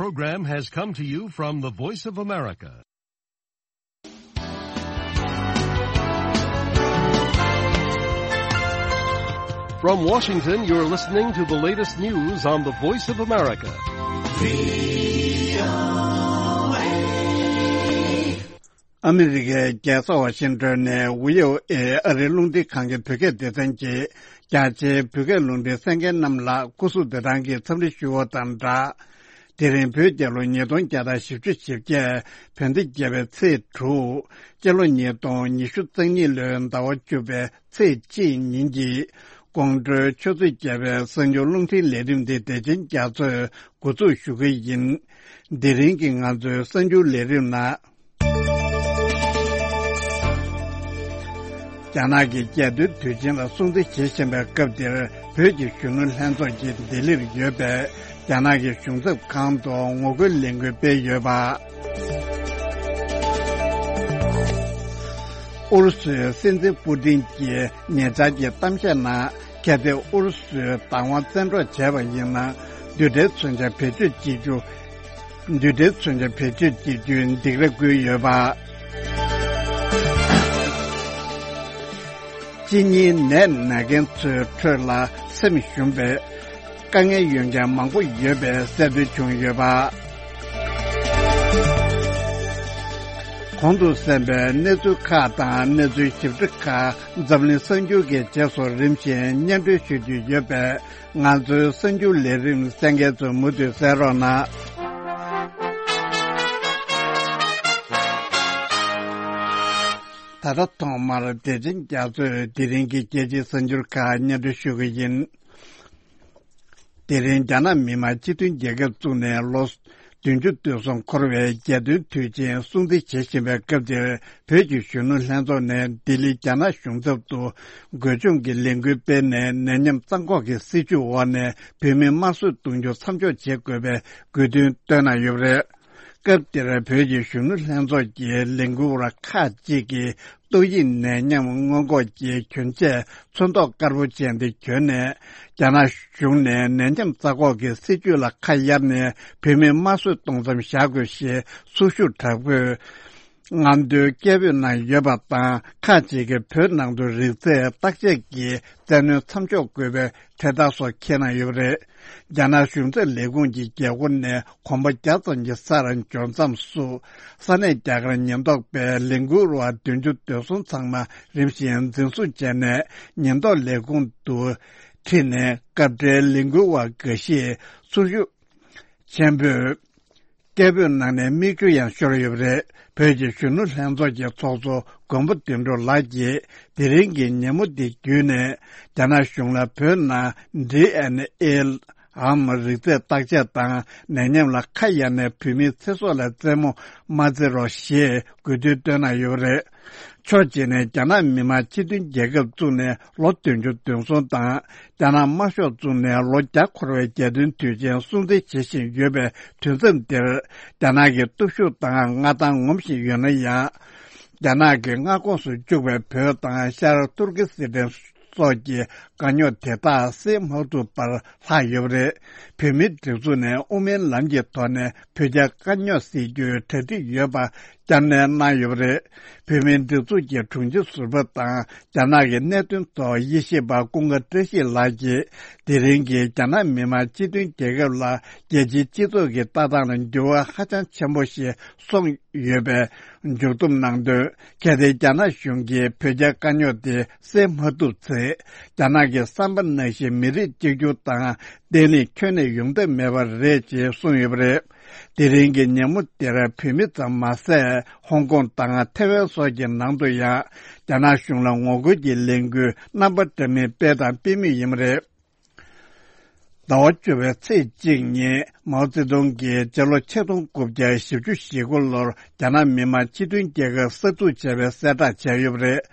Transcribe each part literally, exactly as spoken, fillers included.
Program has come to you from the Voice of America. From Washington, you're listening to the latest news on the Voice of America. ཨ་མི་རི་ཀའི་རྒྱལ་ས་ཝ་ཤིང་ཏོན་ནས་ཝི་ཨོ་ཨེ་ཨ་རིའི་རླུང་འཕྲིན་ཁང་གི་བོད་སྐད་སྡེ་ཚན་གྱིས། རྒྱ་ཆེའི་བོད་སྐད་རླུང་འཕྲིན་གསན་མཁན་རྣམས་ལ་སྐུ་གཟུགས་བདེ་ཐང་གི་འཚམས་འདྲི་ཞུ་བ་དང་སྦྲགས། དེ་རིང་བོད་རྒྱལ་ལོ་ཉིས་སྟོང་བརྒྱ་དང་བཞི་བཅུ་ཞེ་བརྒྱད། བོད་ཟླ་བརྒྱད་པའི་ཚེས་དྲུག། སྤྱི་ལོ་ཉིས་སྟོང་ཉི་ཤུ་རྩ་གཉིས་ལོའི་ཟླ་བ་བཅུ་པའི་ཚེས་གཅིག་ཉིན་གྱི་དགོང་དྲོའི་ཆུ་ཚོད་བརྒྱད་པའི་གསར་འགྱུར་རླུང་འཕྲིན་ལས་རིམ་འདི་དེ་བཞིན་རྒྱ་མཚོས་འགོ་འཛུགས་ཞུ་གི་ཡིན། དེ་རིང་གི་ང་ཚོའི་གསར་འགྱུར་ལས་རིམ་ནང་། རྒྱ་ནག་གི་རྒྱལ་དོན་དུས་ཆེན་ལ་སྲུང་བརྩི་བྱེད་བཞིན་པའི་སྐབས་འདིར། བོད་ཀྱི་གཞོན་ནུ་ལྷན་ཚོགས་ཀྱིས་ལྡི་ལིར་ཡོད་པའི་རྒྱ་ནག་གི་གཞུང་ཚབ་ཁང་དུ་ངོ་རྒོལ་ལས་འགུལ་སྤེལ་ཡོད་པ། ཨུ་རུ་སུའི་སྲིད་འཛིན་པུ་ཏིན་གྱིས་ཉེ་ཆར་གྱི་གཏམ་བཤད་ནང་། གལ་ཏེ་ཨུ་རུ་སུས་བདག་དབང་བཙན་འཕྲོག་བྱས་པ་ཡིན་ན། རྡུལ་ཕྲན་མཚོན་ཆ་བེད་སྤྱོད་བྱེད་རྒྱུ། རྡུལ་ཕྲན་མཚོན་ཆ་བེད་སྤྱོད་བྱེད་རྒྱུའི་སྡིགས་ར་བསྐུལ་ཡོད་པ། གཅིན་སྙིའི་ནད་ན་མཁན་ཚོའི་ཁྲོད་ལ་སེམས་ཞུམ་པའི་དཀའ་ངལ་ཡོད་མཁན་མང་པོ་ཡོད་པའི་གསལ་སྟོན་བྱུང་ཡོད་པ། གོང་དུ་གསན་པའི་གནས་ཚུལ་ཁག་དང་གནས་ཚུལ་ཞིབ་ཕྲ་ཁག་འཛམ་གླིང་གསར་འགྱུར་གྱི་རྗེས་སུ་རིམ་བཞིན་སྙན་སྒྲོན་ཞུ་རྒྱུ་ཡོད་པས། ང་ཚོའི་གསར་འགྱུར་ལས་རིམ་གསན་མཁན་ཚོས་མུ་མཐུད་གསན་རོགས་གནང་། ད་ལྟ་ཐོག་མར་བདེ་ཆེན་རྒྱ་མཚོས་དེ་རིང་གི་རྒྱལ་སྤྱིའི་གསར་འགྱུར་ཁག་སྙན་སྒྲོན་ཞུ་གི་ཡིན། དེ་རིང་རྒྱ་ནག་མི་དམངས་སྤྱི་མཐུན་རྒྱལ་ཁབ་བཙུགས་ནས་ལོ་བདུན་ཅུ་དོན་གསུམ་འཁོར་བའི་རྒྱལ་སྟོན་དུས་ཆེན་སྲུང་བརྩི་བྱེད་བཞིན་པའི་སྐབས་འདིར། བོད་ཀྱི་གཞོན་ནུ་ལྷན་ཚོགས་ནས་ལྡི་ལི་རྒྱ་ནག་གཞུང་ཚབ་ཏུ་དགོད་བཅོམ་གྱི་ལས་འགུལ་སྤེལ་ནས། ནད་ཡམས་རྩ་འགོག་གི་སྲིད་ཇུས་འོག་ནས་བོད་མི་དམར་གསོད་གཏོང་རྒྱུ་མཚམས་འཇོག་བྱེད་དགོས་པའི་དགོས་འདུན་བཏོན་གནང་ཡོད་པ་རེད། སྐབས་དེར་བོད་ཀྱི་གཞོན་ནུ་ལྷན་ཚོགས་ཀྱི་ལས་འགུལ་བ་ཁག་ཅིག་གིས། ཏོག་དབྱིབས་ནད་ཡམས་སྔོན་འགོག་གི་གྱོན་ཆས་ཚོན་མདོག་དཀར་པོ་ཅན་དེ་གྱོན་ནས། རྒྱ་ནག་གཞུང་ནས་ནད་ཡམས་རྩ་འགོག་གི་སྲིད་ཇུས་ལ་ཁ་གཡར་ནས། བོད་མི་དམར་གསོད་གཏོང་མཚམས་བཞག་དགོས་ཞེས་ཚོགས་ཞུགས་དྲག་པོས་ངན་འགྲོའི་སྐད་འབོད་གནང་ཡོད་པ་དང་། ཁག་ཅིག་གིས་བོད་ནང་དུ་རིགས་རྫས་བརྟག་དཔྱད་ཀྱི་བཙན་གནོན་མཚམས་འཇོག་དགོས་པའི་འཕྲེད་དར་སོགས་འཁྱེར་གནང་ཡོད་པ་རེད། རྒྱ་ནག་གཞུང་ཚབ་ལས་ཁུངས་ཀྱི་རྒྱལ་སྒོ་ནས་གོམ་པ་བརྒྱ་ཙམ་གྱི་སར་འབྱོར་མཚམས་སུ། ས་གནས་རྒྱ་གར་ཉེན་རྟོག་པས་ལས་འགུལ་བ་བདུན་ཅུ་དོན་གསུམ་ཚང་མ་རིམ་བཞིན་འཛིན་བཟུང་བྱས་ནས། ཉེན་རྟོག་ལས་ཁུངས་དུ་ཁྲིད་ནས། སྐབས་འབྲེལ་ལས་འགུལ་བ་འགའ་ཤས་ཚོགས་ཞུགས་ཆེན་པོས་སྐད་འབོད་གནང་ནས་མིག་ཆུ་ཡང་ཤོར་ཡོད་པ་རེད། བོད་ཀྱི་གཞོན་ནུ་ལྷན་ཚོགས་ཀྱི་ཚོགས་གཙོ་མགོན་པོ་དོན་གྲུབ་ལགས་ཀྱིས། དེ་རིང་གི་ཉིན་མོ་འདི་བརྒྱུད་ནས། རྒྱ་ནག་གཞུང་ལ་བོད་ནང་ཌི་ཨེན་ཨེ་འམ་རིགས་རྫས་བརྟག་དཔྱད་དང་། ནད་ཡམས་ལ་ཁ་གཡར་ནས་བོད་མིའི་ཚེ་སྲོག་ལ་རྩེད་མོ་མ་རྩེ་རོགས་ཞེས་དགོས་འདུན་བཏོན་གནང་ཡོད་པ་རེད། ཕྱོགས་གཅིག་ནས་རྒྱ་ནག་མི་དམངས་སྤྱི་མཐུན་རྒྱལ་ཁབ་བཙུགས་ནས་ལོ་བདུན་ཅུ་དོན་གསུམ་དང་། རྒྱ་ནག་དམར་ཤོག་བཙུགས་ནས་ལོ་བརྒྱ་འཁོར་བའི་རྒྱལ་སྟོན་དུས་ཆེན་སྲུང་བརྩི་བྱེད་བཞིན་ཡོད་པའི་དུས་མཚམས་འདིར། རྒྱ་ནག་གི་སྟོབས་ཤུགས་དང་མངའ་ཐང་ངོམ་བཞིན་ཡོད་ན་ཡང་། རྒྱ་ནག་གི་མངའ་ཁོངས་སུ་བཅུག་པའི་བོད་དང་ཤར་ཏུར་ཀི་སི་ཐན་སོགས་ཀྱི་དཀའ་རྙོག་དེ་དག་སེལ་མ་ཐུབ་པར་ལྷག་ཡོད་པ་རེད། བོད་མིའི་སྒྲིག་འཛུགས་ནས་དབུ་མའི་ལམ་གྱི་ཐོག་ནས་བོད་རྒྱ་དཀའ་རྙོག་སེལ་རྒྱུའི་གྲ་སྒྲིག་ཡོད་པ་བསྐྱར་ནན་གནང་ཡོད་པ་རེད། བོད་མིའི་སྒྲིག་འཛུགས་ཀྱི་དྲུང་ཆེ་ཟུར་པ་དང་། རྒྱ་ནག་གི་གནད་དོན་ཐོག་དབྱེ་ཞིབ་པ་ཀུན་དགའ་བཀྲ་ཤིས་ལགས་ཀྱིས། དེ་རིང་གི་རྒྱ་ནག་མི་དམངས་སྤྱི་མཐུན་རྒྱལ་ཁབ་ལ་རྒྱལ་སྤྱིའི་སྤྱི་ཚོགས་ཀྱི་ལྟ་སྟངས་ལ་འགྱུར་བ་ཧ་ཅང་ཆེན་པོ་ཞིག་སོང་ཡོད་པའི་མཇུག་བསྡོམས་གནང་དོན། གལ་ཏེ་རྒྱ་ནག་གཞུང་གིས་བོད་རྒྱ་དཀའ་རྙོག་དེ་སེལ་མ་ཐུབ་ཚེ། རྒྱ་ནག་གི་བསམ་པ་ནང་བཞིན་མི་རིགས་གཅིག་གྱུར་དང་བརྟན་ལྷིང་ཁྱོན་ནས་ཡོང་ཐབས་མེད་པ་རེད་ཅེས་གསུངས་ཡོད་པ་རེད། དེ་རིང་གི་ཉིན་མོ་དེར་བོད་མི་ཙམ་མ་ཟད། ཧོང་ཀོང་དང་ཐའེ་ཝན་སོགས་ཀྱི་ནང་དུ་ཡང་། རྒྱ་ནག་གཞུང་ལ་ངོ་རྒོལ་གྱི་ལས་འགུལ་རྣམ་པ་འདྲ་མིན་སྤེལ་དང་སྤེལ་མུས་ཡིན་པ་རེད། ཟླ་བ་བཅུ་པའི་ཚེས་གཅིག་ཉིན། མའོ་ཙེ་ཏུང་གིས་སྤྱི་ལོ་ཆིག་སྟོང་དགུ་བརྒྱ་བཞི་བཅུ་ཞེ་དགུ་ལོར་རྒྱ་ནག་མི་དམངས་སྤྱི་མཐུན་རྒྱལ་ཁབ་གསར་འཛུགས་བྱས་པའི་གསལ་བསྒྲགས་བྱས་ཡོད་པ་རེད།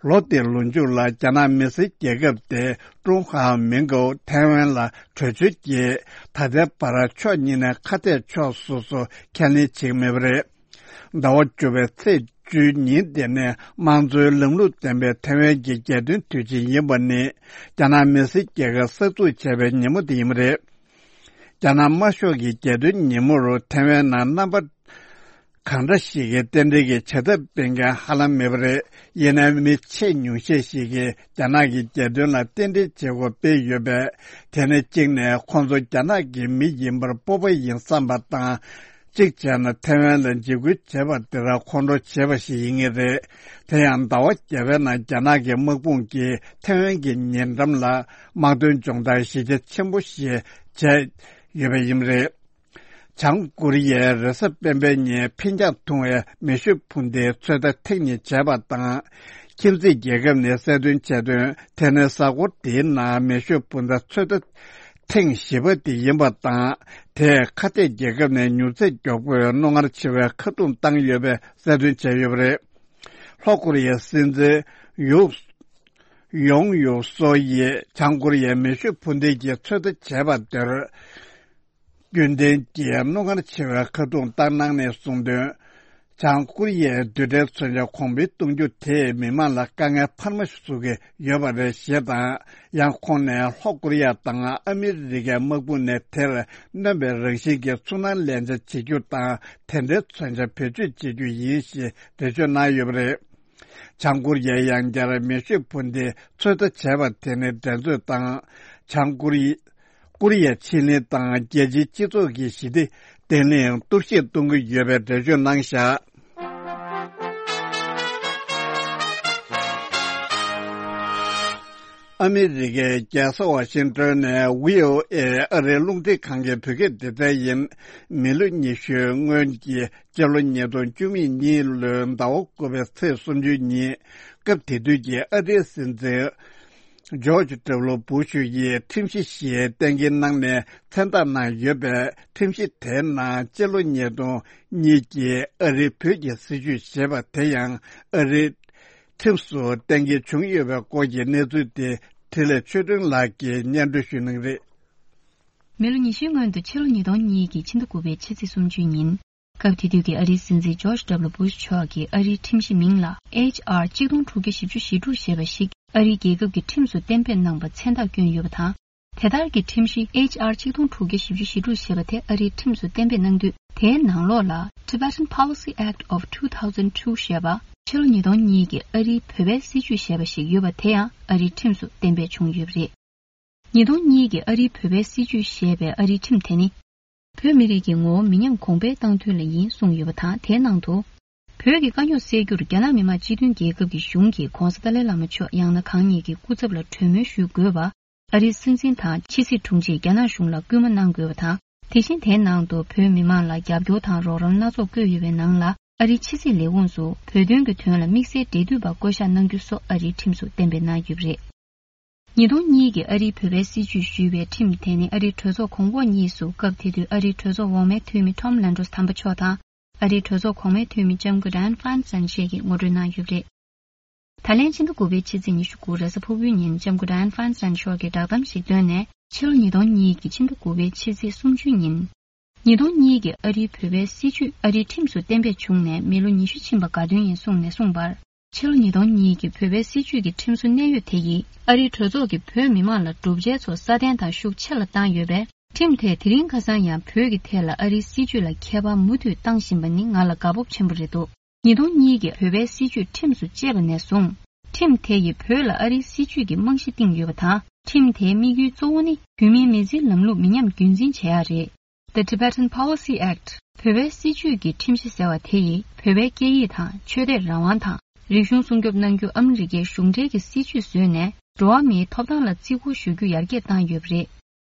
ལོ་དེའི་ལོ་མཇུག་ལ་རྒྱ་ནག་མི་སེར་རྒྱལ་ཁབ་དེ་ཀྲུང་ཧྭ་མིང་གོའུ་ཐའེ་ཝན་ལ་བྲོས་བྱོལ་གྱིས། ད་ལྟའི་བར་ཕྱོགས་གཉིས་ནས་ཁ་གཏད་ཕྱོགས་སོ་སོ་ཁས་ལེན་བྱེད་ཀྱི་མེད་པ་རེད། ཟླ་བ་བཅུ་པའི་ཚེས་བཅུའི་ཉིན་དེ་ནི་དམངས་གཙོའི་ལམ་ལུགས་ལྡན་པའི་ཐའེ་ཝན་གྱི་རྒྱལ་སྟོན་དུས་ཆེན་ཡིན་པ་ནི། རྒྱ་ནག་མི་སེར་རྒྱལ་ཁབ་གསར་འཛུགས་བྱས་པའི་ཉིན་མོ་དེ་ཡིན་པ་རེད། རྒྱ་ནག་དམར་ཤོག་གི་རྒྱལ་སྟོན་ཉིན་མོར་ཐེ་ཝན་ནང་རྣམ་པ་གང་འདྲ་ཞིག་གིས་རྟེན་འབྲེལ་གྱི་བྱ་ཐབས་སྤེལ་མཁན་ཧ་ལམ་མེད་པ་རེད། ཡིན་ནའི་མི་ཆེས་ཉུང་ཤས་ཤིག་གིས་རྒྱ་ནག་གི་རྒྱལ་སྟོན་ལ་རྟེན་འབྲེལ་བྱེད་སྒོ་སྤེལ་ཡོད་པས། དེ་ནི་གཅིག་ནས་ཁོང་ཚོ་རྒྱ་ནག་གི་མི་ཡིན་པར་སྤོབས་པ་ཡིན་བསམ་པ་དང་། གཅིག་བྱས་ན་ཐེ་ཝན་ལ་འཇིགས་སྐུལ་བྱས་པ་དེར་ཁོང་ཁྲོ་བྱས་པ་ཞིག་ཡིན་ངེས་རེད། དེ་ཡང་ཟླ་བ་བརྒྱད་པའི་ནང་རྒྱ་ནག་གི་དམག་དཔུང་གིས་ཐེ་ཝན་གྱི་ཉེ་འགྲམ་ལ་དམག་དོན་སྦྱོང་བརྡར་གཞི་རྒྱ་ཆེན་པོ་ཞིག་བྱས་ཡོད་པ་ཡིན་རེད། བྱང་ཀོ་རི་ཡས་རེས་གཟའ་སྤེན་པའི་ཉིན་འཕེན་རྒྱང་ཐུང་བའི་མེ་ཤུགས་འཕུར་མདེལ་ཚོད་ལྟ་ཐེངས་གཉིས་བྱས་པ་དང་། ཁྱིམ་མཚེས་རྒྱལ་ཁབ་ནས་གསལ་སྟོན་བྱས་དོན། དེ་ནི་གཟའ་འཁོར་འདིའི་ནང་མེ་ཤུགས་འཕུར་མདའ་ཚོད་ལྟ་ཐེངས་བཞི་པ་དེ་ཡིན་པ་དང་། དེས་ཁ་གཏད་རྒྱལ་ཁབ་ནས་མྱུར་ཚད་མགྱོགས་པོས་རྣོ་ངར་ཆེ་བའི་ཁ་རྡུང་བཏང་ཡོད་པའི་གསལ་སྟོན་བྱས་ཡོད་པ་རེད། ལྷོ་ཀོ་རི་ཡའི་སྲིད་འཛིན་ཡུག་ཡོང་ཡུག་སོ་ཡིས་བྱང་ཀོ་རི་ཡས་མེ་ཤུགས་འཕུར་མདེལ་གྱི་ཚོད་ལྟ་བྱས་པ་དེར། རྒྱུན་ལྡན་གྱི་རྣོ་ངར་ཆེ་བའི་ཁ་རྡུང་བཏང་གནང་ནས་གསུངས་དོན། བྱང་ཀོ་རི་ཡས་རྡུལ་ཕྲན་མཚོན་ཆ་གོང་འཕེལ་གཏོང་རྒྱུ་དེས་མི་མང་ལ་དཀའ་ངལ་འཕར་མ་བཟོ་གི་ཡོད་པ་རེད་ཞེས་དང་། ཡང་ཁོང་ནས་ལྷོ་ཀོ་རི་ཡ་དང་ཨ་མི་རི་ཀའི་དམག་དཔུང་ནས་དེར་སྣོན་པའི་རང་བཞིན་གྱི་ཚུར་སྣང་ལན་ཆ་བྱེད་རྒྱུ་དང་། དེ་འདྲའི་མཚོན་ཆ་བེད་སྤྱོད་བྱེད་རྒྱུ་ཡིན་ཞེས་འགྲེལ་བརྗོད་གནང་ཡོད་པ་རེད། བྱང་ཀོ་རི་ཡས་ཡང་བསྐྱར་མེ་ཤུགས་འཕུར་མདེལ་ཚོད་ལྟ་བྱས་པ་དེ་ནི་འགྲན་རྩོད་དང་། བྱང་ཀོ་རི་ཀོ་རི་ཡའི་ཕྱེད་གླིང་དང་རྒྱལ་སྤྱིའི་སྤྱི་ཚོགས་ཀྱི་ཞི་བདེ་བརྟན་ལྷིང་གཏོར་བཤིག་གཏོང་གི་ཡོད་པའི་འགྲེལ་བརྗོད་གནང་བཞག་ཨ་མི་རི་ཀའི་རྒྱལ་ས་ཝ་ཤིང་ཏོན་ནས་བྷི་ཨོ་ཨེ་ཨ་རིའི་རླུང་འཕྲིན་ཁང་གི་བོད་སྐད་སྡེ་ཚན་ཡིན། མི་ལོ་ཉི་ཤུའི་སྔོན་གྱི་སྤྱི་ལོ་ཉིས་སྟོང་བཅུ་གཉིས་ལོའི་ཟླ་བ་དགུ་པའི་ཚེས་སུམ་ཅུ་ཉིན། སྐབས་དེ་དུས་ཀྱི་ཨ་རིའི་སྲིད་འཛིན་ཇོརྗ་ཌབ་ལུ་བྷུ་ཤུ་ཡིས་ཁྲིམས་གཞི་ཞིག་གཏན་འཁེལ་གནང་ནས་མཚན་རྟགས་གནང་ཡོད་པས། ཁྲིམས་གཞི་དེའི་ནང་སྤྱི་ལོ་ཉིས་སྟོང་གཉིས་ཀྱི་ཨ་རིའི་བོད་ཀྱི་སྲིད་བྱུས་ཞེས་པ་དེ་ཡང་ཨ་རིའི་ཁྲིམས་སུ་གཏན་འཁེལ་བྱུང་ཡོད་པའི་སྐོར་གྱི་གནས་ཚུལ་དེ་འཕྲིན་ལས་ཆོས་སྒྲོན་ལགས་ཀྱིས་སྙན་སྒྲོན་ཞུ་གནང་གི་རེད། མི་ལོ་ཉི་ཤུའི་སྔོན་དུ་ཕྱི་ལོ་ཉིས་སྟོང་གཉིས་ཀྱི་ཕྱི་ཟླ་དགུ་པའི་ཕྱི་ཚེས་སུམ་ཅུ་ཉིན། སྐབས་དེ་དུས་ཀྱི་ཨ་རིའི་སྲིད་འཛིན་ཇོརྗ་ཌབ་ལུ་བྷུ་ཤ་མཆོག་གིས་ཨ་རིའི་ཁྲིམས་གཞི་མིང་ལ་ཨེཆ་ཨར་གཅིག་སྟོང་དྲུག་བརྒྱ་བཞི་བཅུ་ཞེ་དྲུག་ཞེས་པ་ཞིག་ཨ་རིའི་རྒྱལ་ཁབ་ཀྱི་ཁྲིམས་སུ་གཏན་འབེབས་གནང་བ་མཚན་རྟགས་བསྐྱོན་ཡོད་པ་དང་། དེ་ལྟར་གྱི་ཁྲིམས་གཞི་ཨེཆ་ཨར་གཅིག་སྟོང་དྲུག་བརྒྱ་བཞི་བཅུ་ཞེ་དྲུག་ཞེས་པ་དེ་ཨ་རིའི་ཁྲིམས་སུ་གཏན་འབེབས་གནང་དུས། དེའི་ནང་ལོགས་ལ་Tibetan Policy Act of two thousand two ཞེས་པ། ཕྱི་ལོ་ཉིས་སྟོང་གཉིས་ཀྱི་ཨ་རིའི་བོད་པའི་སྲིད་བྱུས་ཞེས་པ་ཞིག་ཡོད་པ་དེ་ཡང་ཨ་རིའི་ཁྲིམས་སུ་གཏན་འབེབས་བྱུང་ཡོད་པ་རེད། ཉིས་སྟོང་གཉིས་ཀྱི་ཨ་རིའི་བོད་པའི་སྲིད་བྱུས་ཞེས་པའི་ཨ་རིའི་ཁྲིམས་དེ་ནི། བོད་མི་རིགས་ཀྱི་ངོ་བོ་མི་ཉམས་གོང་འཕེལ་གཏང་ཐུབ་ལ་ཡིན་གསུངས་ཡོད་པ་དང་། དེའི་ནང་དུ། བོད་ཀྱི་དཀའ་རྙོག་སེལ་རྒྱུར་རྒྱ་ནག་མི་དམངས་སྤྱི་མཐུན་རྒྱལ་ཁབ་ཀྱི་གཞུང་གིས་༧གོང་ས་ཏཱ་ལའི་བླ་མ་མཆོག་ཡང་ན་གང་ཉིད་ཀྱི་སྐུ་ཚབ་ལ་གྲོས་མོལ་ཞུ་དགོས་པ། ཨ་རིའི་སྲིད་འཛིན་དང་ཕྱི་སྲིད་དྲུང་ཆེས་རྒྱ་ནག་གཞུང་ལ་སྐུལ་མ་གནང་དགོས་པ་དང་། དེ་བཞིན་དེའི་ནང་དུ་བོད་མི་མང་ལ་རྒྱབ་སྐྱོར་དང་རོགས་རམ་སྣ་ཚོགས་བཀོད་ཡོད་པའི་ནང་ལ། ཨ་རིའི་ཕྱི་སྲིད་ལས་ཁུངས་སུ་བོད་དོན་གྱི་དོན་ལ་དམིགས་བསལ་འབྲེལ་མཐུད་པ་བསྐོ་གཞག་གནང་རྒྱུ་སོགས་ཨ་རིའི་ཁྲིམས་སུ་གཏན་འབེབས་གནང་ཡོད་པ་རེད། ཉིས་སྟོང་གཉིས་ཀྱི་ཨ་རིའི་བོད་པའི་སྲིད་བྱུས་ཞུས་པའི་ཁྲིམས་དེ་ནི་ཨ་རིའི་གྲོས་ཚོགས་གོང་འོག་གཉིས་སུ་སྐབས་དེ་དུས་ཨ་རིའི་གྲོས་ཚོགས་འོག་མའི་འཐུས་མི་Tom Lantos དམ་པ་མཆོག་དང་། ཨ་རིའི་གྲོས་ཚོགས་གོང་མའི་འཐུས་མི་ལྕམ་སྐུ་Dianne Feinstein བཅས་ཀྱིས་ངོ་སྤྲོད་གནང་ཡོད་པ་རེད། ད་ལན་ཕྱི་ཟླ་དགུ་པའི་ཕྱི་ཚེས་ཉི་ཤུ་དགུ་རེས་གཟའ་ཕུར་བུའི་ཉིན་ལྕམ་སྐུ་Dianne Feinstein མཆོག་གིས་བསྒྲགས་གཏམ་ཞིག་བཏོན་ནས། ཕྱི་ལོ་ཉིས་སྟོང་གཉིས་ཀྱི་ཕྱི་ཟླ་དགུ་པའི་ཕྱི་ཚེས་སུམ་ཅུ་ཉིན། ཉིས་སྟོང་གཉིས་ཀྱི་ཨ་རིའི་བོད་པའི་སྲིད་བྱུས་ཨ་རིའི་ཁྲིམས་སུ་གཏན་འབེབས་བྱུང་ནས་མི་ལོ་ཉི་ཤུ་ཕྱིན་པ་དགའ་སྟོན་ཡིན་གསུངས་ནས་གསུངས་པར། ཕྱི་ལོ་ཉིས་སྟོང་གཉིས་ཀྱི་བོད་པའི་སྲིད་བྱུས་ཀྱི་ཁྲིམས་བཟོ་གནད་ཡོད་དེ་ཡིས་ཨ་རིའི་གྲོས་ཚོགས་ཀྱིས་བོད་མི་མང་ལ་བསྒྲུབ་བྱའི་ཚོགས་སྲ་བརྟན་དང་ཤུགས་ཆེ་ལ་བཏང་ཡོད་པས། ཁྲིམས་དེས་དེ་རིང་ཁ་སང་ཡང་བོད་ཀྱི་ཐད་ལ་ཨ་རིའི་སྲིད་བྱུས་ལ་ཁྱད་པར་མུ་མཐུད་བཏང་བཞིན་པ་ནི་ང་ལ་དགའ་སྤོབས་ཆེན་པོ་རེད་འདུག་ཉིས་སྟོང་གཉིས་ཀྱི་བོད་པའི་སྲིད་བྱུས་ཁྲིམས་སུ་བཅད་པ་ནས་བཟུང་། ཁྲིམས་དེ་ཡིས་བོད་ལ་ཨ་རིའི་སྲིད་བྱུས་ཀྱི་རྨང་གཞི་བཏིང་ཡོད་པ་དང་། ཁྲིམས་དེའི་དམིགས་ཡུལ་གཙོ་བོ་ནི་བོད་མིའི་མི་ཚེའི་ལམ་ལུགས་མི་ཉམས་རྒྱུན་འཛིན་བྱེད་ཡག་རེད། The Tibetan Policy Act བོད་པའི་སྲིད་བྱུས་ཀྱི་ཁྲིམས་གཞི་ཟེར་བ་དེ་ཡིས་བོད་པའི་སྐད་ཡིག་དང་ཆོས་དད་རང་དབང་དང་རིག་གཞུང་སྲུང་སྐྱོབ་གནང་རྒྱུ་ཨ་མི་རི་ཀའི་གཞུང་འབྲེལ་གྱི་སྲིད་བྱུས་བཟོས་ནས་འགྲོ་བ་མིའི་ཐོབ་ཐང་ལ་བརྩི་བཀུར་ཞུ་རྒྱུ་ཡར་རྒྱས་བཏང་ཡོད་པ་རེད།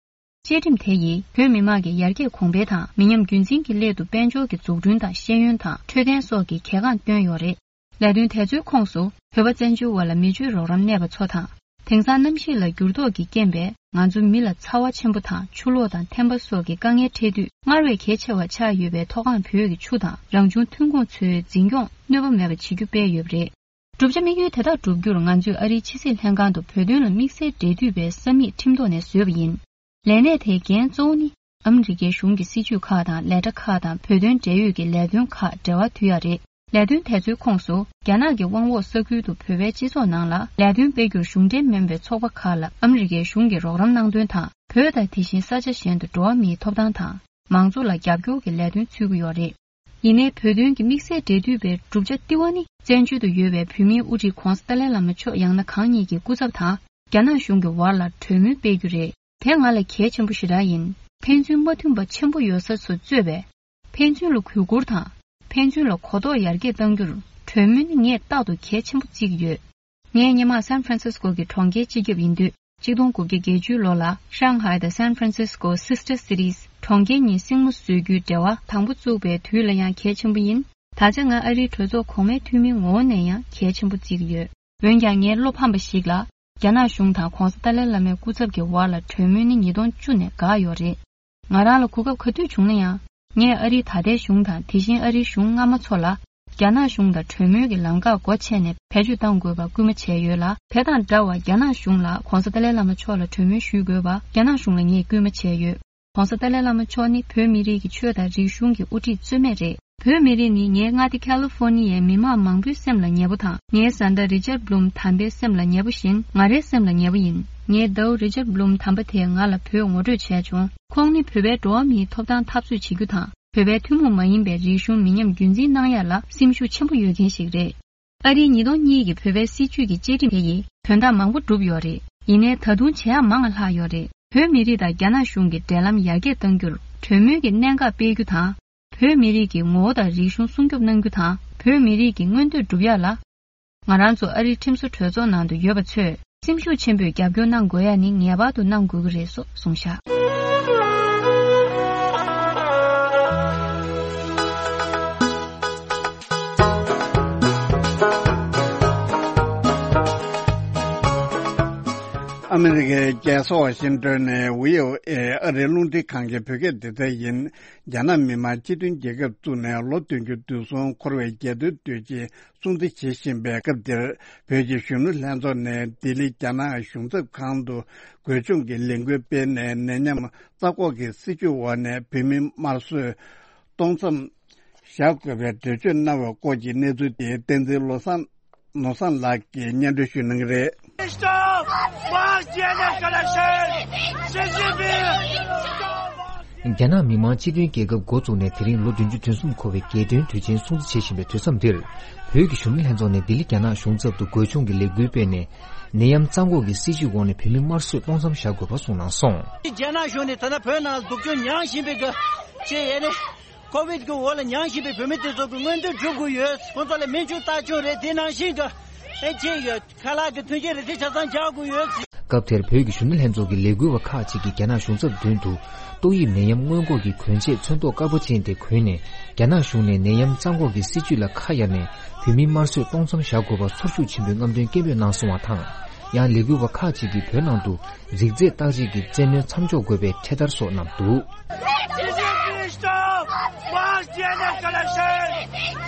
བཅའ་ཁྲིམས་དེ་ཡིས་བོད་མི་དམངས་ཀྱི་ཡར་རྒྱས་གོང་འཕེལ་དང་མི་ཉམས་རྒྱུན་འཛིན་གྱི་སླད་དུ་དཔལ་འབྱོར་གྱི་འཛུགས་སྐྲུན་དང་ཤེས་ཡོན་དང་འཕྲོད་བསྟེན་སོགས་ཀྱི་གལ་འགངས་བཏོན་ཡོད་རེད། ལས་དོན་དེ་ཚོའི་ཁོངས་སུ་བོད་པ་བཙན་བྱོལ་བ་ལ་མི་སྤྱོད་རོགས་རམ་གནས་པ་ཚོ་དང་། དེང་སང་གནམ་གཤིས་ལ་འགྱུར་ལྡོག་གི་རྐྱེན་པས་ང་ཚོ་མི་ལ་ཚ་བ་ཆེན་པོ་དང་ཆུ་ལོག་དང་ཐན་པ་སོགས་ཀྱི་དཀའ་ངལ་འཕྲད་དུས་སྔར་བས་གལ་ཆེ་བ་ཆགས་ཡོད་པའི་མཐོ་སྒང་བོད་ཀྱི་ཆུ་དང་རང་བྱུང་ཐོན་ཁུངས་ཚོའི་འཛིན་སྐྱོང་གནོད་པ་མེད་པ་བྱེད་རྒྱུ་སྤེལ་ཡོད་པ་རེད། བསྒྲུབ་བྱ་དམིགས་ཡུལ་དེ་དག་བསྒྲུབ་རྒྱུར་ང་ཚོས་ཨ་རིའི་ཕྱི་སྲིད་ལྷན་ཁང་དུ་བོད་དོན་ལ་དམིགས་བསལ་འབྲེལ་མཐུད་པའི་ས་མིག་ཁྲིམས་ཐོག་ནས་བཟོས་པ་ཡིན། ལས་གནས་དེའི་འགན་གཙོ་བོ་ནི་ཨ་མི་རི་ཀའི་གཞུང་གི་སྲིད་བྱུས་ཁག་དང་ལས་གྲྭ་ཁག་དང་བོད་དོན་འབྲེལ་ཡོད་ཀྱི་ལས་དོན་ཁག་འབྲེལ་བ་མཐུད་ཡ་རེད། ལས་དོན་དེ་ཚོའི་ཁོངས་སུ། རྒྱ་ནག་གི་དབང་འོག་ས་ཁུལ་དུ་བོད་པའི་སྤྱི་ཚོགས་ནང་ལ་ལས་དོན་སྤེལ་རྒྱུར་གཞུང་འབྲེལ་མིན་པའི་ཚོགས་པ་ཁག་ལ་ཨ་མི་རི་ཀའི་གཞུང་གིས་རོགས་རམ་གནང་དོན་དང་། བོད་དང་དེ་བཞིན་ས་ཆ་གཞན་དུ་འགྲོ་བ་མིའི་ཐོབ་ཐང་དང་། མང་གཙོ་ལ་རྒྱབ་སྐྱོར་གྱི་ལས་དོན་འཚོལ་གྱི་ཡོད་རེད། ཡིན་ནའི་བོད་དོན་གྱི་དམིགས་བསལ་འབྲེལ་མཐུད་པའི་གྲུབ་ཆ་ལྟེ་བ་ནི། བཙན་བྱོལ་དུ་ཡོད་པའི་བོད་མིའི་དབུ་ཁྲིད་༧གོང་ས་ཏཱ་ལའི་བླ་མ་མཆོག་ཡང་ན་གང་ཉིད་ཀྱི་སྐུ་ཚབ་དང་། རྒྱ་ནག་གཞུང་གི་བར་ལ་གྲོས་མོལ་སྤེལ་རྒྱུ་རེད། དེ་ང་ལ་གལ་ཆེན་པོ་ཞེ་དྲག་ཡིན། ཕན་ཚུན་མ་མཐུན་པ་ཆེན་པོ་ཡོད་ས་ཚོ་གཙོས་པའི། ཕན་ཚུན་ལ་གུས་བཀུར་དང་། ཕན་ཚུན་ལ་གོ་རྟོགས་ཡར་རྒྱས་གཏང་རྒྱུར། གྲོས་མོལ་ནི་ངས་རྟག་ཏུ་གལ་ཆེན་པོ་བརྩི་གི་ཡོད། ངས་སྔོན་མ་སན་ཧྥ་རན་སིས་ཀོ་གི་གྲོང་ཁྱེར་སྤྱི་ཁྱབ་ཡིན་དུས། ཆིག་སྟོང་དགུ་བརྒྱ་བརྒྱད་ཅུ་ལོ་ལ་ཧྲང་ཧའེ་དང་སན་ཧྥ་རན་སིས་ཀོ་སིས་ཊར་སི་ཊིས་གྲོང་ཁྱེར་གཉིས་སྲིང་མོ་བཟོ་རྒྱུའི་འབྲེལ་བ་དང་པོ་བཙུགས་པའི་དུས་ལ་ཡང་གལ་ཆེན་པོ་ཡིན། ད་ཆ་ང་ཨ་རིའི་གྲོས་ཚོགས་གོང་མའི་འཐུས་མིའི་ངོ་བོ་ནས་ཡང་གལ་ཆེན་པོ་བརྩི་གི་ཡོད། འོན་ཀྱང་ངའི་བློ་ཕམ་པ་ཞིག་ལ། རྒྱ་ནག་གཞུང་དང་༧གོང་ས་ཏཱ་ལའི་བླ་མའི་སྐུ་ཚབ་ཀྱི་བར་ལ་གྲོས་མོལ་ནི་ཉིས་སྟོང་བཅུ་ནས་འགག་ཡོད་རེད། ང་རང་ལ་གོ་སྐབས་ག་དུས་བྱུང་ན་ཡང་། ངས་ཨ་རིའི་ད་ལྟའི་གཞུང་དང་དེ་བཞིན་ཨ་རིའི་གཞུང་སྔ་མ་ཚོ་ལ། རྒྱ་ནག་གཞུང་དང་གྲོས་མོལ་གྱི་ལམ་ཁ་སྒོ་ཕྱེ་ནས་བེད་སྤྱོད་གཏང་དགོས་པར་སྐུལ་མ་བྱས་ཡོད་ལ། དེ་དང་འདྲ་བར་རྒྱ་ནག་གཞུང་ལ་༧གོང་ས་ཏཱ་ལའི་བླ་མ་མཆོག་ལ་གྲོས་མོལ་ཞུ་དགོས་པར་རྒྱ་ནག་གཞུང་ལ་ངས་སྐུལ་མ་བྱས་ཡོད། ༧གོང་ས་ཏཱ་ལའི་བླ་མ་མཆོག་ནི་བོད་མི་རིགས་ཀྱི་ཆོས་དང་རིག་གཞུང་གི་དབུ་ཁྲིད་རྩོད་མེད་རེད། བོད་མི་རིགས་ནི་ངའི་མངའ་སྡེ་ཁ་ལི་ཧྥོ་ནི་ཡའི་མི་མང་མང་པོའི་སེམས་ལ་ཉེ་པོ་དང་། ངའི་བཟའ་ཟླ་རི་ཅར་བྷུ་ལུམ་དམ་པའི་སེམས་ལ་ཉེ་པོ་བཞིན་ང་རའི་སེམས་ལ་ཉེ་པོ་ཡིན། ངའི་ཟླ་བོ་རི་ཅར་བྷུ་ལུམ་དམ་པ་དེས་ང་ལ་བོད་ངོ་སྤྲོད་བྱས་བྱུང་། ཁོང་ནི་བོད་པའི་འགྲོ་བ་མིའི་ཐོབ་ཐང་འཐབ་རྩོད་བྱེད་རྒྱུ་དང་། བོད་པའི་ཐུན་མོང་མ་ཡིན་པའི་རིག་གཞུང་མི་ཉམས་རྒྱུན་འཛིན་གནང་ཡ་ལ་སེམས་ཤུགས་ཆེན་པོ་ཡོད་མཁན་ཞིག་རེད། ཨ་རིའི་ཉིས་སྟོང་གཉིས་ཀྱི་བོད་པའི་སྲིད་བྱུས་ཀྱི་བཅའ་ཁྲིམས་དེ་ཡིས་དོན་དག་མང་པོ་བསྒྲུབས་ཡོད་རེད། ཡིན་ནའི་ད་དུང་བྱེད་ཡག་མང་བ་ལྷག་ཡོད་རེད། བོད་མི་རིགས་དང་རྒྱ་ནག་གཞུང་གི་འབྲེལ་ལམ་ཡར་རྒྱས་གཏང་རྒྱུར་གྲོས་མོལ་གྱི་གནད་འགག་སྤེལ་རྒྱུ་དང་། བོད་མི་རིགས་ཀྱི་ངོ་བོ་དང་རིག་གཞུང་སྲུང་སྐྱོབ་གནང་རྒྱུ་དང་། བོད་མི་རིགས་ཀྱི་མངོན་འདོད་སྒྲུབ་ཡག་ལ། ང་རང་ཚོ་ཨ་རིའི་ཁྲིམས་བཟོ་གྲོས་ཚོགས་ནང་དུ་ཡོད་པ་ཚོས་སེམས་ཤུགས་ཆེན་པོས་རྒྱབ་སྐྱོར་གནང་དགོས་ཡ་ནི་ངེས་པར་དུ་གནང་དགོས་ཀྱི་རེད་སོགས་གསུངས་བཞག་ཨ་མི་རི་ཀའི་རྒྱལ་ས་ཝ་ཤིང་ཏོན་ནས་བྷི་ཨོ་ཨེ་ཨ་རིའི་རླུང་འཕྲིན་ཁང་གི་བོད་སྐད་སྡེ་ཚན་ཡིན། རྒྱ་ནག་མི་དམངས་སྤྱི་མཐུན་རྒྱལ་ཁབ་བཙུགས་ནས་ལོ་བདུན་ཅུ་དོན་གསུམ་འཁོར་བའི་རྒྱལ་དོན་དུས་ཆེན་སྲུང་བརྩི་བྱེད་བཞིན་པའི་སྐབས་འདིར། བོད་ཀྱི་གཞོན་ནུ་ལྷན་ཚོགས་ནས་ལྡི་ལི་རྒྱ་ནག་གཞུང་ཚབ་ཁང་དུ་འགོ་ཆུང་གི་ལས་འགུལ་སྤེལ་ནས། ནད་ཡམས་རྩ་འགོག་གི་སྲིད་བྱུས་འོག་ནས་བོད་མི་དམར་གསོད་གཏོང་མཚམས་བཞག་དགོས་པའི་འགྲེལ་བརྗོད་གནང་བའི་སྐོར་གྱི་གནས་ཚུལ་དེ་བསྟན་འཛིན་བློ་བཟང་ནོར་བཟང་ལགས་ཀྱིས་སྙན་སྒྲོན་ཞུ་གནང་གི་རེད། Stop mass D N A collection! Xi Jinping! Stop mass རྒྱ་ནག་མི་དམངས་སྤྱི་མཐུན་རྒྱལ་ཁབ་འགོ་བཙུགས་ནས་དེ་རིང་ལོ་བདུན་ཅུ་དོན་གསུམ་འཁོར་བའི་རྒྱལ་སྟོན་དུས་ཆེན་སྲུང་བརྩི་བྱེད་བཞིན་པའི་དུས་མཚམས་འདིར། བོད་ཀྱི་གཞོན་ནུ་ལྷན་ཚོགས་ནས་ལྡི་ལི་རྒྱ་ནག་གཞུང་ཚབ་ཏུ་འགོ་ཆུང་གི་ལས་འགུལ་སྤེལ་ནས། ནད་ཡམས་རྩ་འགོག་གི་སྲིད་བྱུས་འོག་ནས་བོད་མི་དམར་གསོད་གཏོང་མཚམས་བཞག་དགོས་པ་གསུངས་གནང་སོང་། རྒྱ་ནག་གཞུང་ནས་ད་ལྟ་བོད་ནང་སྡུག་སྦྱོང་མྱངས་བཞིན་པའི་གི་ཅེས་ཡས་ནས། ཀོ་བིད་ཀྱི་འོག་ལ་མྱངས་བཞིན་པའི་བོད་མི་དེ་ཚོ་གི་མངོན་འདོད་སྒྲུབ་དགོས་ཡོད། ཁོང་ཚོ་ལ་སྨན་བཅོས་ལྟ་སྐྱོང་རེད། དེ་ནང་བཞིན་གྱི་ཨེ་ཅེས་ཡོད། ཁ་ལག་གི་མཐུན་རྐྱེན་རེ་ཞིག་ཆ་ཚང་རྒྱག་དགོས་ཡོད། སྐབས་དེར་བོད་ཀྱི་གཞོན་ནུ་ལྷན་ཚོགས་ཀྱི་ལས་འགུལ་བ་ཁག་ཅིག་གིས་རྒྱ་ནག་གཞུང་ཚབ་མདུན་དུ་ཏོག་དབྱིབས་ནད་ཡམས་སྔོན་འགོག་གི་གྱོན་ཆས་ཚོན་མདོག་དཀར་པོ་ཅན་དེ་གོན་ནས། རྒྱ་ནག་གཞུང་ནས་ནད་ཡམས་རྩ་འགོག་གི་སྲིད་བྱུས་ལ་ཁ་གཡར་ནས་བོད་མི་དམར་གསོད་གཏོང་མཚམས་བཞག་དགོས་པར་ཚོར་ཤུགས་ཆེན་པོས་རྔམ་སྟོན་སྐད་འབོད་གནང་སོང་བ་དང་། ཡང་ལས་འགུལ་བ་ཁག་ཅིག་གིས་བོད་ནང་དུ་རིགས་རྫས་བརྟག་དཔྱད་ཀྱི་བཙན་གནོན་མཚམས་འཇོག་དགོས་པའི་འཕྲེད་དར་སོགས་བསྣམས་འདུག Stop mass D N A collection!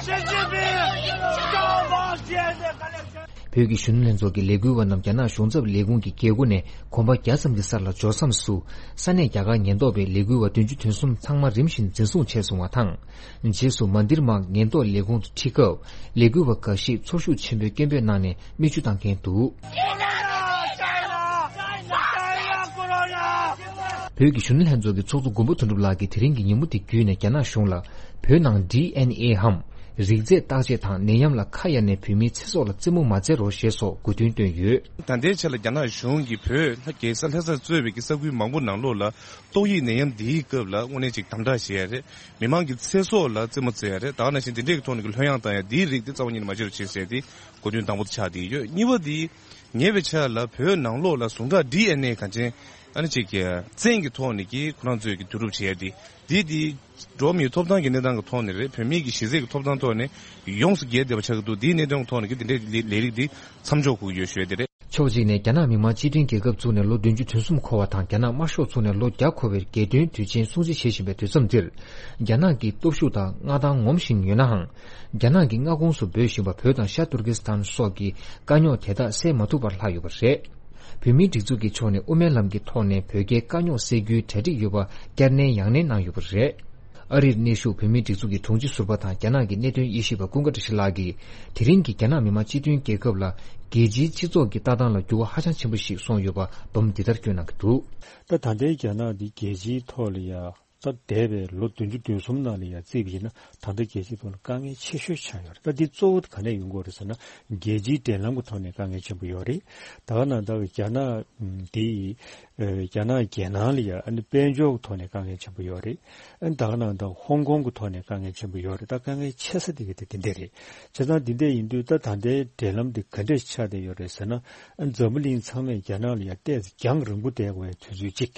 Xi Jinping! Stop mass D N A collection! བོད་ཀྱི་གཞོན་ནུ་ལྷན་ཚོགས་ཀྱི་ལས་འགུལ་བ་རྣམས་རྒྱ་ནག་གཞུང་ཚབ་ལས་ཁུངས་ཀྱི་སྒེའུ་ཁུང་ནས་གོམ་པ་བརྒྱ་ཙམ་གྱི་སར་ལ་འབྱོར་མཚམས་སུ། ས་གནས་རྒྱ་གར་ཉེན་རྟོག་པས་ལས་འགུལ་བ་བདུན་ཅུ་དོན་གསུམ་ཚང་མ་རིམ་བཞིན་འཛིན་བཟུང་བྱས་སོང་བ་དང་། རྗེས་སུ་མན་དིར་མཱག་ཉེན་རྟོག་ལས་ཁུངས་སུ་ཁྲིད་སྐབས། ལས་འགུལ་བ་འགའ་ཞིག་ཚོར་ཤུགས་ཆེན་པོས་སྐད་འབོད་གནང་ནས་མིག་ཆུ་བཏང་མཁན་འདུག་བོད་ཀྱི་གཞོན་ནུ་ལྷན་ཚོགས་ཀྱི་ཚོགས་གཙོ་མགོན་པོ་དོན་གྲུབ་ལགས་ཀྱིས་དེ་རིང་གི་ཉིན་མོ་དེ་བརྒྱུད་ནས་རྒྱ་ནག་གཞུང་ལ། བོད་ནང་ཌི་ཨེན་ཨེ་འམ། རིགས་རྫས་བརྟག་དཔྱད་དང་ནད་ཡམས་ལ་ཁ་གཡར་ནས་བོད་མིའི་ཚེ་སྲོག་ལ་རྩེད་མོ་མ་རྩེ་རོགས་ཞེས་སོགས་དགོས་འདུན་བཏོན་ཡོད། ད་ལྟའི་ཆ་ལ་རྒྱ་ནག་གཞུང་གིས་བོད་ལྷ་རྒྱལ་ས་ལྷ་སར་གཙོས་པའི་གི་ས་ཁུལ་མང་པོ་ནང་ལོགས་ལ། ཏོག་དབྱིབས་ནད་ཡམས་འདིའི་སྐབས་ལ་དངོས་གནས་ཅིག་དམ་དྲག་བྱེད་ཡ་རེད། མི་མང་གི་ཚེ་སྲོག་ལ་རྩེད་མོ་རྩེ་ཡ་རེད། ད་ག་ནང་བཞིན་དེ་འདྲའི་གི་ཐོག་ནས་གི་ལྷོད་ཡངས་བཏང་ཡ་འདིའི་རིགས་དེ་རྩ་བ་ཉིད་ནས་མ་བྱེད་རོགས་བྱེད་ཟེར་ཏེ་དགོས་འདུན་དང་པོ་དེ་ཆགས་བསྡད་ཡོད། གཉིས་པ་དེ། ཉེ་བའི་ཆར་ལ་བོད་ནང་ལོགས་ལ་ཟུངས་ཁྲག་ཌི་ཨེན་ཨེ་གང་ཅན་ཨ་ནི་ཅིག་གི་བཙན་གྱི་ཐོག་ནས་ཀྱི་ཁོ་རང་ཚོས་ཀྱི་བསྡུ་རུབ་བྱས་ཏེ་འདི་དེ་འགྲོ་བ་མིའི་ཐོབ་ཐང་གི་གནས་སྟངས་ཀྱི་ཐོག་ནས་རེད། བོད་མིའི་གི་གཞི་རྩའི་གི་ཐོབ་ཐང་ཐོག་ནས་ཡོངས་སུ་འགལ་བསྡད་པ་ཆགས་ཀྱི་འདུག་འདིའི་གནད་དོན་ཐོག་ནས་ཀྱི་དེ་འདྲའི་ལས་རིགས་འདི་མཚམས་འཇོག་དགོས་ཀྱི་ཡོད་ཞུ་ཡ་དེ་རེད། ཕྱོགས་གཅིག་ནས་རྒྱ་ནག་མི་དམངས་སྤྱི་མཐུན་རྒྱལ་ཁབ་བཙུགས་ནས་ལོ་བདུན་ཅུ་དོན་གསུམ་འཁོར་བ་དང་རྒྱ་ནག་དམར་ཤོག་ཚོགས་ནས་ལོ་བརྒྱ་འཁོར་བའི་རྒྱལ་སྟོན་དུས་ཆེན་སྲུང་བརྩི་བྱེད་བཞིན་པའི་དུས་མཚམས་འདིར། རྒྱ་ནག་གི་སྟོབས་ཤུགས་དང་མངའ་ཐང་ངོམ་བཞིན་ཡོད་ནའང་། རྒྱ་ནག་གི་མངའ་ཁོངས་སུ་འབོད་བཞིན་པ་བོད་དང་ཤར་ཏུར་ཀི་སི་ཐན་སོགས་ཀྱི་དཀའ་རྙོག་དེ་དག་སེལ་མ་ཐུབ་པར་ལྷག་ཡོད་པ་རེད། བོད་མིའི་སྒྲིག་འཛུགས་ཀྱི་ཕྱོགས་ནས་དབུ་མའི་ལམ་གྱི་ཐོག་ནས་བོད་རྒྱའི་དཀའ་རྙོག་སེལ་རྒྱུའི་གྲ་སྒྲིག་ཡོད་པ་བསྐྱར་ནན་ཡང་ནན་གནང་ཡོད་པ་རེད། ཨ་རིར་གནས་བཞུགས་བོད་མིའི་སྒྲིག་འཛུགས་ཀྱི་དྲུང་ཆེ་ཟུར་པ་དང་རྒྱ་ནག་གི་གནད་དོན་དབྱེ་ཞིབ་པ་ཀུན་དགའ་བཀྲ་ཤིས་ལགས་ཀྱིས། དེ་རིང་གི་རྒྱ་ནག་མི་དམངས་སྤྱི་མཐུན་རྒྱལ་ཁབ་ལ་རྒྱལ་སྤྱིའི་སྤྱི་ཚོགས་ཀྱི་ལྟ་སྟངས་ལ་འགྱུར་བ་ཧ་ཅང་ཆེན་པོ་ཞིག་སོང་ཡོད་པ་འབུམ་འདི་ལྟར་བསྐྱོན་གནང་གི་འདུག་ད་ད་ལྟའི་རྒྱ་ནག་འདི་རྒྱལ་སྤྱིའི་ཐོག་ལ་ཡ། ད་འདས་པའི་ལོ་བདུན་ཅུ་དོན་གསུམ་ནང་ལ་ཡ་བརྩིས་པ་ཡིན་ན། ད་ལྟ་རྒྱལ་སྤྱིའི་ཐོག་ལ་དཀའ་ངལ་ཆེ་ཤོས་ཆགས་ཡོད་རེད། ད་འདི་གཙོ་བོ་དེ་ག་ནས་ཡོང་གི་ཡོད་རེད་ཟེར་ན། རྒྱལ་སྤྱིའི་འབྲེལ་ལམ་གྱི་ཐོག་ནས་དཀའ་ངལ་ཆེན་པོ་ཡོད་རེད། ད་ག་ནང་ད་རྒྱ་ནག་འདི། ཨ་རྒྱ་ནག་རྒྱལ་ནང་ལ་ཡ་ཨ་ནི་དཔལ་འབྱོར་གྱི་ཐོག་ནས་དཀའ་ངལ་ཆེན་པོ་ཡོད་རེད། ཨ་ནི་ད་ག་ནང་ད་ཧོང་ཀོང་གི་ཐོག་ནས་དཀའ་ངལ་ཆེན་པོ་ཡོད་རེད། ད་དཀའ་ངལ་ཆེ་ས་དེ་ག་དེ་དེ་འདྲ་རེད། བྱས་ཙང་འདི་འདྲ་ཡིན་དུས་ད་ད་ལྟའི་འབྲེལ་ལམ་འདི་ག་འདྲ་ཆགས་བསྡད་ཡོད་རེད་ཟེར་ན། ཨ་འཛམ་བུ་གླིང་ཚང་མས་རྒྱ་ནག་ལ་ཡ་ཏོག་ཙམ་རྒྱང་རིང་པོ་བསྡད་དགོས་པའི་དུས་ཚོད་ཅིག་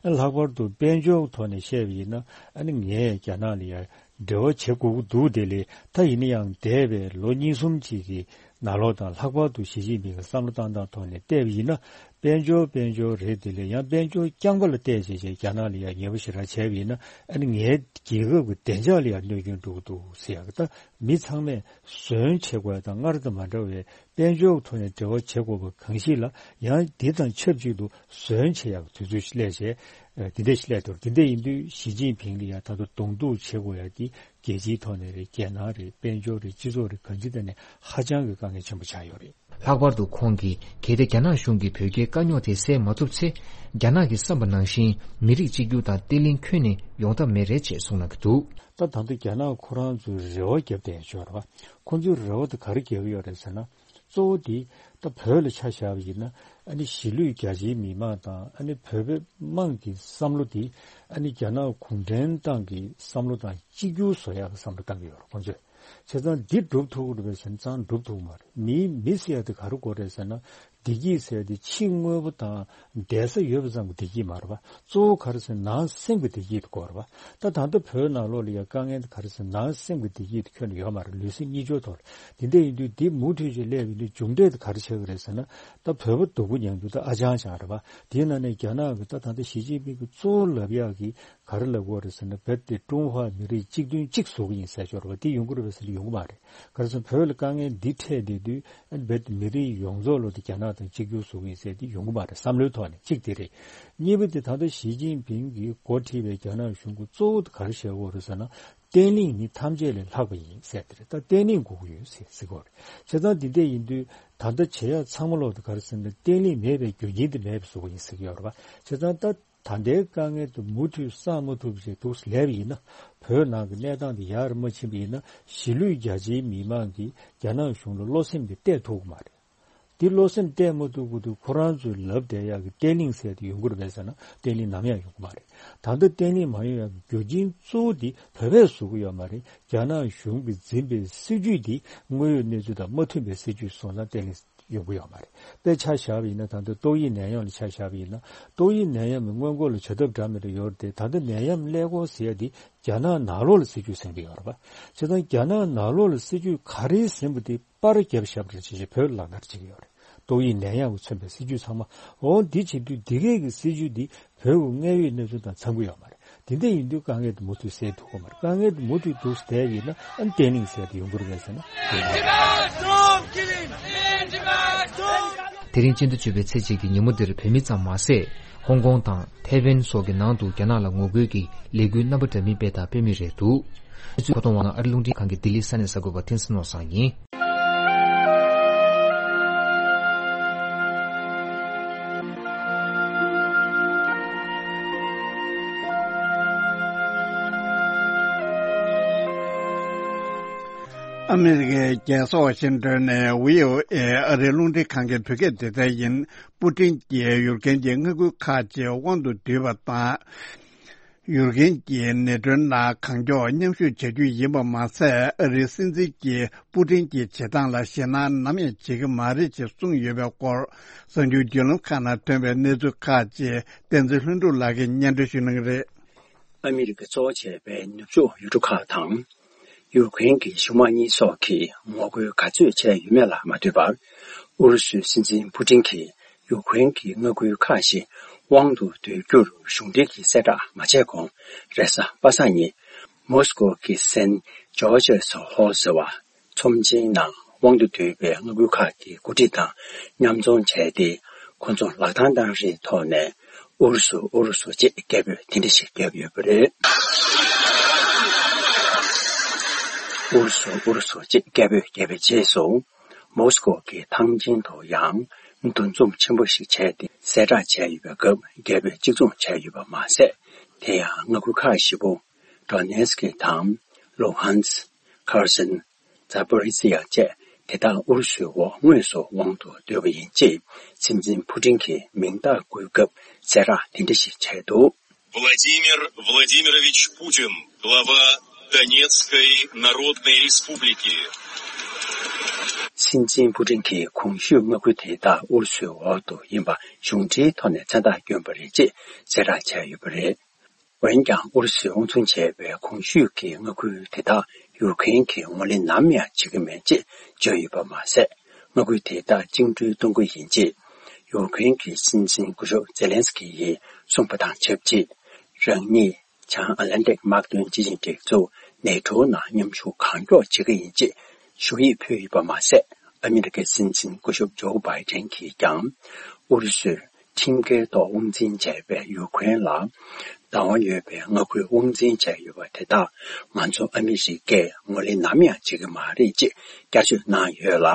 ཨ་ལྷག་པར་དུ་དཔལ་འབྱོར་གྱི་ཐོག་ནས་བཤད་པ་ཡིན་ན། ཨ་ནི་ངས་རྒྱ་ནག་ལ་ཡ་འབྲེལ་བ་བྱེད་དགོས་ཀྱི་འདུག་དེ་ལས་ད་ཡིན་ན་ཡང་འདས་པའི་ལོ་གཉིས་གསུམ་ཅིག་གི་ནང་ལོགས་དང་། ལྷག་པར་དུ་ཞི་ཅིན་ཕིང་གི་བསམ་བློ་བཏང་སྟངས་ཐོག་ནས་བལྟས་པ་ཡིན་ན། དཔལ་འབྱོར་དཔལ་འབྱོར་རེད། དེ་ལས་ཡང་དཔལ་འབྱོར་རྐྱང་པ་ལ་བལྟས་བྱས་བྱས་རྒྱ་ནག་ལ་ཡ་ཉེ་པོ་ཞེ་དྲག་བྱས་པ་ཡིན་ན། ཨ་ནི་ངའི་རྒྱལ་ཁབ་ཀྱི་བདེ་འཇགས་ལ་ཡ་གནོད་སྐྱོན་འགྲོ་གི་འདུག་ཟེར་ཡག་གི། ད་མི་ཚང་མས་ཟོན་བྱེད་དགོས་ཡ་དང་། སྔར་དང་མ་འདྲ་བའི་དཔལ་འབྱོར་ཐོག་ནས་འབྲེལ་བ་བྱེད་དགོས་པ་གང་ཞིག་ལ། ཡང་འདི་དང་ཆབས་ཅིག་ཏུ་ཟོན་བྱེད་ཡག་དུས་ཚོད་ཞིག་སླེབས་བྱས། ཨ་འདི་འདྲ་ཞིག་སླེབས་འདུག་འདི་འདྲ་ཡིན་དུས་ཞི་ཅིན་ཕིང་ལ་ཡ་ད་དུང་གདོང་གཏུག་བྱེད་དགོས་ཡ་དེ་རྒྱལ་སྤྱིའི་ཐོག་ནས་རེད། རྒྱལ་ནང་རེད། དཔལ་འབྱོར་རེད། སྤྱི་ཚོགས་རེད། གང་ཅིའི་ཐད་ནས་ཧ་ཅང་གི་དཀའ་ངལ་ཆེན་པོ་ཆགས་ཡོད་རེད། ལྷག་པར་དུ་ཁོང་གིས། གལ་ཏེ་རྒྱ་ནག་གཞུང་གིས་བོད་རྒྱའི་དཀའ་རྙོག་དེ་སེལ་མ་ཐུབ་ཚེ། རྒྱ་ནག་གིས་བསམ་པ་ནང་བཞིན་མི་རིགས་གཅིག་གྱུར་དང་བརྟན་ལྷིང་ཁྱོན་ནས་ཡོང་ཐབས་མེད་རེད་ཅེས་གསུངས་གནང་གི་འདུག་ད་ད་ལྟ་རྒྱ་ནག་ཁོ་རང་ཚོས་རེ་བ་བརྒྱབ་བསྡད་ཡོད་རེད་བ། ཁོང་ཚོས་རེ་བ་དེ་ག་རེ་བརྒྱབ་ཡོད་རེད་ཟེར་ན། གཙོ་བོ་དེ་ད་བོད་ལ་ཆ་བཞག་པ་ཡིན་ན། ཨ་ནི་གཞིས་ལུས་རྒྱ་ཆེའི་མི་མང་དང་། ཨ་ནི་བོད་པའི་དམངས་ཀྱི་བསམ་བློ་དེ། ཨ་ནི་རྒྱ་ནག་གུང་ཁྲན་ཏང་གི་བསམ་བློ་དང་གཅིག་གྱུར་བཟོ་ཡག་གི་བསམ་བློ་བཏང་གི་ཡོད་རེད་ཁོང་ཚོས། བྱས་ཙང་འདི་འགྲུབ་ཐུབ་ཀྱི་རེད་པས་ཟེར་ན། ཙང་འགྲུབ་ཐུབ་ཀྱི་མ་རེད། མིའི་མི་ཟེར་ཡ་དེ་ག་རེ་དགོས་རེད་ཟེར་ན། བདེ་སྐྱིད་ཟེར་ཡ་དེ་ཕྱི་དངོས་པོ་དང་བསྡད་ས་ཡོད་པ་ཙམ་གྱི་བདེ་སྐྱིད་མ་རེད་པ། གཙོ་བོ་ག་རེ་ཟེར་ན་ནང་སེམས་ཀྱི་བདེ་སྐྱིད་དེ་དགོས་རེད་པ། ད་ད་ལྟ་བོད་ནང་ལོགས་ལ་ཡ་དཀའ་ངལ་དེ་ག་རེ་ཟེར་ན། ནང་སེམས་ཀྱི་བདེ་སྐྱིད་དེ་ཁྱོན་ནས་ཡོད་མ་རེད། ལུས་སེམས་གཉིས་ཆར་ཐོག་ལ། དེ་འདྲ་ཡིན་དུས་འདི་མུ་མཐུད་ཅིག་སླེབས་ཡོང་དུས་མཇུག་འབྲས་དེ་ག་རེ་ཆགས་ཀྱི་རེད་ཟེར་ན། ད་བོད་པ་སྡུག་པོ་མྱངས་དུས་ད་ཨ་ཅང་ཅང་རེད་པ། དེའི་ནང་ནས་རྒྱ་ནག་གི་ད་ད་ལྟ་ཞི་ཅིན་ཕིང་གི་གཙོ་བོ་ལབ་ཡག་གི་ག་རེ་ལབ་དགོས་རེད་ཟེར་ན། རྦད་དེ་ཀྲུང་ཧྭ་མི་རིགས་གཅིག་མཐུན་གཅིག་བཟོ་གི་ཡིན་ཟེར་ཆོག་རེད་པ། དེ་ཡོང་གི་རེད་པས་ཟེར་ན་ཡོང་གི་མ་རེད། ག་རེ་ཟེར་ན་བོད་ལ་དཀའ་ངལ་འདི་འཕྲད་བསྡད་དུས། རྦད་དེ་མི་རིགས་ཡོངས་རྫོགས་ལ་དེ་རྒྱ་ནག་དང་གཅིག་གྱུར་བཟོ་གི་ཡིན་ཟེར་དེ་ཡོང་གི་མ་རེད། བསམ་བློའི་ཐོག་ནས་གཅིག་དེ་རེད། གཉིས་པ་དེ་ད་ལྟ་ཞི་ཅིན་ཕིང་གིས་འགོ་ཁྲིད་པའི་རྒྱ་ནག་གཞུང་གི་གཙོ་བོ་དེ་ག་རེ་བྱེད་དགོས་རེད་ཟེར་ན། བརྟན་ལྷིང་ནི་ཐམས་ཅད་ལས་ལྷག་པ་ཡིན་ཟེར་དེ་རེད། ད་བརྟན་ལྷིང་དགོས་ཀྱི་ཡོད་ཟེར་ཟེར་གྱི་ཡོད་རེད། བྱས་ཙང་འདི་འདྲ་ཡིན་དུས་ད་ལྟ་བྱེད་ཡག་ཚང་མ་ལོག་དེ་ག་རེ་ཟེར་ན། བརྟན་ལྷིང་མེད་པའི་རྒྱུ་རྐྱེན་དེ་མེད་པ་བཟོ་དགོས་ཡིན་ཟེར་གྱི་ཡོད་རེད་པ། བྱས་ཙང་ད། ད་ལྟའི་དཀའ་ངལ་དེ་མུ་མཐུད་སངས་མ་ཐུབ་བྱས་འདུག་སེ་སླེབས་པ་ཡིན་ན། བོད་ནང་གི་གནས་སྟངས་དེ་ཡར་མ་ཕྱིན་པ་ཡིན་ན། གཞིས་ལུས་རྒྱ་ཆེའི་མི་མང་གིས་རྒྱ་ནག་གཞུང་ལ་བློ་སེམས་དེ་གཏད་ཐུབ་ཀྱི་མ་རེད། དེ་བློ་སེམས་གཏད་མ་ཐུབ་ཀྱི་དུས་ཁོ་རང་ཚོས་ལབ་བསྡད་ཡག་གི་བརྟན་ལྷིང་ཟེར་དེ་ཡོང་གི་རེད་པས་ཟེར་ན། བརྟན་ལྷིང་ནམ་ཡང་ཡོང་གི་མ་རེད། ད་ལྟ་བརྟན་ལྷིང་མ་ཡོང་ཡག་གི་རྒྱུ་རྐྱེན་གཙོ་བོ་དེ་བོད་པས་བཟོ་གི་ཡོད་མ་རེད། རྒྱ་ནག་གཞུང་གིས་འཛིན་པའི་སྲིད་ཇུས་དེ་དངོས་ཡོད་གནས་ཚུལ་དང་མ་མཐུན་པའི་སྲིད་ཇུས་སོང་ཙང་བརྟན་ལྷིང་ཡོང་གི་ཡོད་མ་རེད། དཔེ་ཆ་བཞག་པ་ཡིན་ན། ད་ལྟ་ཏོག་དབྱིབས་ནད་ཡམས་ལ་ཆ་བཞག་པ་ཡིན་ན། ཏོག་དབྱིབས་ནད་ཡམས་ནི་སྔོན་འགོག་ལ་བྱ་ཐབས་འདྲ་མི་འདྲ་ཡོད་རེད་དེ། ད་ལྟ་ནད་ཡམས་ཀླད་ཀོར་ཟེར་ཡ་འདི་རྒྱ་ནག་ནང་ལོགས་ལ་སྲིད་ཇུས་ཟིན་གྱི་ཡོད་རེད་པ། བྱས་ཙང་རྒྱ་ནག་ནང་ལོགས་ལ་སྲིད་ཇུས་ག་རེ་ཟིན་པ་དེ་པར་བརྒྱབ་བཞག་པ་རེད། བྱས་བྱས་བོད་ལ་ལག་བསྟར་བྱེད་ཀྱི་ཡོད་རེད། ཏོག་དབྱིབས་ནད་ཡམས་ཀྱིས་མཚོན་པའི་སྲིད་ཇུས་ཚང་མ། འོ་འདི་བྱེད་དུས་འདི་གས་ཀྱི་སྲིད་ཇུས་འདི་བོད་ཀྱི་དངོས་ཡོད་གནས་ཚུལ་དང་འཚམ་གྱི་ཡོད་མ་རེད། དེ་འདྲ་ཡིན་དུས་དཀའ་ངལ་དེ་མུ་མཐུད་སེལ་ཐུབ་ཀྱི་མ་རེད། དཀའ་ངལ་དེ་མུ་མཐུད་འདུག་སེ་བསྡད་ཡིན་ན། ཨ་ནི་བརྟན་ལྷིང་ཟེར་དེ་ཡོང་གི་རེད་པས་ཟེར་ན། དེ་རིང་སྤྱི་ཟླ་བཅུ་པའི་ཚེས་གཅིག་གི་ཉིན་མོ་འདིར་བོད་མི་ཙམ་མ་ཟད། ཧོང་ཀོང་དང་ཐའེ་ཝན་སོགས་ཀྱི་ནང་དུ་རྒྱ་ནག་ལ་ངོ་རྒོལ་གྱི་ལས་འགུལ་རྣམ་པ་འདྲ་མིན་སྤེལ་དང་སྤེལ་མུས་རེད་འདུག་གནས་ཚུལ་མཁོ་གཏོང་བ་ནི་ཨ་རི་རླུང་འཕྲིན་ཁང་གི་ལྡི་ལི་ས་གནས་གསར་འགོད་པ་བསྟན་འཛིན་ནོར་བཟང་ཡིན། ཨ་མི་རི་ཀའི་རྒྱལ་ས་ཝ་ཤིང་ཏོན་ནས་བྷི་ཨོ་ཨེ་ཨ་རིའི་རླུང་འཕྲིན་ཁང་གི་བོད་སྐད་སྡེ་ཚན་ཡིན། པུ་ཏིན་གྱིས་ཡུཀ་རེན་གྱི་མངའ་ཁུལ་ཁག་ཅིག་དབང་དུ་བསྡུས་པ་དང་། ཡུཀ་རེན་གྱི་ནེ་ཊོའི་ནང་གང་མགྱོགས་མཉམ་ཞུགས་བྱ་རྒྱུ་ཡིན་པ་མ་ཟད། ཨ་རིའི་སྲིད་འཛིན་གྱིས་པུ་ཏིན་གྱི་བྱེད་སྟངས་ལ་ཞེད་སྣང་ནམ་ཡང་བྱེད་ཀྱི་མ་རེད་ཅེས་གསུངས་ཡོད་པའི་སྐོར། གསར་འགྱུར་བརྒྱུད་ལམ་ཁག་ནང་ཐོན་པའི་གནས་ཚུལ་ཁག་ཅིག་བསྟན་འཛིན་ལྷུན་གྲུབ་ལགས་ཀྱིས་སྙན་སྒྲོན་ཞུ་གནང་གི་རེད། ཨ་མི་རི་ཀ་གཙོ་བོ་བྱས་པའི་ནུབ་ཕྱོགས་ཡུལ་གྲུ་ཁག་དང་། ཡུཀ་རེན་གྱི་གཞུང་མང་གཉིས་སོགས་ཀྱིས་ངོ་རྒོལ་ག་ཚོད་བྱས་ཡོད་མེད་ལ་མ་ལྟོས་པར། ཨུ་རུ་སུའི་སྲིད་འཛིན་པུ་ཏིན་གྱིས་ཡུཀ་རེན་གྱི་མངའ་ཁུལ་ཁག་ཞིག་དབང་དུ་བསྡུ་རྒྱུར་གཞུང་འབྲེལ་གྱི་གསལ་བསྒྲགས་མ་བྱས་གོང་། རེས་གཟའ་པ་སངས་ཉིན་མོ་སི་ཀོ་གི་སན་ཇོར་ཇི་ཧོལ་ཟེར་བ། ཚོམས་ཆེན་ནང་དབང་དུ་བསྡུས་པའི་མངའ་ཁུལ་ཁག་གི་འགོ་ཁྲིད་དང་མཉམ་འཛོམས་བྱས་ཏེ། ཁོ་ཚོ་ལག་རྡང་བཏང་རིགས་ཐོག་ནས་ཨུ་རུ་སུ་ཨུ་རུ་སུ་ཅེས་སྐད་འབོད་དེ་འདྲ་ཞིག་བརྒྱབ་ཡོད་པ་རེད། ཨུ་རུ་སུ་ཨུ་རུ་སུ་ཅེས་སྐད་འབོད་བརྒྱབ་པའི་རྗེས་སུ། མོ་སི་ཀོ་གི་ཐང་ཆེན་དུ་ཡང་འདུ་འཛོམས་ཆེན་པོ་ཞིག་བྱས་ཏེ་གསལ་བསྒྲགས་བྱས་ཡོད་པའི་སྐབས། རྒྱལ་པོས་གཅིག་མཚུངས་བྱས་ཡོད་པ་མ་ཟད། དེ་ཡང་མངའ་ཁུལ་ཁག་བཞི་པོ། ཌོ་ནེ་སི་ཀི་དང་། ལུ་ཧན་སི། ཁར་སན། ཛ་པོ་རི་ཛི་ཡ་བཅས་དེ་དག་ཨུ་རུ་སུའི་འོག་དངོས་སུ་དབང་དུ་བསྡུས་པ་ཡིན་ཅེས་སྲིད་འཛིན་ཕུ་ཀྲིན་གྱིས་མིང་རྟགས་བཀོད་སྐབས་གསལ་བསྒྲགས་དེ་འདྲ་ཞིག་བྱས་འདུག། Владимир Владимирович Путин, глава Донецкой Народной Республики. སྲིད་འཛིན་ཕུ་ཀྲིན་གྱིས་གོང་ཞུས་མངའ་ཁུལ་དེ་དག་ཨུ་རུ་སུའི་འོག་ཏུ་ཡིན་པ་གཞུང་འབྲེལ་ཐོག་ནས་མཚན་རྟགས་བསྐྱོན་པ་རེད་ཅེས་གསལ་བསྒྲགས་བྱས་ཡོད་པ་རེད། འོན་ཀྱང་ཨུ་རུ་སུས་དབང་བཙོང་བྱས་པའི་གོང་ཞུས་ཀྱི་མངའ་ཁུལ་དེ་དག་ཡུཀ་རེན་གྱིས་ངོས་ལེན་ནམ་ཡང་བྱེད་ཀྱི་མེད་ཅེས་བརྗོད་ཡོད་པ་མ་ཟད། མངའ་ཁུལ་དེ་དག་བཅིངས་འགྲོལ་གཏོང་རྒྱུ་ཡིན་ཅེས་ཡུཀ་རེན་གྱི་སྲིད་འཛིན་སྐུ་ཞབས་ཛེ་ལན་སི་ཀི་ཡིས་གསུངས་པ་དང་ཆབས་ཅིག། རང་ཉིད་བྱང་ཨ་ལན་ཏིག་དམག་དོན་སྤྱི་ཆིངས་སྒྲིག་འཛུགས་ནེ་ཊོ་ནང་མཉམ་ཞུགས་གང་མགྱོགས་བྱེད་ཀྱི་ཡིན་ཅེས་ཞུ་ཡིག་ཕུལ་ཡོད་པ་མ་ཟད། ཨ་མི་རི་ཀའི་སྲིད་འཛིན་སྐུ་ཞབས་ཇོ་བྷའི་ཌེན་གྱིས་ཀྱང་ཨུ་རུ་སུས་ཁྲིམས་འགལ་ཐོག་དབང་འཛིན་བྱས་པའི་ཡུཀ་རེན་ལ་བདག་དབང་ཡོད་པའི་མངའ་ཁུལ་དབང་འཛིན་བྱས་ཡོད་པ་དེ་དག་ང་ཚོ་ཨ་མི་རི་ཀས་ངོས་ལེན་ནམ་ཡང་བྱེད་ཀྱི་མ་རེད་ཅེས་བསྐྱར་བརྗོད་གནང་ཡོད་ལ།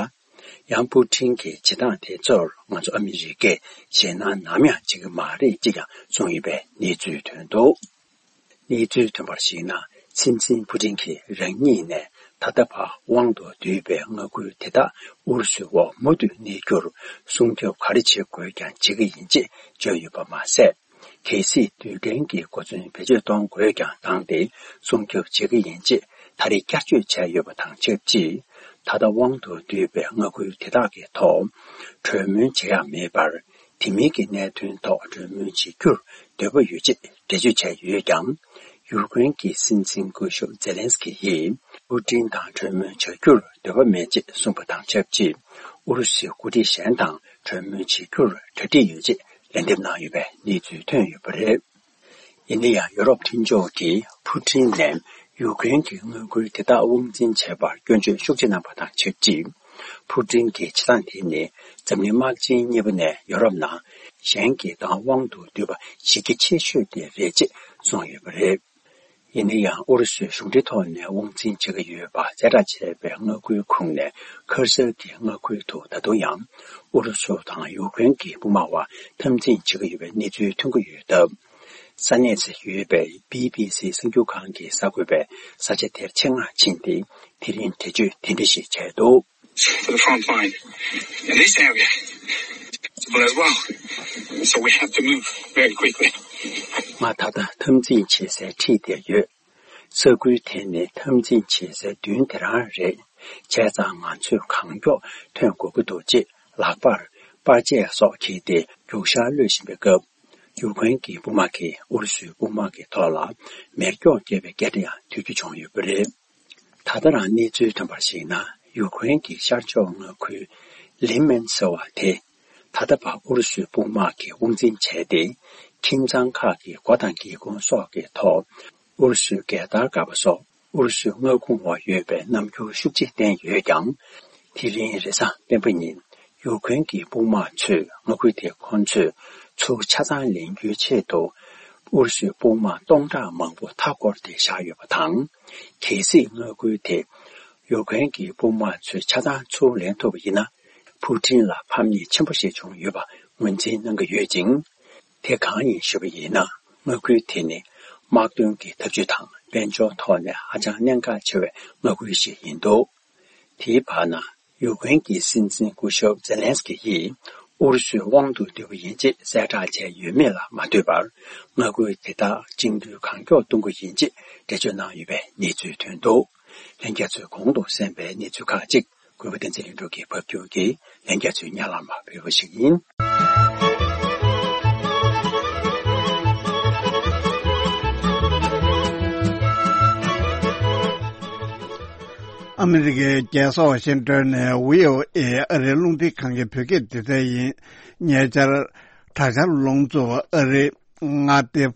ཡང་ཕུ་ཀྲིན་གྱིས་བྱེད་སྟངས་དེ་ཚོར་ང་ཚོ་ཨ་མི་རི་ཀས་ཞེད་སྣང་ནམ་ཡང་བྱེད་ཀྱི་མ་རེད་ཅེས་ཀྱང་གསུངས་ཡོད་པའི་གནས་ཚུལ་ཐོན་འདུག། གནས་ཚུལ་ཐོན་པར་གཞིགས་ན། སྲིད་འཛིན་ཕུ་ཀྲིན་གྱིས་རང་ཉིད་ནས་ད་ལྟ་བར་དབང་དུ་བསྡུས་པའི་མངའ་ཁུལ་དེ་དག་ཨུ་རུ་སུའི་འོག་མུ་མཐུད་གནས་རྒྱུར་སྲུང་སྐྱོབ་ག་རེ་བྱེད་དགོས་ཀྱང་བྱེད་ཀྱི་ཡིན་ཅེས་བརྗོད་ཡོད་པ་མ་ཟད། གལ་སྲིད་རྡུལ་ཕྲན་གྱི་གོ་མཚོན་བེད་སྤྱོད་གཏོང་དགོས་ཀྱང་བཏང་སྟེ་སྲུང་སྐྱོབ་བྱེད་ཀྱི་ཡིན་ཅེས་ད་རེས་བསྐྱར་བརྗོད་བྱས་ཡོད་པ་དང་ཆབས་ཅིག། ད་ལྟ་དབང་དུ་བསྡུས་པའི་མངའ་ཁུལ་དེ་དག་གི་ཐོག་གྲོས་མོལ་བྱེད་ཡག་མེད་པར། དེ་མིན་གྱི་གནད་དོན་ཐོག་གྲོས་མོལ་བྱེད་རྒྱུར་འདོད་པ་ཡོད་ཅེས་འགྲེལ་བརྗོད་བྱས་ཡོད་ཀྱང་། ཡུཀ་རེན་གྱི་སྲིད་འཛིན་སྐུ་ཞབས་ཛེ་ལན་སི་ཀི་ཡིས་ཕུ་ཀྲིན་དང་གྲོས་མོལ་བྱ་རྒྱུར་འདོད་པ་མེད་ཅེས་གསུངས་པ་དང་ཆབས་ཅིག། ཨུ་རུ་སུའི་འགོ་ཁྲིད་གཞན་དང་གྲོས་མོལ་བྱེད་རྒྱུར་གྲ་སྒྲིག་ཡོད་ཅེས་ལན་འདེབས་གནང་ཡོད་པའི་གནས་ཚུལ་ཐོན་ཡོད་པ་རེད། ཡིན་ན་ཡང་། ཡོ་རོབ་མཐུན་ཕྱོགས་ཀྱིས་ཕུ་ཀྲིན་ནས་ཡུཀ་རེན་གྱི་མངའ་ཁུལ་དེ་དག་དབང་འཛིན་བྱས་པར་སྐྱོན་བརྗོད་ཤུགས་ཆེ་གནང་པ་དང་ཆབས་ཅིག། ཕུ་ཀྲིན་གྱི་བྱེད་སྟངས་དེ་ནི་འཛམ་གླིང་དམག་ཆེན་གཉིས་པ་ནས་ཡོ་རོབ་ནང་གཞན་གྱི་བདག་དབང་དུ་བསྡུས་པ་གཞི་རྒྱ་ཆེ་ཤོས་དེ་རེད་ཅེས་གསུངས་ཡོད་པ་རེད། ཡིན་ན་ཡང་། ཨུ་རུ་སུས་གཞུང་འབྲེལ་ཐོག་ནས་དབང་འཛིན་བྱེད་ཀྱི་ཡོད་པ་གསལ་བསྒྲགས་བྱས་པའི་མངའ་ཁུལ་ཁོངས་ནས་ཁར་སང་གི་མངའ་ཁུལ་དུ་ད་དུང་ཡང་ཨུ་རུ་སུ་དང་ཡུཀ་རེན་གྱི་དཔུང་དམག་དབར་འཐབ་འཛིང་བྱེད་ཀྱི་ཡོད་པའི་གནས་ཚུལ་ཐོན་གྱི་ཡོད་སྟབས། ས་གནས་སུ་ཡོད་པའི་བི་བི་སི་གསར་འགྱུར་ཁང་གི་གསར་འགོད་པས་ས་ཆ་དེར་ཆེད་མངགས་ཕྱིན་ཏེ། དེ་རིང་འགྲེལ་བརྗོད་དེ་འདྲ་ཞིག་བྱས་འདུག། To the front line in this area as well. So we have to move very quickly. ང་ད་ལྟ་འཐབ་འཛིང་བྱེད་སའི་འཁྲིས་དེར་ཡོད། ས་ཁུལ་དེ་ནི་འཐབ་འཛིང་བྱེད་སའི་མདུན་དེ་རང་རེད། བྱས་ཙང་ང་ཚོས་གང་མགྱོགས་ཐོན་དགོས་ཀྱི་འདུག་ཅེས་ལག་པར་པར་ཆས་སོགས་འཁྱེར་ཏེ་རྒྱུག་ཤར་གློད་བཞིན་པའི་སྐབས། ཡུཀ་རེན་གྱི་དཔུང་དམག་གིས་ཨུ་རུ་སུའི་དཔུང་དམག་གི་ཐོག་ལ་མེ་སྒྱོགས་བརྒྱབ་པའི་སྐད་སྒྲ་ཡང་ཐོས་རྒྱུ་བྱུང་ཡོད་པ་རེད། ད་ལྟ་རང་གནས་ཚུལ་ཐོན་པར་གཞིགས་ན། ཡུཀ་རེན་གྱི་ཤར་ཕྱོགས་མངའ་ཁུལ་ལི་མན་ཟེར་བ་དེ། ད་ལྟ་བར་ཨུ་རུ་སུའི་དཔུང་དམག་གིས་དབང་འཛིན་བྱས་ཏེ། ཁྱིམ་ཚང་ཁག་གི་སྒོ་དང་སྒེའུ་ཁུང་སོགས་ཀྱི་ཐོག་ཨུ་རུ་སུའི་རྒྱལ་དར་དཀར་པོ་སོགས་ཨུ་རུ་སུའི་མངའ་ཁོངས་འོག་ཡོད་པའི་རྣམ་འགྱུར་ཤུགས་ཆེ་བསྟན་ཡོད་ཀྱང་། དེ་རིང་རེས་གཟའ་སྤེན་པ་ཉིན་ཡུཀ་རེན་གྱི་དཔུང་དམག་ཚོས་མངའ་ཁུལ་དེའི་ཁོངས་ཚུད་ཚུར་ཆ་ཚང་ལེན་རྒྱུའི་ཆེད་དུ། ཨུ་རུ་སུའི་དཔུང་དམག་སྟོང་ཕྲག་མང་པོ་མཐའ་བསྐོར་ཏེ་བཞག་ཡོད་པ་དང་། གལ་སྲིད་མངའ་ཁུལ་དེ་ཡུཀ་རེན་གྱི་དཔུང་དམག་ཚོས་ཆ་ཚང་ཚུར་ལེན་ཐུབ་པ་ཡིན་ན། ཕུ་ཀྲིན་ལ་ཕམ་ཉེས་ཆེན་པོ་ཞིག་བྱུང་ཡོད་པ་ངོས་འཛིན་གནང་གི་ཡོད་ཅིང་། དེ་གང་ཡིན་ཞུས་པ་ཡིན་ན། མངའ་ཁུལ་དེ་ནི་དམག་དོན་གྱི་འཐབ་ཇུས་དང་དཔལ་འབྱོར་ཐོག་ནས་ཧ་ཅང་གནད་འགག་ཆེ་བའི་མངའ་ཁུལ་ཞིག་ཡིན་འདུག། དེའི་བར་ན། ཡུཀ་རེན་གྱི་སྲིད་འཛིན་སྐུ་ཞབས་ཛེ་ལན་སི་ཀི་ཡིས་ཨུ་རུ་སུའི་དབང་དུ་བསྡུས་པ་ཡིན་ཅེས་གསལ་བསྒྲགས་བྱས་ཡོད་མེད་ལ་མ་ལྟོས་པར། མངའ་ཁུལ་དེ་དག་བཅིངས་འགྲོལ་གང་མགྱོགས་གཏོང་གི་ཡིན་ཅེས་འགྲེལ་བརྗོད་གནང་ཡོད་པའི་གནས་ཚུལ་ཐོན་འདུག། ལྷན་རྒྱས་ཚོས་གོང་དུ་གསན་པའི་གནས་ཚུལ་ཁག་ཅིག། གུས་པ་བསྟན་འཛིན་ལྷུན་གྲུབ་ཀྱིས་ཕབ་སྒྱུར་གྱིས་ལྷན་རྒྱས་ཚོའི་སྙན་ལམ་ལ་ཕུལ་བ་ཞིག་ཡིན། ཨ་མི་རི་ཀའི་རྒྱལ་ས་ཝ་ཤིང་ཏོན་ནས་བྷི་ཨོ་ཨེ་ཨ་རིའི་རླུང་འཕྲིན་ཁང་གི་བོད་སྐད་སྡེ་ཚན་ཡིན། ཉེ་ཆར། དྲག་ཆར་རླུང་འཚུབ་ཨ་རིའི་མངའ་སྡེ་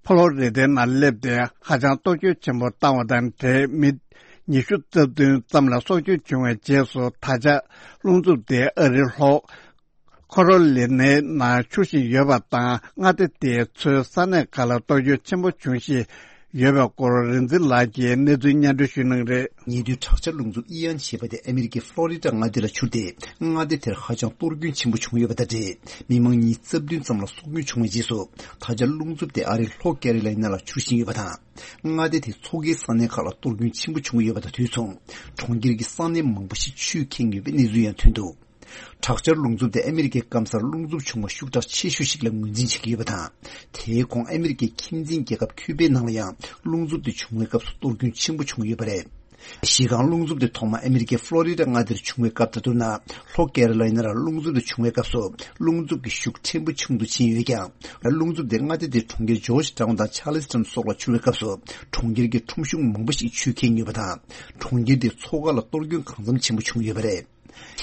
ཕོ་ལོ་རི་ཏའི་ནང་སླེབས་ཏེ་ཧ་ཅང་གཏོར་སྐྱོན་ཆེན་པོ་བཏང་བ་དང་འབྲེལ། མི་ཉི་ཤུ་རྩ་བདུན་ཙམ་ལ་སྲོག་སྐྱོན་བྱུང་བའི་རྗེས་སུ། ད་ཆ་རླུང་འཚུབ་དེ་ཨ་རིའི་ལྷོ་ཁོ་རོ་ལི་ནའི་ནང་འཕྱུར་བཞིན་ཡོད་པ་དང་། མངའ་སྡེ་དེའི་མཚོའི་ས་གནས་ཁག་ལ་གཏོར་སྐྱོན་ཆེན་པོ་བྱུང་ཞིང་ ཡོད་པའི་སྐོར་རིག་འཛིན་ལགས་ཀྱིས་གནས་ཚུལ་སྙན་སྒྲོན་ཞུ་གནང་རེད། ཉེ་དུས་དྲག་ཆར་རླུང་འཚུབ་ཨི་ཡན་ཞེས་པ་དེ་ཨ་མི་རི་ཀའི་ཕློ་རི་ཌ་མངའ་སྡེ་ལ་འཕྱུར་ཏེ། མངའ་སྡེ་དེར་ཧ་ཅང་གཏོར་སྐྱོན་ཆེན་པོ་བྱུང་ཡོད་པ་དང་འབྲེལ། མི་མང་ཉིས་རྩ་བདུན་ཙམ་ལ་སྲོག་སྐྱོན་བྱུང་བའི་རྗེས་སུ། ད་ཆ་རླུང་འཚུབ་དེ་ཨ་རིའི་ལྷོ་ཀེ་རི་ལ་ཡི་ན་ལ་འཕྱུར་བཞིན་ཡོད་པ་དང་། མངའ་སྡེ་དེའི་མཚོ་ཁའི་ས་གནས་ཁག་ལ་གཏོར་སྐྱོན་ཆེན་པོ་བྱུང་ཡོད་པ་དང་དུས་མཚུངས། གྲོང་ཁྱེར་གྱི་ས་གནས་མང་པོ་ཞིག་ཆུས་ཁེངས་ཡོད་པའི་གནས་ཚུལ་ཡང་ཐོན་འདུག་དྲག་ཆར་རླུང་འཚུབ་དེ་ཨ་མི་རི་ཀའི་སྐམ་སར་རླུང་འཚུབ་བྱུང་བ་ཤུགས་དྲག་ཆེ་ཤོས་ཤིག་ལ་ངོས་འཛིན་བྱེད་ཀྱི་ཡོད་པ་དང་། དེའི་གོང་ཨ་མི་རི་ཀའི་ཁྱིམ་མཚེས་རྒྱལ་ཁབ་ཁྱུ་པའི་ནང་ལ་ཡང་རླུང་འཚུབ་དེ་བྱུང་བའི་སྐབས་སུ་གཏོར་སྐྱོན་ཆེན་པོ་བྱུང་ཡོད་པ་རེད། གཞི་རྐང་རླུང་འཚུབ་དེ་ཐོག་མར་ཨ་མི་རི་ཀའི་ཕློ་རི་ཌ་མངའ་སྡེར་བྱུང་བའི་སྐབས་དང་བསྡུར་ན། ལྷོ་ཀེ་རི་ལ་ཡི་ན་ལ་རླུང་འཚུབ་དེ་བྱུང་བའི་སྐབས་སུ་རླུང་འཚུབ་ཀྱི་ཤུགས་ཕྲན་བུ་ཆུང་དུ་ཕྱིན་ཡོད་ཀྱང་། རླུང་འཚུབ་དེ་མངའ་སྡེ་དེའི་གྲོང་ཁྱེར་ཇོརྗ་ཊའུན་དང་ཆཱ་ལིས་ཊོན་སོགས་ལ་འཕྱུར་བའི་སྐབས་སུ་གྲོང་ཁྱེར་གྱི་ཁྲོམ་གཞུང་མང་པོ་ཞིག་ཆུས་ཁེངས་ཡོད་པ་དང་། གྲོང་ཁྱེར་དེའི་མཚོ་ཁ་ལ་གཏོར་སྐྱོན་གང་འཚམ་ཆེན་པོ་བྱུང་ཡོད་པ་རེད།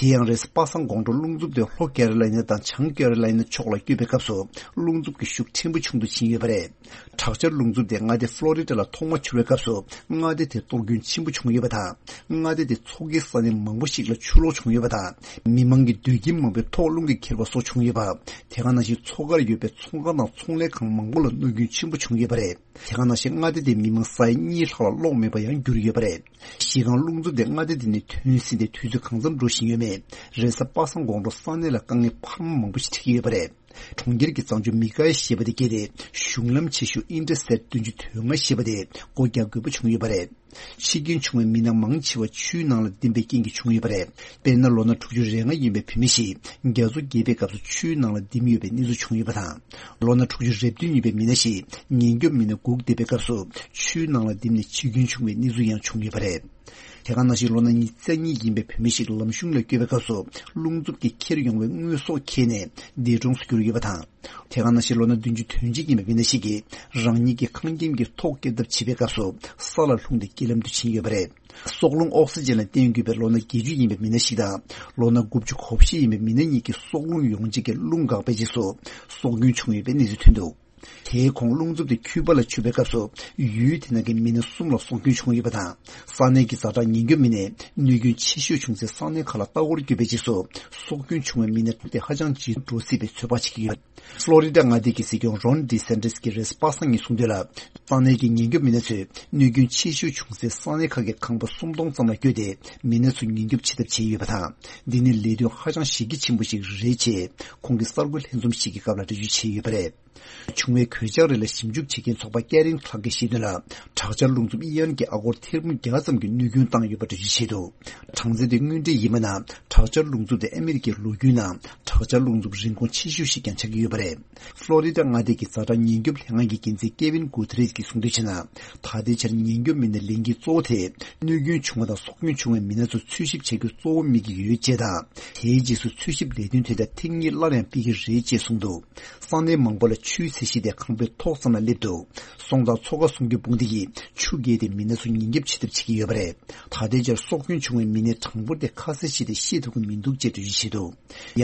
དེ་ཡང་རེས་གཟའ་པ་སངས་དགོང་དྲོ་རླུང་འཚུབ་དེ་ལྷོ་ཀེ་རི་ལ་ཡི་ན་དང་བྱང་ཀེ་རི་ལ་ཡི་ན་ཕྱོགས་ལ་བསྐྱོད་པའི་སྐབས་སུ་རླུང་འཚུབ་ཀྱི་ཤུགས་ཕྲན་བུ་ཆུང་དུ་ཕྱིན་ཡོད་པ་རེད། དྲག་ཆར་རླུང་འཚུབ་དེ་མངའ་སྡེ་ཕློ་རི་ཌ་ལ་ཐོག་མ་འཕྱུར་བའི་སྐབས་སུ་མངའ་སྡེ་དེ་གཏོར་སྐྱོན་ཆེན་པོ་བྱུང་ཡོད་པ་དང་། མངའ་སྡེ་དེ་མཚོ་ཁའི་ས་གནས་མང་པོ་ཞིག་ལ་ཆུ་ལོག་བྱུང་ཡོད་པ་དང་། མི་མང་གི་སྡོད་ཁྱིམ་མང་པོའི་ཐོག་རླུང་གིས་ཁྱེར་བ་སོགས་བྱུང་ཡོད་པ། དེ་ག་ནང་བཞིན་མཚོ་ཁར་ཡོད་པའི་ཚོང་ཁང་དང་ཚོང་ལས་ཁང་མང་པོ་ལ་གནོད་སྐྱོན་ཆེན་པོ་བྱུང་ཡོད་པ་རེད། དེ་ག་ནང་བཞིན་མངའ་སྡེ་དེའི་མི་མང་ས་ཡ་གཉིས་ལྷག་ལ་གློག་མེད་པར་ཡང་གྱུར་ཡོད་པ་རེད། གཞི་རྐང་རླུང་འཚུབ་དེ་མངའ་སྡེ་དེ་ནས་ཐོན་ཟིན་ཏེ་དུས་ཚོད་གང་འཚམ་འགྲོ་བཞིན་ཡོད་མེད། རེས་གཟའ་པ་སངས་དགོང་དྲོ་ས་གནས་ལ་དཀའ་ངལ་འཕར་མ་མང་པོ་ཞིག་འཕྲད་ཀྱི་ཡོད་པ་རེད། གྲོང་ཁྱེར་གྱི་གཙང་ཆུ་མི་ཀའི་ཞེས་པ་དེ་བརྒལ་ཏེ་གཞུང་ལམ་ཆེ་ཤོས་ཨིན་ཊར་སི་ཊེཊ་བདུན་ཅུ་དོན་ལྔ་ཞེས་པ་དེ་སྒོ་རྒྱག་དགོས་པ་བྱུང་ཡོད་པ་རེད། འཆི་སྐྱོན་བྱུང་བའི་མི་སྣ་མང་ཆེ་བ་ཆུའི་ནང་ལ་ལྡིང་བའི་རྐྱེན་གྱིས་བྱུང་ཡོད་པ་རེད། དཔེར་ན་ལོ་ན་དྲུག་ཅུ་རེ་ལྔ་ཡིན་པའི་བུད་མེད་ཞིག་རྒྱ་མཚོ་རྒྱས་པའི་སྐབས་སུ་ཆུའི་ནང་ལ་ལྡིང་ཡོད་པའི་གནས་ཚུལ་བྱུང་ཡོད་པ་དང་། ལོ་ན་དྲུག་ཅུ་རེ་བདུན་ཡིན་པའི་མི་སྣ་ཞིག་ཉེན་སྐྱོབ་མི་སྣ་སྒུག་བསྡད་པའི་སྐབས་སུ་ཆུའི་ནང་ལ་ལྡིང་ནས་འཆི་སྐྱོན་བྱུང་བའི་གནས་ཚུལ་ཡང་བྱུང་ཡོད་པ་རེད། དེ་ག་ནང་བཞིན་ལོ་ན་ཉི་ཤུ་རྩ་གཉིས་ཡིན་པའི་བུད་མེད་ཞིག་ལམ་གཞུང་ལ་བསྐྱོད་པའི་སྐབས་སུ་རླུང་འཚུབ་ཀྱིས་ཁྱེར་ཡོང་བའི་དངོས་ཟོག་འཁྱེར་ནས་འདས་གྲོངས་སུ་གྱུར་ཡོད་པ་དང་། དེ་ག་ནང་བཞིན་ལོ་ན་བདུན་ཅུ་དོན་གཅིག་ཡིན་པའི་མི་སྣ་ཞིག་གིས་རང་ཉིད་ཀྱི་ཁང་ཁྱིམ་གྱི་ཐོག་བཀལ་ཐབས་བྱེད་པའི་སྐབས་སུ་ས་ལ་ལྷུང་སྟེ་རྐྱེན་ལམ་དུ་ཕྱིན་ཡོད་པ་རེད། སྲོག་རླུང་ཨོག་སི་ཇན་ལ་བརྟེན་དགོས་པའི་ལོ་ན་བརྒྱད་ཅུ་ཡིན་པའི་མི་སྣ་ཞིག་དང་། ལོ་ན་དགུ་བཅུ་གོ་བཞི་ཡིན་པའི་མི་སྣ་གཉིས་ཀྱི་སྲོག་རླུང་ཡོང་བྱེད་ཀྱི་རླུང་འགག་པའི་རྗེས་སུ་སྲོག་སྐྱོན་བྱུང་ཡོད་པའི་གནས་ཚུལ་ཐོན་འདུག་དེའི་གོང་རླུང་འཚུབ་དེ་ཁྱུ་པ་ལ་འཕྱུར་བའི་སྐབས་སུ་ཡུལ་དེ་ནང་གི་མི་སྣ་གསུམ་ལ་སྲོག་སྐྱོན་བྱུང་ཡོད་པ་དང་། ས་གནས་ཀྱི་ཛ་དྲག་ཉེན་སྐྱོབ་མི་སྣས་གནོད་སྐྱོན་ཆེ་ཤོས་བྱུང་སའི་ས་གནས་ཁག་ལ་ལྟ་སྐོར་བསྐྱོད་པའི་རྗེས་སུ་སྲོག་སྐྱོན་བྱུང་བའི་མི་སྣ་དེ་ཧ་ཅང་ཇེ་སྡུག་འགྲོ་སྲིད་པའི་ཚོད་དཔག་བྱེད་ཀྱི་ཡོད། ཕློ་རི་ཌ་མངའ་སྡེ་གི་སྲིད་སྐྱོང་རོན་ཌི་སན་ཏིས་ཀྱིས་རེས་གཟའ་པ་སངས་ཉིན་གསུངས་དོན་ལ། ས་གནས་ཀྱི་ཉེན་སྐྱོབ་མི་སྣ་ཚོས་གནོད་སྐྱོན་ཆེ་ཤོས་བྱུང་སའི་ས་གནས་ཁག་གི་ཁང་པ་སུམ་སྟོང་ཙམ་ལ་བསྐྱོད་དེ་མི་སྣ་ཚོ་ཉེན་སྐྱོབ་བྱེད་ཐབས་བྱས་ཡོད་པ་དང་། འདི་ནི་ལས་དོན་ཧ་ཅང་གཞི་རྒྱ་ཆེན་པོ་ཞིག་རེད་ཅེས་ཁོང་གིས་གསར་འགོད་ལྷན་འཛོམས་ཤིག་གི་སྐབས་ལ་འགྲེལ་བརྗོད་བྱས་ཡོད་པ་རེད། བྱུང་བའི་གོད་ཆག་རིགས་ལ་ཞིབ་འཇུག་བྱེད་མཁན་ཚོགས་པ་ཀེ་རིན་ཁ་ལག་གིས་བཤད་དོན་ལ། དྲག་ཆར་རླུང་འཚུབ་ཨི་ཡན་གྱིས་ཨ་སྒོར་ཐེར་འབུམ་བརྒྱ་ཙམ་གྱི་གནོད་སྐྱོན་བཏང་ཡོད་པ་འགྲེལ་བརྗོད་བྱས་འདུག་གྲངས་ཚད་དེ་དངོས་འབྲེལ་ཡིན་པ་ན། དྲག་ཆར་རླུང་འཚུབ་དེ་ཨ་མི་རི་ཀའི་ལོ་རྒྱུས་ནང་དྲག་ཆར་རླུང་འཚུབ་རིན་གོང་ཆེ་ཤོས་ཤིག་ཀྱང་ཆགས་ཀྱི་ཡོད་པ་རེད། ཕློ་རི་ཌ་མངའ་སྡེ་གི་ཛ་དྲག་ཉེན་སྐྱོབ་ལྷན་ཁང་གི་འགན་འཛིན་ཀེ་ཝིན་གུ་ཐེ་རེས་ཀྱིས་གསུངས་དོན་བྱས་ན། ད་ལྟའི་ཆར་ཉེན་སྐྱོབ་མི་སྣའི་ལས་འགན་གཙོ་བོ་དེ་གནོད་སྐྱོན་བྱུང་བ་དང་སྲོག་སྐྱོན་བྱུང་བའི་མི་སྣ་ཚོ་འཚོལ་ཞིབ་བྱ་རྒྱུ་གཙོ་བོ་དམིགས་ཀྱི་ཡོད་ཅེས་དང་། དེའི་རྗེས་སུ་འཚོལ་ཞིབ་ལས་དོན་དེ་དག་ཐེངས་གཉིས་སླར་ཡང་སྤེལ་གྱི་རེད་ཅེས་གསུངས་འདུག་ས་གནས་མང་པོ་ལ་ཆུའི་ཚད་གཞི་དེ་ཁང་པའི་ཐོག་ཙམ་ལ་སླེབས་འདུག་སོང་ཙང་མཚོ་ཁ་སྲུང་སྐྱོབ་དཔུང་སྡེ་ཡིས་ཆུ་བརྒལ་ཏེ་མི་སྣ་ཚོ་ཉེན་སྐྱོབ་བྱེད་ཐབས་བྱེད་ཀྱི་ཡོད་པ་རེད། ད་ལྟའི་ཆར་སྲོག་སྐྱོན་བྱུང་བའི་མི་སྣའི་གྲངས་འབོར་དེ་ཁ་གསལ་བྱས་ཏེ་ཤེས་ཐུབ་ཀྱི་མི་འདུག་ཅེས་འགྲེལ་བརྗོད་བྱས་འདུག་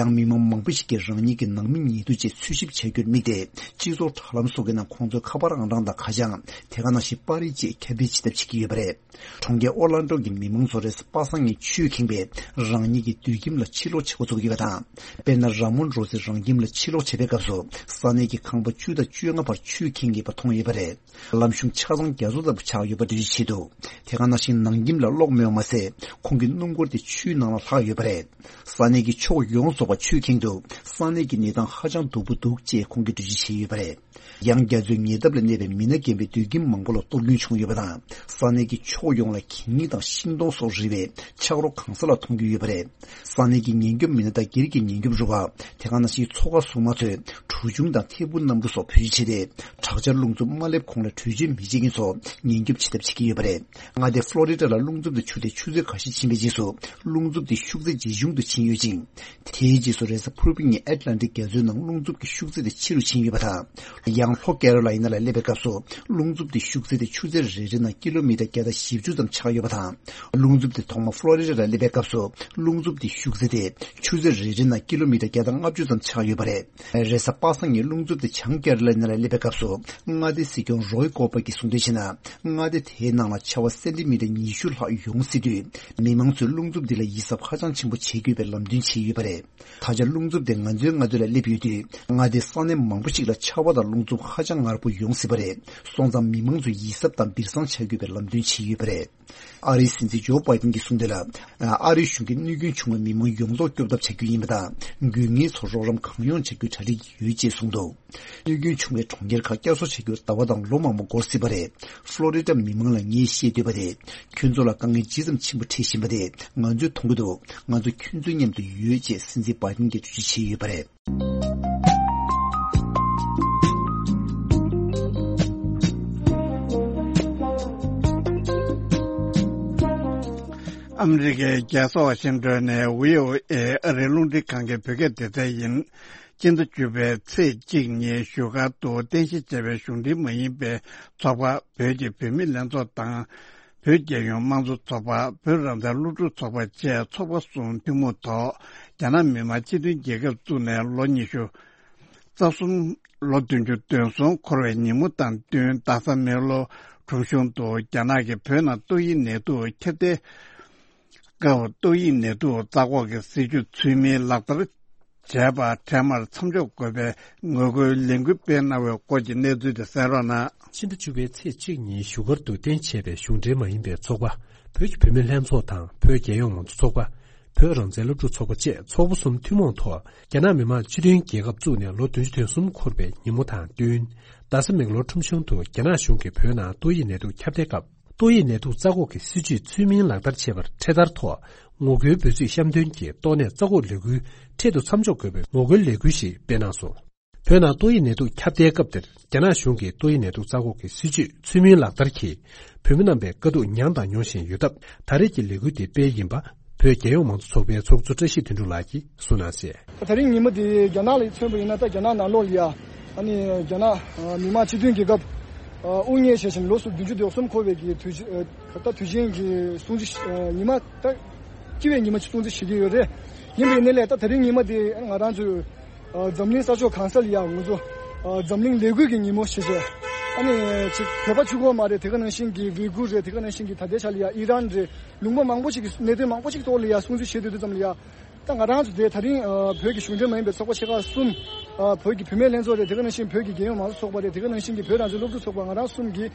ཡང་མི་མང་མང་པོ་ཞིག་གིས་རང་ཉིད་ཀྱི་ནང་མི་ཉེ་དུ་བཅས་འཚོལ་ཞིབ་བྱ་རྒྱུར་དམིགས་ཏེ། སྤྱི་ཚོགས་དྲ་ལམ་སོགས་ཀྱི་ནང་ཁོང་ཚོའི་ཁ་པར་ཨང་གྲངས་དང་ཁ་བྱང་། དེ་ག་ནང་བཞིན་པར་རིས་བཅས་ཁྱབ་སྤེལ་བྱེད་ཐབས་བྱེད་ཀྱི་ཡོད་པ་རེད། གྲོང་ཁྱེར་ཨོར་ལན་ཌོ་གི་མི་མང་ཚོ་རེས་གཟའ་པ་སངས་ཉིན་ཆུས་ཁེངས་པས་རང་ཉིད་ཀྱི་སྡོད་ཁྱིམ་ལ་ཕྱིར་ལོག་བྱེད་འགོ་བཙུགས་ཡོད་པ་དང་། དཔེར་ན་ར་མོན་རོ་སིས་རང་ཁྱིམ་ལ་ཕྱིར་ལོག་བྱེད་པའི་སྐབས་སུ་ས་གནས་ཀྱི་ཁང་པ་བཅུ་དང་བཅོ་ལྔ་བར་ཆུས་ཁེངས་ཡོད་པ་མཐོང་ཡོད་པ་རེད། ལམ་གཞུང་ཆ་ཚང་རྒྱ་མཚོ་ལྟ་བུ་ཆགས་ཡོད་པ་འགྲེལ་བརྗོད་བྱས་འདུག་དེ་ག་ནང་བཞིན་ནང་ཁྱིམ་ལ་གློག་མེད་པ་མ་ཟད། ཁོང་གི་སྣུམ་འཁོར་དེ་ཆུའི་ནང་ལ་ལྷག་ཡོད་པ་རེད། ས་གནས་ཀྱི་ཕྱོགས་ཡོངས་རྫོགས་པ་ཆུས་ཁེངས་འདུག་ས་གནས་ཀྱི་གནས་སྟངས་ཧ་ཅང་སྡུག་པོ་འདུག་ཅེས་ཁོང་གིས་འགྲེལ་བརྗོད་བྱས་ཡོད་པ་རེད། ཡང་རྒྱ་མཚོའི་ཉེ་འདབས་ལ་གནས་པའི་མི་སྣ་རྒན་པའི་སྡོད་ཁྱིམ་མང་པོ་ལ་གཏོར་སྐྱོན་བྱུང་ཡོད་པ་དང་། ས་གནས་ཀྱི་ཕྱོགས་ཡོངས་ལ་གད་སྙིགས་དང་ཤིང་སྡོང་སོགས་རིལ་བའི་ཆག་རོ་གང་ས་ལ་མཐོང་རྒྱུ་ཡོད་པ་རེད། ས་གནས་ཀྱི་ཉེན་སྐྱོབ་མི་སྣ་དང་སྒེར་གྱི་ཉེན་སྐྱོབ་རུ་ཁག་དེ་ག་ནང་བཞིན་མཚོ་ཁ་སྲུང་མ་ཚོས་གྲུ་ཆུང་དང་ཐད་འཕུར་གནམ་གྲུ་སོགས་བེད་སྤྱོད་བྱས་ཏེ། དྲག་ཆར་རླུང་འཚུབ་མ་སླེབས་གོང་ལ་བྲོས་བྱོལ་མི་བྱེད་མཁན་ཚོར་ཉེན་སྐྱོབ་བྱེད་ཐབས་བྱེད་ཀྱི་ཡོད་པ་རེད། མངའ་སྡེ་ཕློ་རི་ཌ་ལ་རླུང་འཚུབ་དེ་འཕྱུར་ཏེ་ཆུ་ཚོད་འགའ་ཤས་ཕྱིན་པའི་རྗེས་སུ། རླུང་འཚུབ་དེ་ཤུགས་ཚད་ཇེ་ཆུང་དུ་ཕྱིན་ཡོད་ཅིང་། དེའི་རྗེས་སུ་རེས་གཟའ་ཕུར་བུ་ཉིན་ཨེཊ་ལན་ཊིག་རྒྱ་མཚོའི་ནང་རླུང་འཚུབ་ཀྱི་ཤུགས་ཚད་དེ་ཆེ་རུ་ཕྱིན་ཡོད་པ་དང་། ཡང་ལྷོ་ཀེ་རོ་ལ་ཡི་ན་ལ་སླེབས་པའི་སྐབས་སུ་རླུང་འཚུབ་དེ་ཤུགས་ཚད་དེ་ཆུ་ཚོད་རེ་རེ་ནང་ཀི་ལོ་མི་ཊར་བརྒྱ་དང་བཞི་བཅུ་ཙམ་ཆགས་ཡོད་པ་དང་། རླུང་འཚུབ་དེ་ཐོག་མ་ཕློ་རི་ཌ་ལ་སླེབས་པའི་སྐབས་སུ་རླུང་འཚུབ་དེ་ཤུགས་ཚད་དེ་ཆུ་ཚོད་རེ་རེ་ནང་ཀི་ལོ་མི་ཊར་བརྒྱ་དང་ལྔ་བཅུ་ཙམ་ཆགས་ཡོད་པ་རེད། རེས་གཟའ་པ་སངས་ཉིན་རླུང་འཚུབ་དེ་ བྱང་ཀེ་ར་ལ་ན་ལ་སླེབས་པའི་སྐབས་སུ་མངའ་སྡེའི་སྲིད་སྐྱོང་རོའི་ཀོ་པ་གིས་གསུངས་དོན་བྱས་ན། མངའ་སྡེ་དེའི་ནང་ལ་ཆར་པ་སེན་ཏི་མི་ཊར་ཉི་ཤུ་ལྷག་ཡོང་སྲིད་དུས། མི་མང་ཚོས་རླུང་འཚུབ་འདི་ལ་ཡིད་གཟབ་ཧ་ཅང་ཆེན་པོ་བྱེད་དགོས་པའི་ལམ་སྟོན་བྱས་ཡོད་པ་རེད། ད་ཆ་རླུང་འཚུབ་དེ་ང་ཚོའི་མངའ་སྡེ་ལ་སླེབས་ཡོད་དུས། མངའ་སྡེའི་ས་གནས་མང་པོ་ཞིག་ལ་ཆར་པ་དང་རླུང་འཚུབ་ཧ་ཅང་ངར་པོ་ཡོང་སྲིད་པ་རེད། སོང་ཙང་མི་མང་ཚོས་ཡིད་གཟབ་དང་སྦིར་སང་བྱ་དགོས་པའི་ལམ་སྟོན་བྱས་ཡོད་པ་རེད། ཨ་རིའི་སྲིད་འཛིན་ཇོ་བྷའི་ཏིན་གྱིས་གསུངས་དོན་ལ། ཨ་རིའི་གཞུང་གིས་གནོད་སྐྱོན་བྱུང་བའི་མི་མང་ཡོངས་རྫོགས་སྐྱོབ་ཐབས་བྱ་རྒྱུ་ཡིན་པ་དང་། དགོས་ངེས་ཚོར་རོགས་རམ་གང་ཡོང་བྱ་རྒྱུའི་གྲ་སྒྲིག་ཡོད་ཅེས་གསུངས་འདུག་གནོད་སྐྱོན་བྱུང་བའི་གྲོང་ཁྱེར་ཁག་བསྐྱར་གསོ་བྱ་རྒྱུར་ཟླ་བ་དང་ལོ་མང་པོ་འགོར་སྲིད་པ་རེད། ཕློ་རི་ཌ་མི་མང་ལ་ངས་བཤད་འདོད་པ་དེ། ཁྱོད་ཚོ་ལ་དཀའ་ངལ་ཇི་ཙམ་ཆེན་པོ་འཕྲད་བཞིན་པ་དེ་ང་ཚོས་མཐོང་གི་འདུག་ང་ཚོ་ཁྱོད་ཚོའི་མཉམ་དུ་ཡོད་ཅེས་སྲིད་འཛིན་བྷའི་ཏིན་གྱིས་འགྲེལ་བརྗོད་བྱས་ཡོད་པ་རེད། ཨ་མི་རི་ཀའི་རྒྱལ་ས་ཝ་ཤིང་ཏོན་ནས་བྷི་ཨོ་ཨེ་ཨ་རིའི་རླུང་འཕྲིན་ཁང་གི་བོད་སྐད་སྡེ་ཚན་ཡིན། སྤྱི་ཟླ་བཅུ་པའི་ཚེས་གཅིག་ཉིན་བཞུགས་སྒར་དུ་རྟེན་གཞི་བྱས་པའི་གཞུང་འབྲེལ་མ་ཡིན་པའི་ཚོགས་པ། བོད་ཀྱི་བུད་མེད་ལྷན་ཚོགས་དང་། བོད་རྒྱལ་ཡོངས་དམངས་གཙོ་ཚོགས་པ། བོད་རང་བཙན་སློབ་ཕྲུག་ཚོགས་པ་བཅས་ཚོགས་པ་གསུམ་ཐུན་མོང་ཐོག་རྒྱ་ནག་མི་དམངས་སྤྱི་མཐུན་རྒྱལ་ཁབ་བཙུགས་ནས་ལོ་ཉི་ཤུ་རྩ་གསུམ། ལོ་བདུན་ཅུ་དོན་གསུམ་འཁོར་བའི་ཉིན་མོ་དང་བསྟུན། རྡ་ས་མེག་ལོར་ཁྲོམ་གཞུང་དུ་རྒྱ་ནག་གིས་བོད་ནང་ཏོག་དབྱིབས་ནད་དུག་ཁྱབ་གདལ་སྐབས། ཏོག་དབྱིབས་ནད་དུག་ཚ་འགོག་གི་སྲིད་ཇུས་ཚུལ་མིན་ལག་བསྟར་བྱས་པ་འཕྲལ་མར་མཚམས་འཇོག་དགོས་པའི་ངོ་རྒོལ་ལས་འགུལ་སྤེལ་གནང་བའི་སྐོར་གྱི་གནས་ཚུལ་དེ་གསན་རོགས་གནང་། ཕྱི་ཟླ་བཅུ་པའི་ཚེས་གཅིག་ཉིན་བཞུགས་སྒར་དུ་རྟེན་བྱས་པའི་གཞུང་འབྲེལ་མ་ཡིན་པའི་ཚོགས་པ། བོད་ཀྱི་བུད་མེད་ལྷན་ཚོགས་དང་བོད་རྒྱལ་ཡོངས་མང་གཙོ་ཚོགས་པ། བོད་རང་བཙན་སློབ་ཕྲུག་ཚོགས་པ་བཅས་ཚོགས་པ་གསུམ་ཐུན་མོང་ཐོག་རྒྱ་ནག་མི་དམངས་སྤྱི་མཐུན་རྒྱལ་ཁབ་བཙུགས་ནས་ལོ་བདུན་ཅུ་དོན་གསུམ་འཁོར་བའི་ཉིན་མོ་དང་བསྟུན། རྡ་ས་མེག་ལོར་ཁྲོམ་གཞུང་དུ་རྒྱ་ནག་གཞུང་གིས་བོད་ནང་ཏོག་དབྱིབས་ནད་དུག་ཁྱབ་གདལ་སྐབས། ཏོག་དབྱིབས་ནད་དུག་ཚ་འགོག་གི་སྲིད་ཇུས་ཚུལ་མིན་ལག་བསྟར་བྱས་པར་འཕྲེད་དར་ཐོག་ངོ་རྒོལ་འབོད་ཚིག་བཤམས་དོན་གྱིས་ཏོག་ནད་ཚ་འགོག་ལས་འགུལ་འཕྲལ་དུ་མཚམས་འཇོག་དགོས་པའི་ངོ་རྒོལ་ལས་འགུལ་ཞིག་སྤེལ་གནང་སོང་། བོད་ནང་ཏོག་དབྱིབས་ནད་དུག་ཁྱབ་གདལ་སྐབས་དེར། རྒྱ་ནག་གཞུང་གིས་ཏོག་དབྱིབས་ནད་དུག་ཚ་འགོག་གི་སྲིད་ཇུས་ཚུལ་མིན་ལག་བསྟར་གྱིས་བོད་མི་རྣམ་པའི་དཀའ་སྡུག་མྱངས་དང་མྱོང་བཞིན་ཡོད་སྟབས། ད་རེས་ཀྱི་ལས་འགུལ་དེ་སྤེལ་ཡིན་པ། བོད་རྒྱལ་ཡོངས་མང་གཙོ་ཚོགས་པའི་ཚོགས་གཙོ་བཀྲ་ཤིས་དོན་གྲུབ་ལགས་ཀྱིས་གསུངས་གནང་གསལ། ད་རིང་ཉིན་མོ་འདི་རྒྱ་ནག་ལ་མཚོན་པ་ཡིན་ན། ད་རྒྱ་ནག་ནང་ལོགས་ལ་ཡ། ཨ་ནི་རྒྱ་ནག་མི་དམངས་སྤྱི་མཐུན་རྒྱལ་ཁབ་དབུ་བརྙེས་བྱས་ཤིང་ལོ་སུ་བདུན་ཅུ་དོན་གསུམ་འཁོར་བའི་གི་དུས་ཆེན། ད་དུས་ཆེན་གྱི་སྲུང་བརྩི་ཉི་མ། ད་སྤྱི་བའི་ཉི་མ་སྲུང་བརྩི་བྱེད་ཀྱི་ཡོད་རེད། ཡིན་པའི་ནི་ལས་ད་ད་རིང་ཉིན་མོ་འདི་ང་རང་ཚོའི་འཛམ་གླིང་ས་ཕྱོགས་གང་ས་ལ་ཡ་ང་ཚོ་འཛམ་གླིང་ལས་འགུལ་གྱི་ཉིན་མོ་ཞེས་བྱས། ཨ་ནི་ཅིག་བོད་པ་གཅིག་པོ་མ་རེད། དེ་ག་ནང་བཞིན་གྱི་ཝི་གུར་རེད། དེ་ག་ནང་བཞིན་གྱི་ད་ལྟའི་ཆ་ལ་ཡ་ཨི་རན་རེད། ལུང་པ་མང་པོ་ཞིག་གི་གནད་དོན་མང་པོ་ཞིག་ཐོག་ལ་ཡ་སྲུང་བརྩི་བྱེད་དུས་དུས་ཙམ་ལ་ཡ། ད་ང་རང་ཚོ་དེ་ད་རིང་བོད་ཀྱི་གཞུང་འབྲེལ་མ་ཡིན་པའི་ཚོགས་པ་ཆེ་ཁག་གསུམ། བོད་ཀྱི་བུད་མེད་ལྷན་ཚོགས་རེད། དེ་ག་ནང་བཞིན་བོད་ཀྱི་རྒྱལ་ཡོངས་མང་གཙོ་ཚོགས་པ་རེད། དེ་ག་ནང་བཞིན་གྱི་བོད་རང་བཙན་སློབ་ཕྲུག་ཚོགས་པ། ང་རང་གསུམ་གྱིས་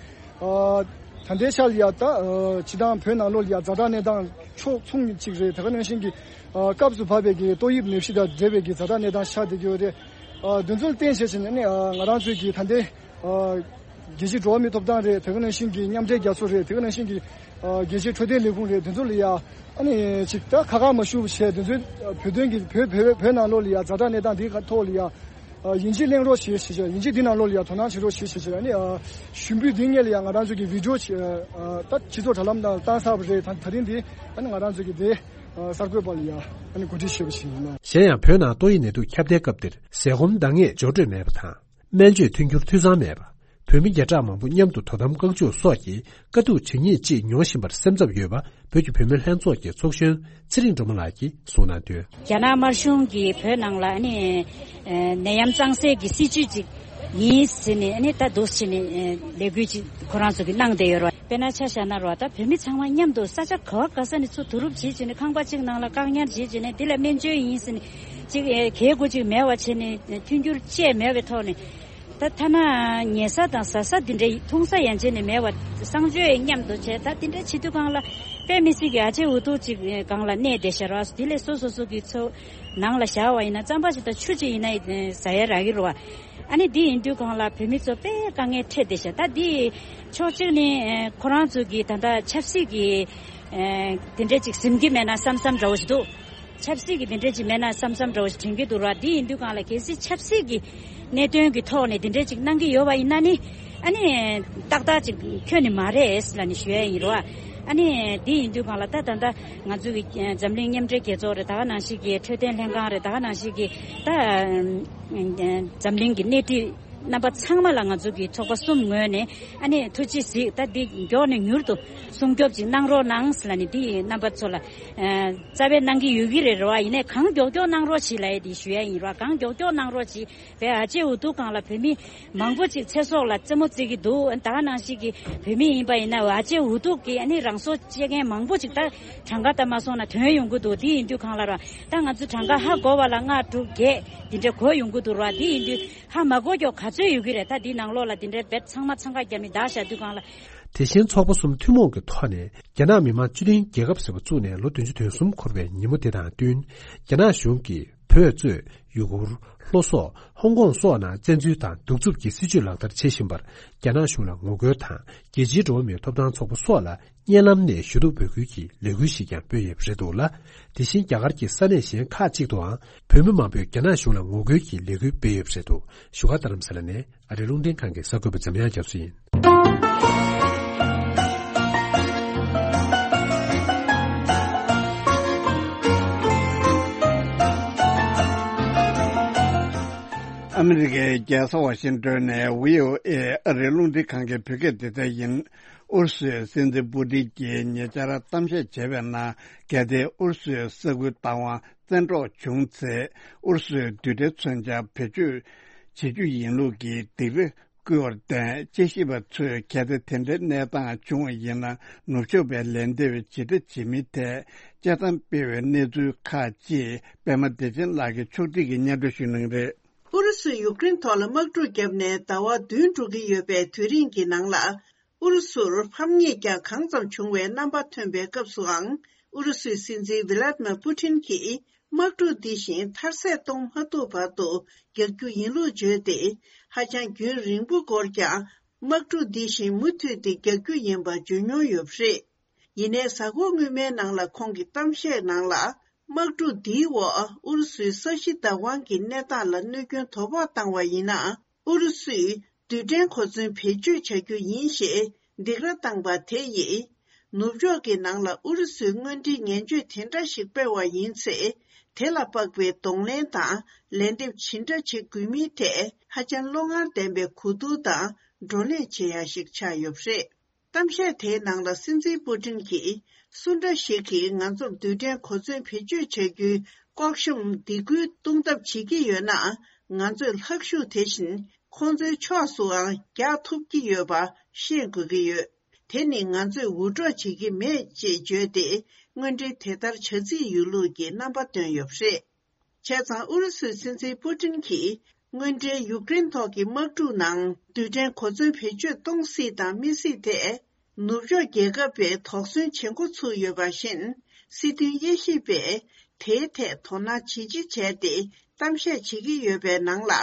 ད་ལྟའི་ཆ་ལ་ཡ་ད་སྤྱི་བཏང་བོད་ནང་ལོགས་ལ་ཡ་ཛ་དྲག་གནས་སྟངས་ཕྱོགས་མཚུངས་གཅིག་རེད། དེ་ག་ནང་བཞིན་གྱི་སྐབས་སུ་བབས་པའི་གི་ཏོག་དབྱིབས་ནད་གཞི་དང་འབྲེལ་བའི་གི་ཛ་དྲག་གནས་སྟངས་ཤར་བསྡད་ཀྱི་ཡོད་རེད། དེ་ཚོར་བརྟེན་བྱས་བྱས་ནས་ནི་ང་རང་ཚོའི་གི་ད་ལྟའི་རྒྱལ་སྤྱིའི་འགྲོ་བ་མིའི་ཐོབ་ཐང་རེད། དེ་ག་ནང་བཞིན་གྱི་མཉམ་འབྲེལ་རྒྱལ་ཚོགས་རེད། དེ་ག་ནང་བཞིན་གྱི་རྒྱལ་སྤྱིའི་འཕྲོད་བསྟེན་ལས་ཁུངས་རེད། དེ་ཚོ་ལ་ཡ་ཨ་ནི་ཅིག་ད་ཁ་ཁ་མ་ཞུ་བྱས། དེ་ཚོའི་བོད་དོན་གྱི་བོད་བོད་བོད་ནང་ལོགས་ལ་ཡ་ཛ་དྲག་གནས་སྟངས་འདིའི་ཐོག་ལ་ཡ་ཨ་དབྱིན་ཇི་གླེང་རོགས་བྱེད་ཞེས་བྱས། དབྱིན་ཇི་འདི་ནང་ལོགས་ལ་ཡ་དོ་སྣང་བྱེད་རོགས་བྱེད་ཞེས་བྱས། ཨ་ནི་ཨ་ཞུ་འབོད་འདི་སྔོན་ལ་ཡ་ང་རང་ཚོ་གི་བི་ཌི་ཨོ་ཅིག་ཨ་ད་སྤྱི་ཚོགས་དྲ་ལམ་ནང་བཏང་ཚར་བ་རེད། ད་ད་རིང་འདི་ཨ་ནི་ང་རང་ཚོ་གི་དེ་ཨ་གསར་འགོད་པ་ལ་ཡ་ཨ་ནི་གོ་སྒྲིག་བྱས་པ་ཞིག་ཡིན་ལ། གཞན་ཡང་བོད་ནང་ཏོག་དབྱིབས་ནད་དུག་ཁྱབ་གདལ་སྐབས་དེར་ཟས་སྐོམ་འདང་ངེས་འབྱོར་སྤྲོད་མེད་པ་དང་། སྨན་བཅོས་མཐུན་འགྱུར་འཐུས་ཚང་མེད་པ། བོད་མི་བརྒྱ་ཕྲག་མང་པོ་མཉམ་དུ་དོ་དམ་བཀག་འཇུག་སོགས་ཀྱི་དཀའ་སྡུག་ཇི་སྙེད་ཅིག་མྱོང་བཞིན་པར་སེམས་འཚབ་ཡོད་པ། བོད་ཀྱི་བུད་མེད་ལྷན་ཚོགས་ཀྱི་ཚོགས་གཞོན་ཚེ་རིང་སྒྲོལ་མ་ལགས་ཀྱིས་གསུངས་གནང་དོན། རྒྱ་ནག་དམར་གཞུང་གིས་བོད་ནང་ལ་ཨ་ནི་ནད་ཡམས་གཙང་སེལ་གྱི་སྲིད་ཇུས་ཅིག་ཡིན་ཟེར་ནས་ཨ་ནི་ད་འདུག་ཟེར་ནས་ལས་འགུལ་ཅིག་ཁོ་རང་ཚོ་གིས་གནང་བསྡད་ཡོད་རེད། དཔེར་ན་ཆ་བཞག་ན་རོ། ད་བོད་མི་ཚང་མ་མཉམ་དུ་ས་ཆ་ག་བ་ག་ས་ནས་ཚུར་བསྡུ་རུབ་བྱེད་བྱས་ནས་ཁང་པ་གཅིག་ནང་ལ་བཀག་ཉར་བྱེད་བྱས་ནས་འདི་ལ་སྨན་བཅོས་ཡིན་ཟེར་ནས་ཅིག་གལ་དགོས་ཅིག་མེད་པ་བྱས་ནས་མཐུན་འགྱུར་བཅས་མེད་པའི་ཐོག་ནས། ད་ཐ་ན་ཉལ་ས་དང་ཟ་ས་འདི་འདྲ་འཐུང་ས་ཡན་ཆད་ནས་མེད་པ། གསང་སྤྱོད་མཉམ་དུ་བྱས། ད་འདི་འདྲ་བྱེད་དུས་སྒང་ལ་དཔེ་མི་སྲིད་ཀྱི་ཨ་ཅེ་འུ་ཐུག་ཅིག་སྒང་ལ་གནས་བསྡད་ཤག་ར། འདི་ལས་སོ་སོ་སོ་གི་ཚོ་ནང་ལ་བཞག་པ་ཡིན་ན་རྩམ་པ་ཞིག་དང་ཆུ་ཅིག་ཡིན་ན་ཟ་ཡ་རག་གི་རེད་བ། ཨ་ནི་འདི་ཡིན་དུས་སྒང་ལ་བོད་མི་ཚོ་དཔེ་དཀའ་ངལ་འཕྲད་བསྡད་ཤག་ད་འདི་ཕྱོགས་གཅིག་ནས་ཁོ་རང་ཚོ་གི་ད་ལྟ་ཆབ་སྲིད་ཀྱི་དེ་འདྲ་ཅིག་ཟིན་གྱི་མེད་ན་བསམ་བསམ་འདྲ་བོ་ཞིག་འདུག་ཆབ་སྲིད་ཀྱི་དེ་འདྲ་ཅིག་མེད་ན་བསམ་བསམ་འདྲ་བོ་ཞིག་དྲན་གྱི་འདུག་ར། དེ་ཡིན་དུས་སྒང་ལ་གལ་སྲིད་ཆབ་སྲིད་ཀྱི་གནད་དོན་གྱི་ཐོག་ནས་དེ་འདྲ་ཅིག་གནང་གི་ཡོད་པ་ཡིན་ན་ནི། ཨ་ནི་ཏག་ཏག་ཅིག་ཁྱོན་ནས་མ་རེད་ལབ་ནས་ཞུ་ཡ་ཡིན་ར། ཨ་ནི་དེ་ཡིན་དུས་སྒང་ལ་ད་ད་ལྟ་ང་ཚོ་གི་འཛམ་གླིང་མཉམ་འབྲེལ་རྒྱལ་ཚོགས་རེད། ད་ག་ནང་བཞིན་གྱི་འཕྲོད་བསྟེན་ལྷན་ཁང་རེད། ད་ག་ནང་བཞིན་གྱི་ད་འཛམ་གླིང་གི་སྣེ་ཁྲིད་ རྣམ་པ་ཚང་མ་ལ་ང་ཚོ་གི་ཚོགས་པ་གསུམ་ངོས་ནས་ཨ་ནི་ཐུགས་རྗེ་གཟིགས། ད་འདི་མགྱོགས་ནས་མྱུར་དུ་སྲུང་སྐྱོབ་ཅིག་གནང་རོགས་གནང་ལབ་ནས་འདི་རྣམ་པ་ཚོ་ལ་ཨ་རྩ་བའི་གནང་གི་ཡོད་ཀྱི་རེད་རོ། ཡིན་ནའི་གང་མགྱོགས་མགྱོགས་གནང་རོགས་བྱེད་ལབ་ཡས་འདི་ཞུ་ཡ་ཡིན་རོ། གང་མགྱོགས་མགྱོགས་གནང་རོགས་བྱེད། བའི་ཨ་ཅེ་འུ་ཐུག་སྒང་ལ་བོད་མི་མང་པོ་ཅིག་ཚེ་སྲོག་ལ་རྩེད་མོ་རྩེ་གི་འདུག། ད་ག་ནང་བཞིན་གྱི་བོད་མི་ཡིན་པ་ཡིན་ན་ཨ་ཅེ་འུ་ཐུག་གི་ཨ་ནི་རང་སྲོག་བཅད་མཁན་མང་པོ་ཅིག་ད་གྲངས་ཀ་ད་མ་སོང་ན་ཐོན་ཡོང་གི་འདུག། དེ་ཡིན་དུས་སྒང་ལ་ར་ད་ང་ཚོ་གྲངས་ཀ་ཧ་གོ་བ་ལ་ལྔ་དྲུག་བརྒྱད་འདི་འདྲ་གོ་ཡོང་གི་འདུག་ར། དེ་ཡིན་དུས་ཧ་མ་གོ་ཀྱོག་ག་ཚོད་ཡོད་ཀྱི་རེད། ད་འདི་ནང་ལོགས་ལ་འདི་འདྲ་བེད་ཚང་མ་འཚང་ཁ་རྒྱབ་མི་བདག་བཞག་དུས་སྒང་ལ། དེ་བཞིན་ཚོགས་པ་གསུམ་ཐུན་མོང་གི་ཐོག་ནས་རྒྱ་ནག་མི་དམངས་སྤྱི་མཐུན་རྒྱལ་ཁབ་ཟེར་བ་བཙུགས་ནས་ལོ་བདུན་ཅུ་དོན་གསུམ་འཁོར་བའི་ཉིན་མོ་དེ་དང་བསྟུན། རྒྱ་ནག་གཞུང་གིས་བོད་གཙོས་ཡུ་གུར། ལྷོ་སོག་ཧོང་ཀོང་སོགས་ནང་བཙན་འཛུལ་དང་གདུག་རྩུབ་ཀྱི་སྲིད་བྱུས་ལག་བསྟར་བྱེད་བཞིན་པར་རྒྱ་ནག་གཞུང་ལ་ངོ་རྒོལ་དང་རྒྱལ་སྤྱིའི་འགྲོ་བ་མིའི་ཐོབ་ཐང་ཚོགས་པ་སོགས་ལ་བརྙན་ལམ་ནས་ཞུ་གཏུག་འབོད་སྐུལ་གྱི་ལས་འགུལ་ཞིག་ཀྱང་སྤེལ་ཡོད་པ་རེད་འདུག་ལ། དེ་བཞིན་རྒྱ་གར་གྱི་ས་གནས་གཞན་ཁག་ཅིག་ཏུའང་བོད་མི་མང་པོས་རྒྱ་ནག་གཞུང་ལ་ངོ་རྒོལ་གྱི་ལས་འགུལ་སྤེལ་ཡོད་པ་རེད་འདུག། བཞུགས་སྒར་རྡ་རམ་ས་ལ་ནས་ཨ་རིའི་རླུང་འཕྲིན་ཁང་གི་གསར་འགོད་པ་འཇམ་དབྱངས་རྒྱ་མཚོ་ཡིན། ཨ་མི་རི་ཀའི་རྒྱལ་ས་ཝ་ཤིང་ཏོན་ནས་བྷི་ཨོ་ཨེ་ཨ་རིའི་རླུང་འཕྲིན་ཁང་གི་བོད་སྐད་སྡེ་ཚན་ཡིན། ཨུ་རུ་སུའི་སྲིད་འཛིན་པུ་ཏིན་གྱིས་ཉེ་ཆར་གཏམ་བཤད་བྱས་པའི་ནང་གལ་ཏེ་ཨུ་རུ་སུའི་ས་ཁུལ་བདག་དབང་བཙན་འཕྲོག་བྱུང་ཚེ་ཨུ་རུ་སུའི་རྡུལ་ཕྲན་མཚོན་ཆ་བེད་སྤྱོད་བྱེད་རྒྱུ་ཡིན་ལུགས་ཀྱི་སྡིགས་ར་བསྐུལ་བར་བརྟེན་དཔྱད་ཞིབ་པ་ཚོས་གལ་ཏེ་དེ་འདྲའི་གནས་སྟངས་བྱུང་བ་ཡིན་ན་ནུབ་ཕྱོགས་པའི་ལན་འདེབས་ཇི་འདྲ་བྱེད་མིན་ཐད་དཔྱད་གཏམ་སྤེལ་བའི་གནས་ཚུལ་ཁག་ཅིག་པད་མ་བདེ་ཆེན་ལགས་ཀྱིས་ཕྱོགས་སྒྲིག་གིས་སྙན་སྒྲོན་ཞུ་གནང་རེད། ཨུ་རུ་སུས་ཡུཀ་རེན་ཐོག་ལ་དམག་འཁྲུག་བརྒྱབ་ནས་ཟླ་བ་བདུན་འགྲོ་གི་ཡོད་པའི་དུས་རིང་གི་ནང་ལ། ཨུ་རུ་སུར་ཕམ་ཉེས་ཀྱང་གང་ཙམ་བྱུང་བའི་རྣམ་པ་ཐོན་པའི་སྐབས་སུའང་ཨུ་རུ་སུའི་སྲིད་འཛིན་ཝི་ལ་ཏི་མིར་པུ་ཏིན་གྱིས་དམག་འཁྲུག་འདི་བཞིན་མཐར་ཟད་གཏོང་མ་ཐུབ་བར་དུ་རྒྱག་རྒྱུ་ཡིན་ལུགས་བརྗོད་དེ། ཧ་ཅང་རྒྱུན་རིང་པོ་འགོར་ཀྱང་དམག་འཁྲུག་འདི་བཞིན་མུ་མཐུད་དེ་རྒྱག་རྒྱུ་ཡིན་པ་བརྗོད་མྱོང་ཡོད་པ་རེད། ཡིན་ནའི་གཟའ་འཁོར་སྔོན་མའི་ནང་ལ་ཁོང་གི་གཏམ་བཤད་ནང་ལ། དམག་འཁྲུག་འདིའི་འོག་ཨུ་རུ་སུའི་ས་གཞི་བདག་དབང་གི་གནས་སྟངས་ལ་གནོད་སྐྱོན་དོ་ཕོག་བཏང་བ་ཡིན་ན། ཨུ་རུ་སུས་རྡུལ་ཕྲན་གོ་མཚོན་བེད་སྤྱོད་བྱ་རྒྱུ་ཡིན་ཞེས་སྡིགས་ར་བཏང་པ་དེ་ཡིས། ནུབ་ཕྱོགས་ཀྱི་ནང་ལ་ཨུ་རུ་སུའི་དངོས་འབྲེལ་ངན་བྱུས་དེ་འདྲ་ཞིག་སྤེལ་བ་ཡིན་ཚེ། དེ་ལ་དཔག་པའི་གདོང་ལེན་དང་ལན་འདེབས་ཇི་འདྲ་བྱེད་དགོས་མིན་ཐད་ཧ་ཅང་བློ་ངར་ལྡན་པའི་གོ་བསྡུར་དང་བགྲོ་གླེང་བྱེད་ཡ་ཞིག་ཆགས་ཡོད་པ་རེད། གཏམ་བཤད་དེའི་ནང་ལ་སྲིད་འཛིན་པུ་ཏིན་གྱིས་སུ་འདྲ་ཞིག་གིས་ང་ཚོར་རྡུལ་ཕྲན་གོ་མཚོན་བེད་སྤྱོད་བྱ་རྒྱུའི་ལྐོག་ཤོམ་སྡིགས་སྐུལ་གཏོང་ཐབས་བྱེད་ཀྱི་ཡོད་ན། ང་ཚོས་ལྷག་ཤུགས་དེ་བཞིན་ཁོང་ཚོའི་ཕྱོགས་སུའང་རྒྱག་ཐུབ་ཀྱི་ཡོད་པ་ཤེས་དགོས་ཀྱི་ཡོད། དེ་ནི་ང་ཚོས་འུར་སྒྲོག་བྱེད་ཀྱི་མེད་ཅེས་བརྗོད་དེ། དངོས་འབྲེལ་དེ་ལྟར་བྱ་རྩིས་ཡོད་ལུགས་ཀྱི་རྣམ་པ་བཏོན་ཡོད་པ་རེད། བྱས་ཙང་ཨུ་རུ་སུའི་སྲིད་འཛིན་པུ་ཏིན་གྱིས་དངོས་འབྲེལ་ཡུཀ་རེན་ཐོག་གི་དམག་འཁྲུག་ནང་རྡུལ་ཕྲན་གོ་མཚོན་བེད་སྤྱོད་གཏོང་སྲིད་དང་མི་སྲིད་ཐད། ནུབ་ཕྱོགས་རྒྱལ་ཁབ་པས་དོགས་ཟོན་བྱེད་འགོ་ཚུགས་ཡོད་པ་བཞིན། སྲིད་དོན་དབྱེ་ཞིབ་པས་དེའི་ཐད་དོ་སྣང་ཇི་ཆེ་བྱས་ཏེ་གཏམ་བཤད་བྱེད་ཀྱི་ཡོད་པའི་ནང་ལ།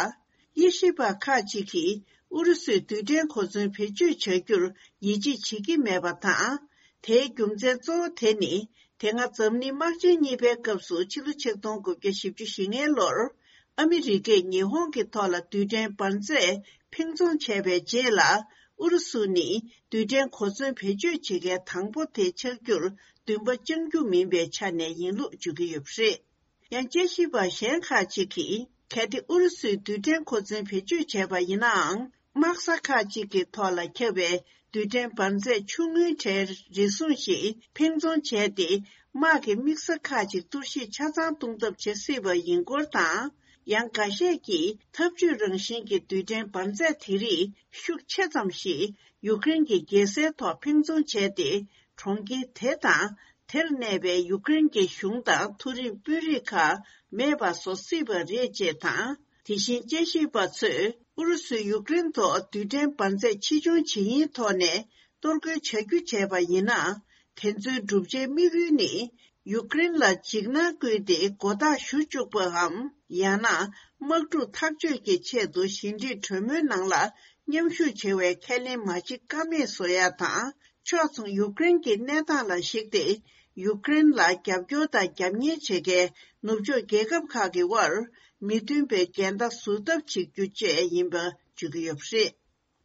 དབྱེ་ཞིབ་པ་ཁག་ཅིག་གིས་ཨུ་རུ་སུས་རྡུལ་ཕྲན་གོ་མཚོན་བེད་སྤྱོད་བྱ་རྒྱུར་ཡིད་ཆེས་བྱེད་ཀྱི་མེད་པ་དང་། དེའི་རྒྱུ་མཚན་གཙོ་བོ་དེ་ནི། དེ་སྔ་འཛམ་གླིང་དམག་ཆེན་གཉིས་པའི་སྐབས་སུ་ཕྱི་ལོ་ཆིག་སྟོང་དགུ་བརྒྱ་བཞི་བཅུ་ཞེ་ལྔའི་ལོར། ཨ་མི་རི་ཀས་ཉི་ཧོང་གི་ཐོག་ལ་རྡུལ་ཕྲན་འབར་རྫས་འཕེན་རྫོང་བྱས་པའི་རྗེས་ལ། ཨུ་རུ་སུ་ནི་རྡུལ་ཕྲན་གོ་མཚོན་བེད་སྤྱོད་བྱེད་མཁན་དང་པོ་དེ་ཆགས་རྒྱུར་འདུན་པ་བཅང་རྒྱུ་མིན་པའི་ཆ་ནས་ཡིན་ལུགས་བརྗོད་ཀྱི་ཡོད་པ་རེད། ཡང་དཔྱད་ཞིབ་པ་གཞན་ཁག་ཅིག་གིས། གལ་ཏེ་ཨུ་རུ་སུས་རྡུལ་ཕྲན་གོ་མཚོན་བེད་སྤྱོད་བྱས་པ་ཡིན་ནའང་། དམག་ས་ཁག་ཅིག་གི་ཐོག་ལ་ཁྱབ་པའི་རྡུལ་ཕྲན་འབར་རྫས་ཆུང་ངུའི་གྲས་རེ་ཟུང་ཞིག་འཕེན་རྫོང་བྱས་ཏེ། དམག་གི་དམིགས་ས་ཁག་ཅིག་གཏོར་བཤིག་ཆ་ཚང་གཏོང་ཐབས་བྱེད་སྲིད་པ་ཡིན་སྐོར་དང་། ཡང་འགའ་ཤས་ཀྱིས་འཐབ་ཇུས་རང་བཞིན་གྱི་རྡུལ་ཕྲན་འབར་རྫས་དེ་རིགས་ཤུགས་ཆེ་ཙམ་ཞིག་ཡུཀ་རེན་གྱི་རྒྱལ་སའི་ཐོག་འཕེན་རྫོང་བྱས་ཏེ། གྲོང་ཁྱེར་དེ་དང་། དེར་གནས་པའི་ཡུཀ་རེན་གྱི་གཞུང་དང་མཐོ་རིམ་དཔོན་རིགས་ཁག་མེད་པ་བཟོ་སྲིད་པ་རེད་ཅེས་དང་། དེ་བཞིན་དཔྱད་ཞིབ་པ་ཚོས་ཨུ་རུ་སུས་ཡུཀ་རེན་ཐོག་རྡུལ་ཕྲན་འབར་རྫས་ཕྱིར་ཚོང་བྱེད་ཡུན་ཐོག་ནས་གཏོར་རྒོལ་བྱ་རྒྱུ་བྱས་པ་ཡིན་ན། དེ་ཚོའི་བསྒྲུབ་བྱའི་དམིགས་ཡུལ་ནི། ཡུཀ་རེན་ལ་འཇིགས་སྣང་བསྐུལ་ཏེ་མགོ་ཐག་གཞུ་བཅུག་པའམ། ཡང་ན། དམག་འཁྲུག་ཐག་གཅོད་ཀྱི་ཆེད་དུ་ཞི་འགྲིག་གྲོས་མོལ་ནང་ལ་མཉམ་ཞུགས་བྱེད་པའི་ཁས་ལེན་མ་བྱེད་ཀ་མེད་བཟོ་ཡ་དང་། ཕྱོགས་མཚུངས་ཡུཀ་རེན་གྱི་གནས་སྟངས་ལ་གཞིགས་ཏེ། ཡུཀ་རེན་ལ་རྒྱབ་སྐྱོར་དང་རྒྱབ་གཉེར་བྱེད་མཁན་ནུབ་ཕྱོགས་རྒྱལ་ཁབ་ཁག་གི་དབར་མི་མཐུན་པའི་འགལ་ཟླ་ཟུར་ཐབས་བྱེད་རྒྱུ་བཅས་ཡིན་པ་བརྗོད་ཀྱི་ཡོད་པ་རེད།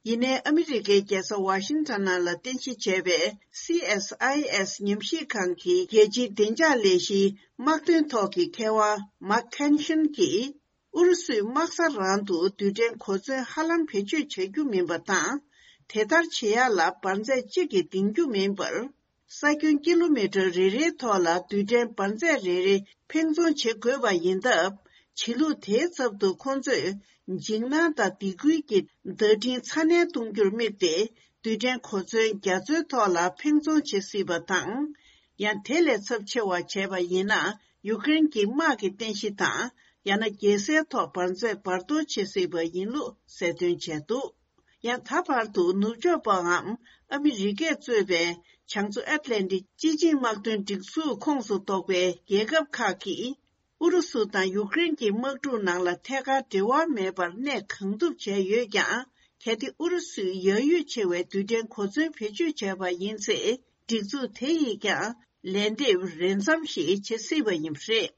ཡིན་ནའི་ཨ་མི་རི་ཀའི་རྒྱལ་ས་ཝ་ཤིང་ཊོན་ནང་ལ་རྟེན་གཞི་བྱས་པའི་སི་ཨེས་ཨའི་ཨེས་ཉམས་ཞིབ་ཁང་གི་རྒྱལ་སྤྱིའི་བདེ་འཇགས་ལས་གཞིའི་དམག་དོན་ཐོག་གི་མཁས་དབང་མཱག་ཁན་ཤན་གྱིས། ཨུ་རུ་སུས་དམག་ས་རང་དུ་རྡུལ་ཕྲན་གོ་མཚོན་ཧ་ལམ་བེད་སྤྱོད་བྱ་རྒྱུ་མིན་པ་དང་། དེ་ལྟར་བྱེད་ཡག་ལ་འབར་རྫས་གཅིག་གིས་འདིང་རྒྱུ་མིན་པར། ས་ཁྱོན་ཀི་ལོ་མི་ཊར་རེ་རེའི་ཐོག་ལ་རྡུལ་ཕྲན་འབར་རྫས་རེ་རེ་འཕེན་རྫོང་བྱེད་དགོས་པ་ཡིན་སྟབས། བྱེད་ལུགས་དེའི་ཚབ་ཏུ་ཁོང་ཚོས་འཇིགས་སྣང་དང་སྡིགས་སྐུལ་གྱི་བརྡ་འཕྲིན་ཚ་ནན་གཏོང་རྒྱུར་དམིགས་ཏེ། རྡུལ་ཕྲན་གོ་མཚོན་རྒྱ་མཚོའི་ཐོག་ལ་འཕེན་རྫོང་བྱེད་སྲིད་པ་དང་། ཡང་དེ་ལས་ཚབས་ཆེ་བ་བྱས་པ་ཡིན་ན། ཡུཀ་རེན་གྱི་དམག་གི་རྟེན་གཞི་དང་། ཡང་ན་རྒྱལ་སའི་ཐོག་འབར་རྫས་འབར་གཏོར་བྱེད་སྲིད་པ་ཡིན་ལུགས་གསལ་སྟོན་བྱས་འདུག་ཡང་ད་བར་དུ་ནུབ་ཕྱོགས་པའམ་ཨ་མི་རི་ཀས་གཙོས་པའི་བྱང་མཚོ་ཨེཊ་ལན་ཊིག་སྤྱི་ཆིངས་དམག་དོན་སྒྲིག་འཛུགས་ཁོངས་སུ་གཏོགས་པའི་རྒྱལ་ཁབ་ཁག་གིས། ཨུ་རུ་སུ་དང་ཡུཀ་རེན་གྱི་དམག་འཁྲུག་ནང་ལ་ཐད་ཀར་འབྲེལ་བ་མེད་པར་གནས་གང་ཐུབ་བྱས་ཡོད་ཀྱང་། གལ་ཏེ་ཨུ་རུ་སུས་ཡ་ཡུལ་ཆེ་བའི་རྡུལ་ཕྲན་གོ་མཚོན་བེད་སྤྱོད་བྱས་པ་ཡིན་ཚེ། སྒྲིག་འཛུགས་དེ་ཡིས་ཀྱང་ལན་འདེབས་རེ་མཚམས་ཤིག་བྱེད་སྲིད་པ་ཡིན་པ་རེད།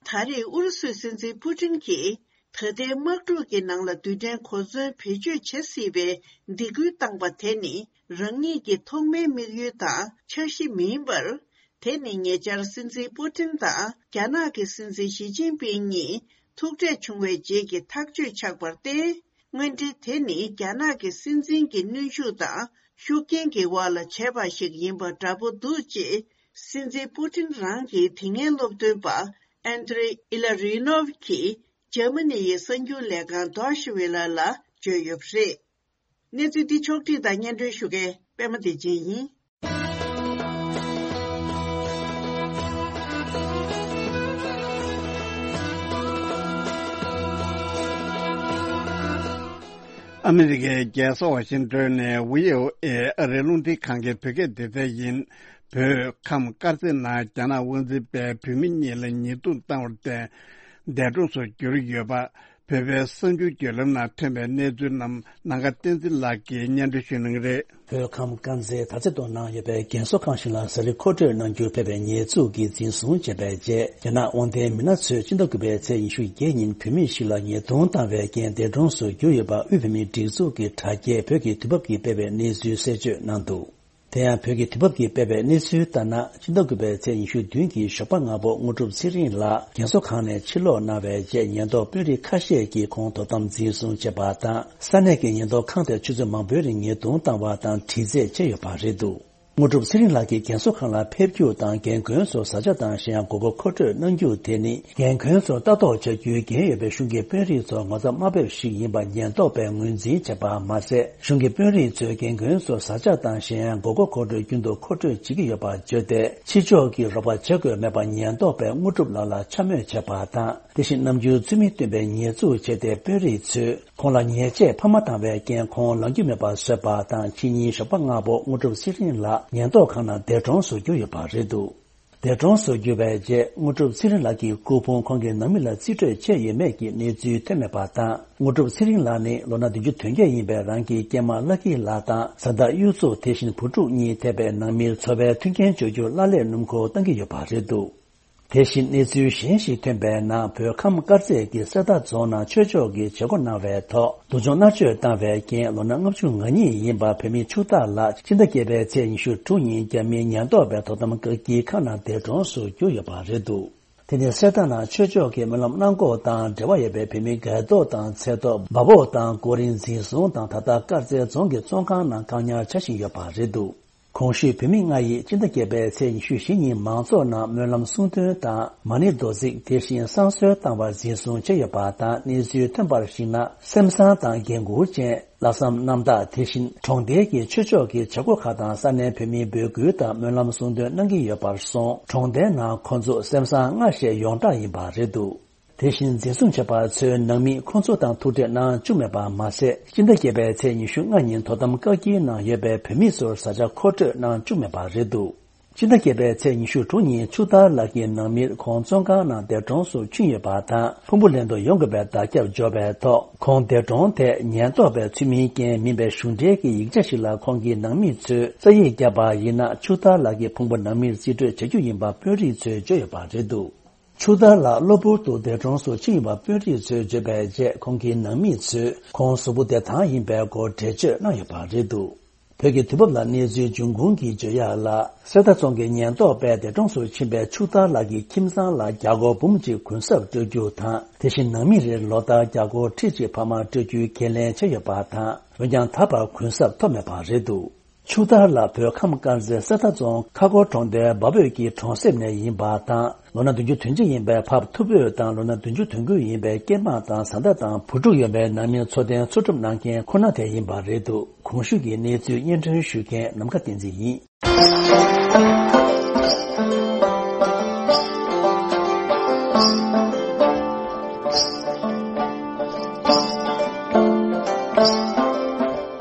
ད་རེས་ཨུ་རུ་སུའི་སྲིད་འཛིན་པུ་ཊིན་གྱིས་ད་ལྟའི་དམག་འཁྲུག་གི་ནང་ལ་རྡུལ་ཕྲན་གོ་མཚོན་བེད་སྤྱོད་བྱེད་སྲིད་པའི་སྡིགས་སྐུལ་བཏང་པ་དེ་ནི་རང་ཉིད་ཀྱི་ཐོག་མའི་དམིགས་ཡུལ་དང་འཆར་གཞི་མིན་པར། དེ་ནི་ཉེ་ཆར་སྲིད་འཛིན་པུ་ཊིན་དང་རྒྱ་ནག་གི་སྲིད་འཛིན་ཞི་ཅིན་ཕིང་གཉིས་ཐུག་འཕྲད་བྱུང་བའི་རྗེས་ཀྱི་ཐག་གཅོད་ཆགས་པར་བརྟེན། དངོས་འབྲེལ་དེ་ནི་རྒྱ་ནག་གི་སྲིད་འཛིན་གྱི་གནོན་ཤུགས་དང་ཤུགས་རྐྱེན་གྱི་འོག་ལ་བྱས་པ་ཞིག་ཡིན་པ་འདྲ་པོ་འདུག་ཅེས། སྲིད་འཛིན་པུ་ཊིན་རང་གི་དེ་སྔའི་སློབ་སྟོན་པ་ཨན་ཏྲེ་ཨི་ལ་རི་ནོབ་ཀྱིས་འཇར་མ་ནི་ཡི་གསར་འགྱུར་ལས་ཁང་Deutsche Welle་ལ་བརྗོད་ཡོད་པ་རེད། གནས་ཚུལ་འདི་ཕྱོགས་བསྒྲིགས་དང་སྙན་སྒྲོན་ཞུ་མཁན་པད་མ་བདེ་ཆེན་ཡིན། ཨ་མི་རི་ཀའི་རྒྱལ་ས་ཝ་ཤིང་ཏོན་ནས་བྷི་ཨོ་ཨེ་ཨ་རིའི་རླུང་འཕྲིན་ཁང་གི་བོད་སྐད་སྡེ་ཚན་ཡིན། བོད་ཁམས་དཀར་མཛེས་ནང་རྒྱ་ནག་དབང་འཛིན་པས་བོད་མི་གཉིས་ལ་ཉེས་རྡུང་བཏང་བར་བརྟེན། འདས་གྲོངས་སུ་གྱུར་ཡོད་པ། བོད་པའི་གསར་འགྱུར་བརྒྱུད་ལམ་ནང་ཐོན་པའི་གནས་ཚུལ་རྣམས་ནམ་མཁའ་བསྟན་འཛིན་ལགས་ཀྱིས་སྙན་སྒྲོན་ཞུ་གནང་གི་རེད། བོད་ཁམས་དཀར་མཛེས་དར་རྩེ་མདོ་ནང་ཡོད་པའི་རྒན་གསོ་ཁང་ཞིག་ལ་ཟ་རིགས་མཁོ་སྤྲོད་གནང་རྒྱུར་ཕེབས་པའི་ཉེས་འཛུགས་ཀྱིས་འཛིན་བཟུང་བྱས་པའི་རྗེས། རྒྱ་ནག་དབང་ལྡན་མི་སྣ་ཚོས་སྤྱི་ཟླ་དགུ་པའི་ཚེས་ཉི་ཤུ་བརྒྱད་ཉིན་བོད་མི་ཞིག་ལ་ཉེས་རྡུང་བཏང་བའི་རྐྱེན་འདས་གྲོངས་སུ་གྱུར་ཡོད་པ། དབུས་བོད་མིའི་སྒྲིག་འཛུགས་ཀྱི་དྲ་རྒྱས་བོད་ཀྱི་དུས་བབ་ཀྱིས་སྤེལ་བའི་གནས་ཚུལ་གསལ་བརྗོད་གནང་འདུག་དེ་ཡང་བོད་ཀྱི་དུས་བབ་ཀྱིས་སྤེལ་བའི་གནས་ཚུལ་ལྟར་ན། སྤྱི་ཟླ་དགུ་པའི་ཚེས་ཉི་ཤུ་བདུན་གྱི་ཞོགས་པ་སྔ་པོ་དངོས་གྲུབ་ཚེ་རིང་ལགས་རྒན་གསོ་ཁང་ནས་ཕྱིར་ལོག་གནང་བའི་རྗེས། ཉེན་རྟོག་དཔོན་རིགས་ཁ་ཤས་ཀྱིས་ཁོང་དོ་དམ་འཛིན་བཟུང་བྱས་པ་དང་། ས་གནས་ཀྱི་ཉེན་རྟོག་ཁང་དེར་ཆུ་ཚོད་མང་པོའི་རིང་ཉེས་རྡུང་བཏང་བ་དང་དྲི་རྩད་བྱས་ཡོད་པ་རེད་འདུག་དངོས་གྲུབ་ཚེ་རིང་ལགས་ཀྱིས་རྒན་གསོ་ཁང་ལ་ཕེབས་རྒྱུ་དང་རྒན་རྒོན་ཚོར་བཟའ་བཅའ་དང་གཞན་ཡང་དགོས་མཁོ་མཁོ་སྤྲོད་གནང་རྒྱུ་དེ་ནི། རྒན་རྒོན་ཚོར་ལྟ་རྟོག་བྱ་རྒྱུའི་འགན་ཡོད་པའི་གཞུང་གི་དཔོན་རིགས་ཚོར་ངོ་ཚ་དམའ་འབེབས་ཤིག་ཡིན་པ་ཉེན་རྟོག་པས་ངོས་འཛིན་བྱས་པ་མ་ཟད། གཞུང་གི་དཔོན་རིགས་ཚོས་རྒན་རྒོན་ཚོར་བཟའ་བཅའ་དང་གཞན་ཡང་དགོས་མཁོ་མཁོ་སྤྲོད་རྒྱུན་དུ་མཁོ་སྤྲོད་བྱེད་ཀྱི་ཡོད་པར་བརྗོད་དེ། ཕྱི་ཕྱོགས་ཀྱིས་རོགས་པ་བྱེད་དགོས་མེད་པ་ཉེན་རྟོག་པས་དངོས་གྲུབ་ལགས་ལ་འཕྱ་སྨོད་བྱས་པ་དང་། དེ་བཞིན་ནམ་རྒྱུན་ཚུལ་མིན་སྟོན་པའི་ཉེས་འཛུགས་བྱས་ཏེ། དཔོན་རིགས་ཚོས་ཁོང་ལ་ཉེས་ཆད་ཕབ་མ་བཏང་བའི་རྐྱེན། ཁོང་ལངས་རྒྱུ་མེད་པར་བཟོས་པ་དང་། ཕྱི་ཉིན་ཞོགས་པ་སྔ་པོ་དངོས་གྲུབ་ཚེ་རིང་ལགས་ཉེན་རྟོག་ཁང་ནང་འདས་གྲོངས་སུ་གྱུར་ཡོད་པ་རེད་འདུག་འདས་གྲོངས་སུ་གྱུར་བའི་རྗེས། དངོས་གྲུབ་ཚེ་རིང་ལགས་ཀྱི་སྐུ་ཕུང་ཁོང་གི་ནང་མི་ལ་རྩིས་སྤྲོད་བྱས་ཡོད་མེད་ཀྱི་གནས་ཚུལ་ཐོན་མེད་པ་དང་། དངོས་གྲུབ་ཚེ་རིང་ལགས་ནི་ལོ་ན་བདུན་ཅུ་དོན་བརྒྱད་ཡིན་པའི་རང་གི་སྐྱེས་མ་ལྷ་སྐྱིད་ལགས་དང་། བཟའ་ཟླ་གཡུ་མཚོ། དེ་བཞིན་བུ་ཕྲུག་གཉིས་ཐེ་བའི་ནང་མིར་འཚོ་བའི་མཐུན་རྐྱེན་སྦྱོར་རྒྱུར་གླ་ལས་སྣུམ་འཁོར་བཏང་གི་ཡོད་པ་རེད་འདུག་དེ་བཞིན་གནས་ཚུལ་གཞན་ཞིག་ཐོན་པའི་ནང་། བོད་ཁམས་དཀར་མཛེས་ཀྱི་གསེར་རྟ་རྫོང་ནང་ཆོས་ཕྱོགས་ཀྱི་བྱེད་སྒོ་གནང་བའི་ཐོག་སྡུག་སྦྱོང་མནར་གཅོད་བཏང་བའི་རྐྱེན། ལོ་ན་ལྔ་བཅུ་ང་གཉིས་ཡིན་པ་བོད་མི་ཕྱུག་བདག་ལགས་སྤྱི་ཟླ་བརྒྱད་པའི་ཚེས་ཉི་ཤུ་དྲུག་ཉིན་རྒྱ་མིའི་ཉེན་རྟོག་པས་དོ་དམ་བཀག་སྐྱིལ་ཁང་ནང་འདས་གྲོངས་སུ་གྱུར་ཡོད་པ་རེད་འདུག་དེ་ནི་གསེར་རྟ་ནང་ཆོས་ཕྱོགས་ཀྱི་སྨོན་ལམ་གནང་སྐོར་དང་འབྲེལ་བ་ཡོད་པའི་བོད་མི་སྒེར་ཐོག་དང་ཚེ་ཐོག་འབའ་འབོག་དང་གོ་རིམ་འཛིན་བཟུང་དང་། ད་ལྟ་དཀར་མཛེས་རྫོང་གི་བཙོན་ཁང་ནང་བཀག་ཉར་བྱ་བཞིན་ཡོད་པ་རེད་འདུག་གོང་ཞུས་བོད་མི་ལྔ་ཡིས་སྤྱི་ཟླ་བརྒྱད་པའི་ཚེས་ཉི་ཤུ་བཞི་ཉིན་མང་ཚོགས་ནང་སྨོན་ལམ་གསུང་འདོན་དང་མ་ཎི་རྡོར་བརྩེགས། དེ་བཞིན་བསང་གསོལ་བཏང་བར་འཛིན་བཟུང་བྱས་ཡོད་པ་དང་། གནས་ཚུལ་ཐོན་པར་གཞིགས་ན། སེམས་བཟང་དང་འགན་འཁུར་ཅན། ལྷག་བསམ་རྣམ་དག་དེ་བཞིན་གྲོང་རྡལ་གྱི་ཆོས་ཕྱོགས་ཀྱི་བྱེད་སྒོ་ཁག་དང་ས་གནས་བོད་མིའི་འབོད་སྐུལ་དང་སྨོན་ལམ་གསུང་འདོན་གནང་གི་ཡོད་པར་སོང་། གྲོང་རྡལ་ནང་ཁོ་ཚོ་སེམས་བཟང་ལྔ་ཞེས་ཡོངས་གྲགས་ཡིན་པ་རེད་འདུག་དེ་བཞིན་འཛིན་བཟུང་བྱས་པ་ཚོའི་ནང་མི་ཁོང་ཚོ་དང་ཐུག་འཕྲད་གནང་བཅུག་མེད་པ་མ་ཟད། སྤྱི་ཟླ་བརྒྱད་པའི་ཚེས་ཉི་ཤུ་ལྔ་ཉིན་དོ་དམ་བཀག་སྐྱིལ་ནང་ཡོད་པའི་བོད་མི་ཚོར་བཟའ་བཅའ་མཁོ་སྤྲོད་གནང་བཅུག་མེད་པ་རེད་འདུག་སྤྱི་ཟླ་བརྒྱད་པའི་ཚེས་ཉི་ཤུ་དྲུག་ཉིན་ཕྱུག་བདག་ལགས་ཀྱི་ནང་མིར་ཁོང་བཙོན་ཁང་ནང་འདས་གྲོངས་སུ་ཕྱིན་ཡོད་པ་དང་། ཕུང་པོ་ལེན་དུ་ཡོང་དགོས་པའི་བརྡ་ཁྱབ་འབྱོར་བའི་ཐོག་ཁོང་འདས་གྲོངས་ཐད་ཉེན་རྟོག་པས་ཚུལ་མིན་རྐྱེན་མིན་པའི་གཞུང་འབྲེལ་གྱི་ཡིག་ཆ་ཞིག་ལ་ཁོང་གི་ནང་མི་ཚོས་རྩ་ཡིག་བརྒྱབ་པ་ཡིན་ན། ཕྱུག་བདག་ལགས་ཀྱི་ཕུང་པོ་ནང་མིར་རྩིས་སྤྲོད་བྱ་རྒྱུ་ཡིན་པ་དཔོན་རིགས་ཚོས་བརྗོད་ཡོད་པ་རེད་འདུག་ཕྱུག་བདག་ལགས་གློ་བུར་དུ་འདས་གྲོངས་སུ་ཕྱིན་ཡོད་པ་དཔོན་རིགས་ཚོས་བརྗོད་པའི་རྗེས། ཁོང་གི་ནང་མི་ཚོས་ཁོང་གཟུགས་པོ་བདེ་ཐང་ཡིན་པའི་སྐོར་འགྲེལ་བརྗོད་གནང་ཡོད་པ་རེད་འདུག་བོད་ཀྱི་དུས་བབ་ལ་གནས་ཚུལ་འབྱུང་ཁུངས་ཀྱིས་བརྗོད་ཡག་ལ། གསེར་རྟ་རྫོང་གི་ཉེན་རྟོག་པས་འདས་གྲོངས་སུ་ཕྱིན་པའི་ཕྱུག་ཐར་ལགས་ཀྱི་ཁྱིམ་ཚང་ལ་རྒྱ་སྒོར་འབུམ་གཅིག་གུན་གསབ་སྤྲོད་རྒྱུ་དང་། དེ་བཞིན་ནང་མི་རེར་ལོ་ལྟར་རྒྱ་སྒོར་ཁྲི་གཅིག་འཕར་མ་སྤྲོད་རྒྱུའི་ཁས་ལེན་བྱས་ཡོད་པ་དང་། འོན་ཀྱང་ད་བར་གུན་གསབ་ཐོབ་མེད་པ་རེད་འདུག་ཕྱུག་ཐར་ལགས་བོད་ཁམས་དཀར་མཛེས་གསེར་རྟ་རྫོང་ཁ་སྒོར་གྲོང་རྡལ་འབའ་བོད་ཀྱི་གྲོང་གསེབ་ནས་ཡིན་པ་དང་། ལོ་ན་བདུན་ཅུ་དོན་གཅིག་ཡིན་པའི་ཕ་བུ་ཐུ་བོ་དང་། ལོ་ན་བདུན་ཅུ་དོན་དགུ་ཡིན་པའི་སྐྱེས་མ་དང་བཟའ་ཟླ་དང་བུ་ཕྲུག་ཡོད་པའི་ནང་མི་འཚོ་རྟེན་འཚོ་སྒྲུབ་གནང་མཁན་ཁོ་ན་དེ་ཡིན་པ་རེད་འདུག་གོང་ཞུས་ཀྱི་གནས་ཚུལ་སྙན་སྒྲོན་ཞུ་མཁན་ནམ་མཁའ་བསྟན་འཛིན་ཡིན།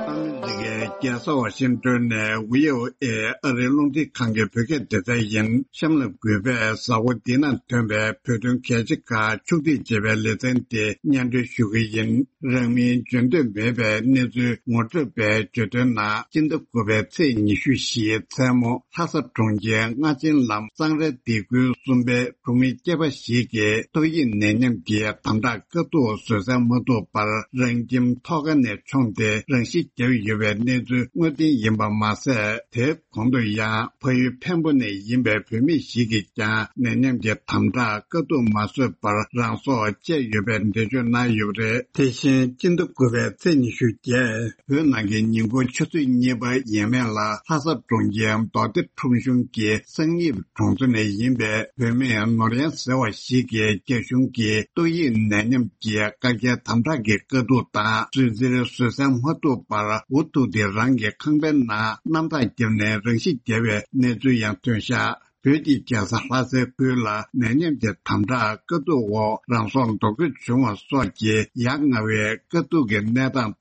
ཨ་མི་རི་ཀའི་རྒྱལ་ས་ཝ་ཤིང་ཏོན་ནས་བྷི་ཨོ་ཨེ་ཨ་རིའི་རླུང་འཕྲིན་ཁང་གི་བོད་སྐད་སྡེ་ཚན་ཡིན། གཤམ་ལ་གུས་པས་གཟའ་འཁོར་འདི་ན་ཐོན་པའི་བོད་དོན་གལ་ཆེ་ཁག་ཕྱོགས་སྒྲིག་བྱས་པའི་ལེ་ཚན་དེ་སྙན་སྒྲོན་ཞུ་གི་ཡིན། རང་མིང་བརྗོད་འདོད་མེད་པའི་གནས་ཚུལ་ངོ་སྤྲོད་པས་བརྗོད་དོན་ནང་སྤྱི་ཟླ་དགུ་པའི་ཚེས་ཉི་ཤུ་བཞིའི་མཚན་མོ་ལྷ་ས་གྲོང་ཁྱེར་རྔ་ཆེན་ལམ་གཙང་རའི་སྡེ་ཁུལ་གསུམ་པའི་གྲོང་མི་སྐྱེས་པ་ཞིག་གིས་ཏོག་དབྱིབས་ནད་ཉམས་ཀྱི་དམ་དྲག་དཀའ་སྡུག་བཟོད་བསྲན་མ་ཐུབ་པར་རང་ཁྱིམ་ཐོག་ཁ་ནས་མཆོངས་ཏེ་རང་ཤི་བརྒྱབ་ཡོད་པའི་གནས་ཚུལ་དངོས་བདེན་ཡིན་པ་མ་ཟད། དེ་གོང་དུ་ཡང་ཕ་ཡུལ་འཕན་པོ་ནས་ཡིན་པའི་བོད་མི་ཞིག་གིས་ཀྱང་ནད་ཉམས་ཀྱི་དམ་དྲག་དཀའ་སྡུག་མ་བཟོད་པར་རང་སྲོག་བཅད་ཡོད་པའི་འགྲེལ་བརྗོད་གནང་ཡོད་པ་རེད། དེ་བཞིན་སྤྱི་ཟླ་དགུ་པའི་ཚེས་ཉི་ཤུ་བརྒྱད་བོད་ནང་གི་ཉིན་གུང་ཆུ་ཚོད་གཉིས་པ་ཡས་མས་ལ་ལྷ་ས་གྲོང་ཁྱེར་མདོ་སྡེ་ཁྲོམ་གཞུང་གི་གསང་ཡིབ་གྲོང་ཚོ་ནས་ཡིན་པའི་བོད་མི་ནོར་གཡང་ཟེར་བ་ཞིག་གིས་རྒྱ་གཞུང་གིས་ཏོག་དབྱིབས་ནད་ཉམས་ཀྱི་བཀག་རྒྱའི་དམ་དྲག་གི་དཀའ་སྡུག་དང་། བཟོད་བསྲན་བཟོད་བསྲན་མ་ཐུབ་པར་འུ་ཐུག་སྟེ་རང་གི་ཁང་པའི་ནང་གནམ་ཐག་བརྒྱབ་ནས་རང་ཤི་བརྒྱབ་པའི་གནས་ཚུལ་ཡང་ཐོན་ཤག་བོད་ཀྱི་རྒྱལ་ས་ལྷ་སའི་ཁུལ་ལ་ནད་ཉམས་ཀྱི་དམ་དྲག་དཀའ་སྡུག་འོག་རང་སྲོག་འདོགས་རྒྱུ་བྱུང་བ་སོགས་ཀྱི་ཡ་ང་བའི་དཀའ་སྡུག་གི་གནས་སྟངས་དང་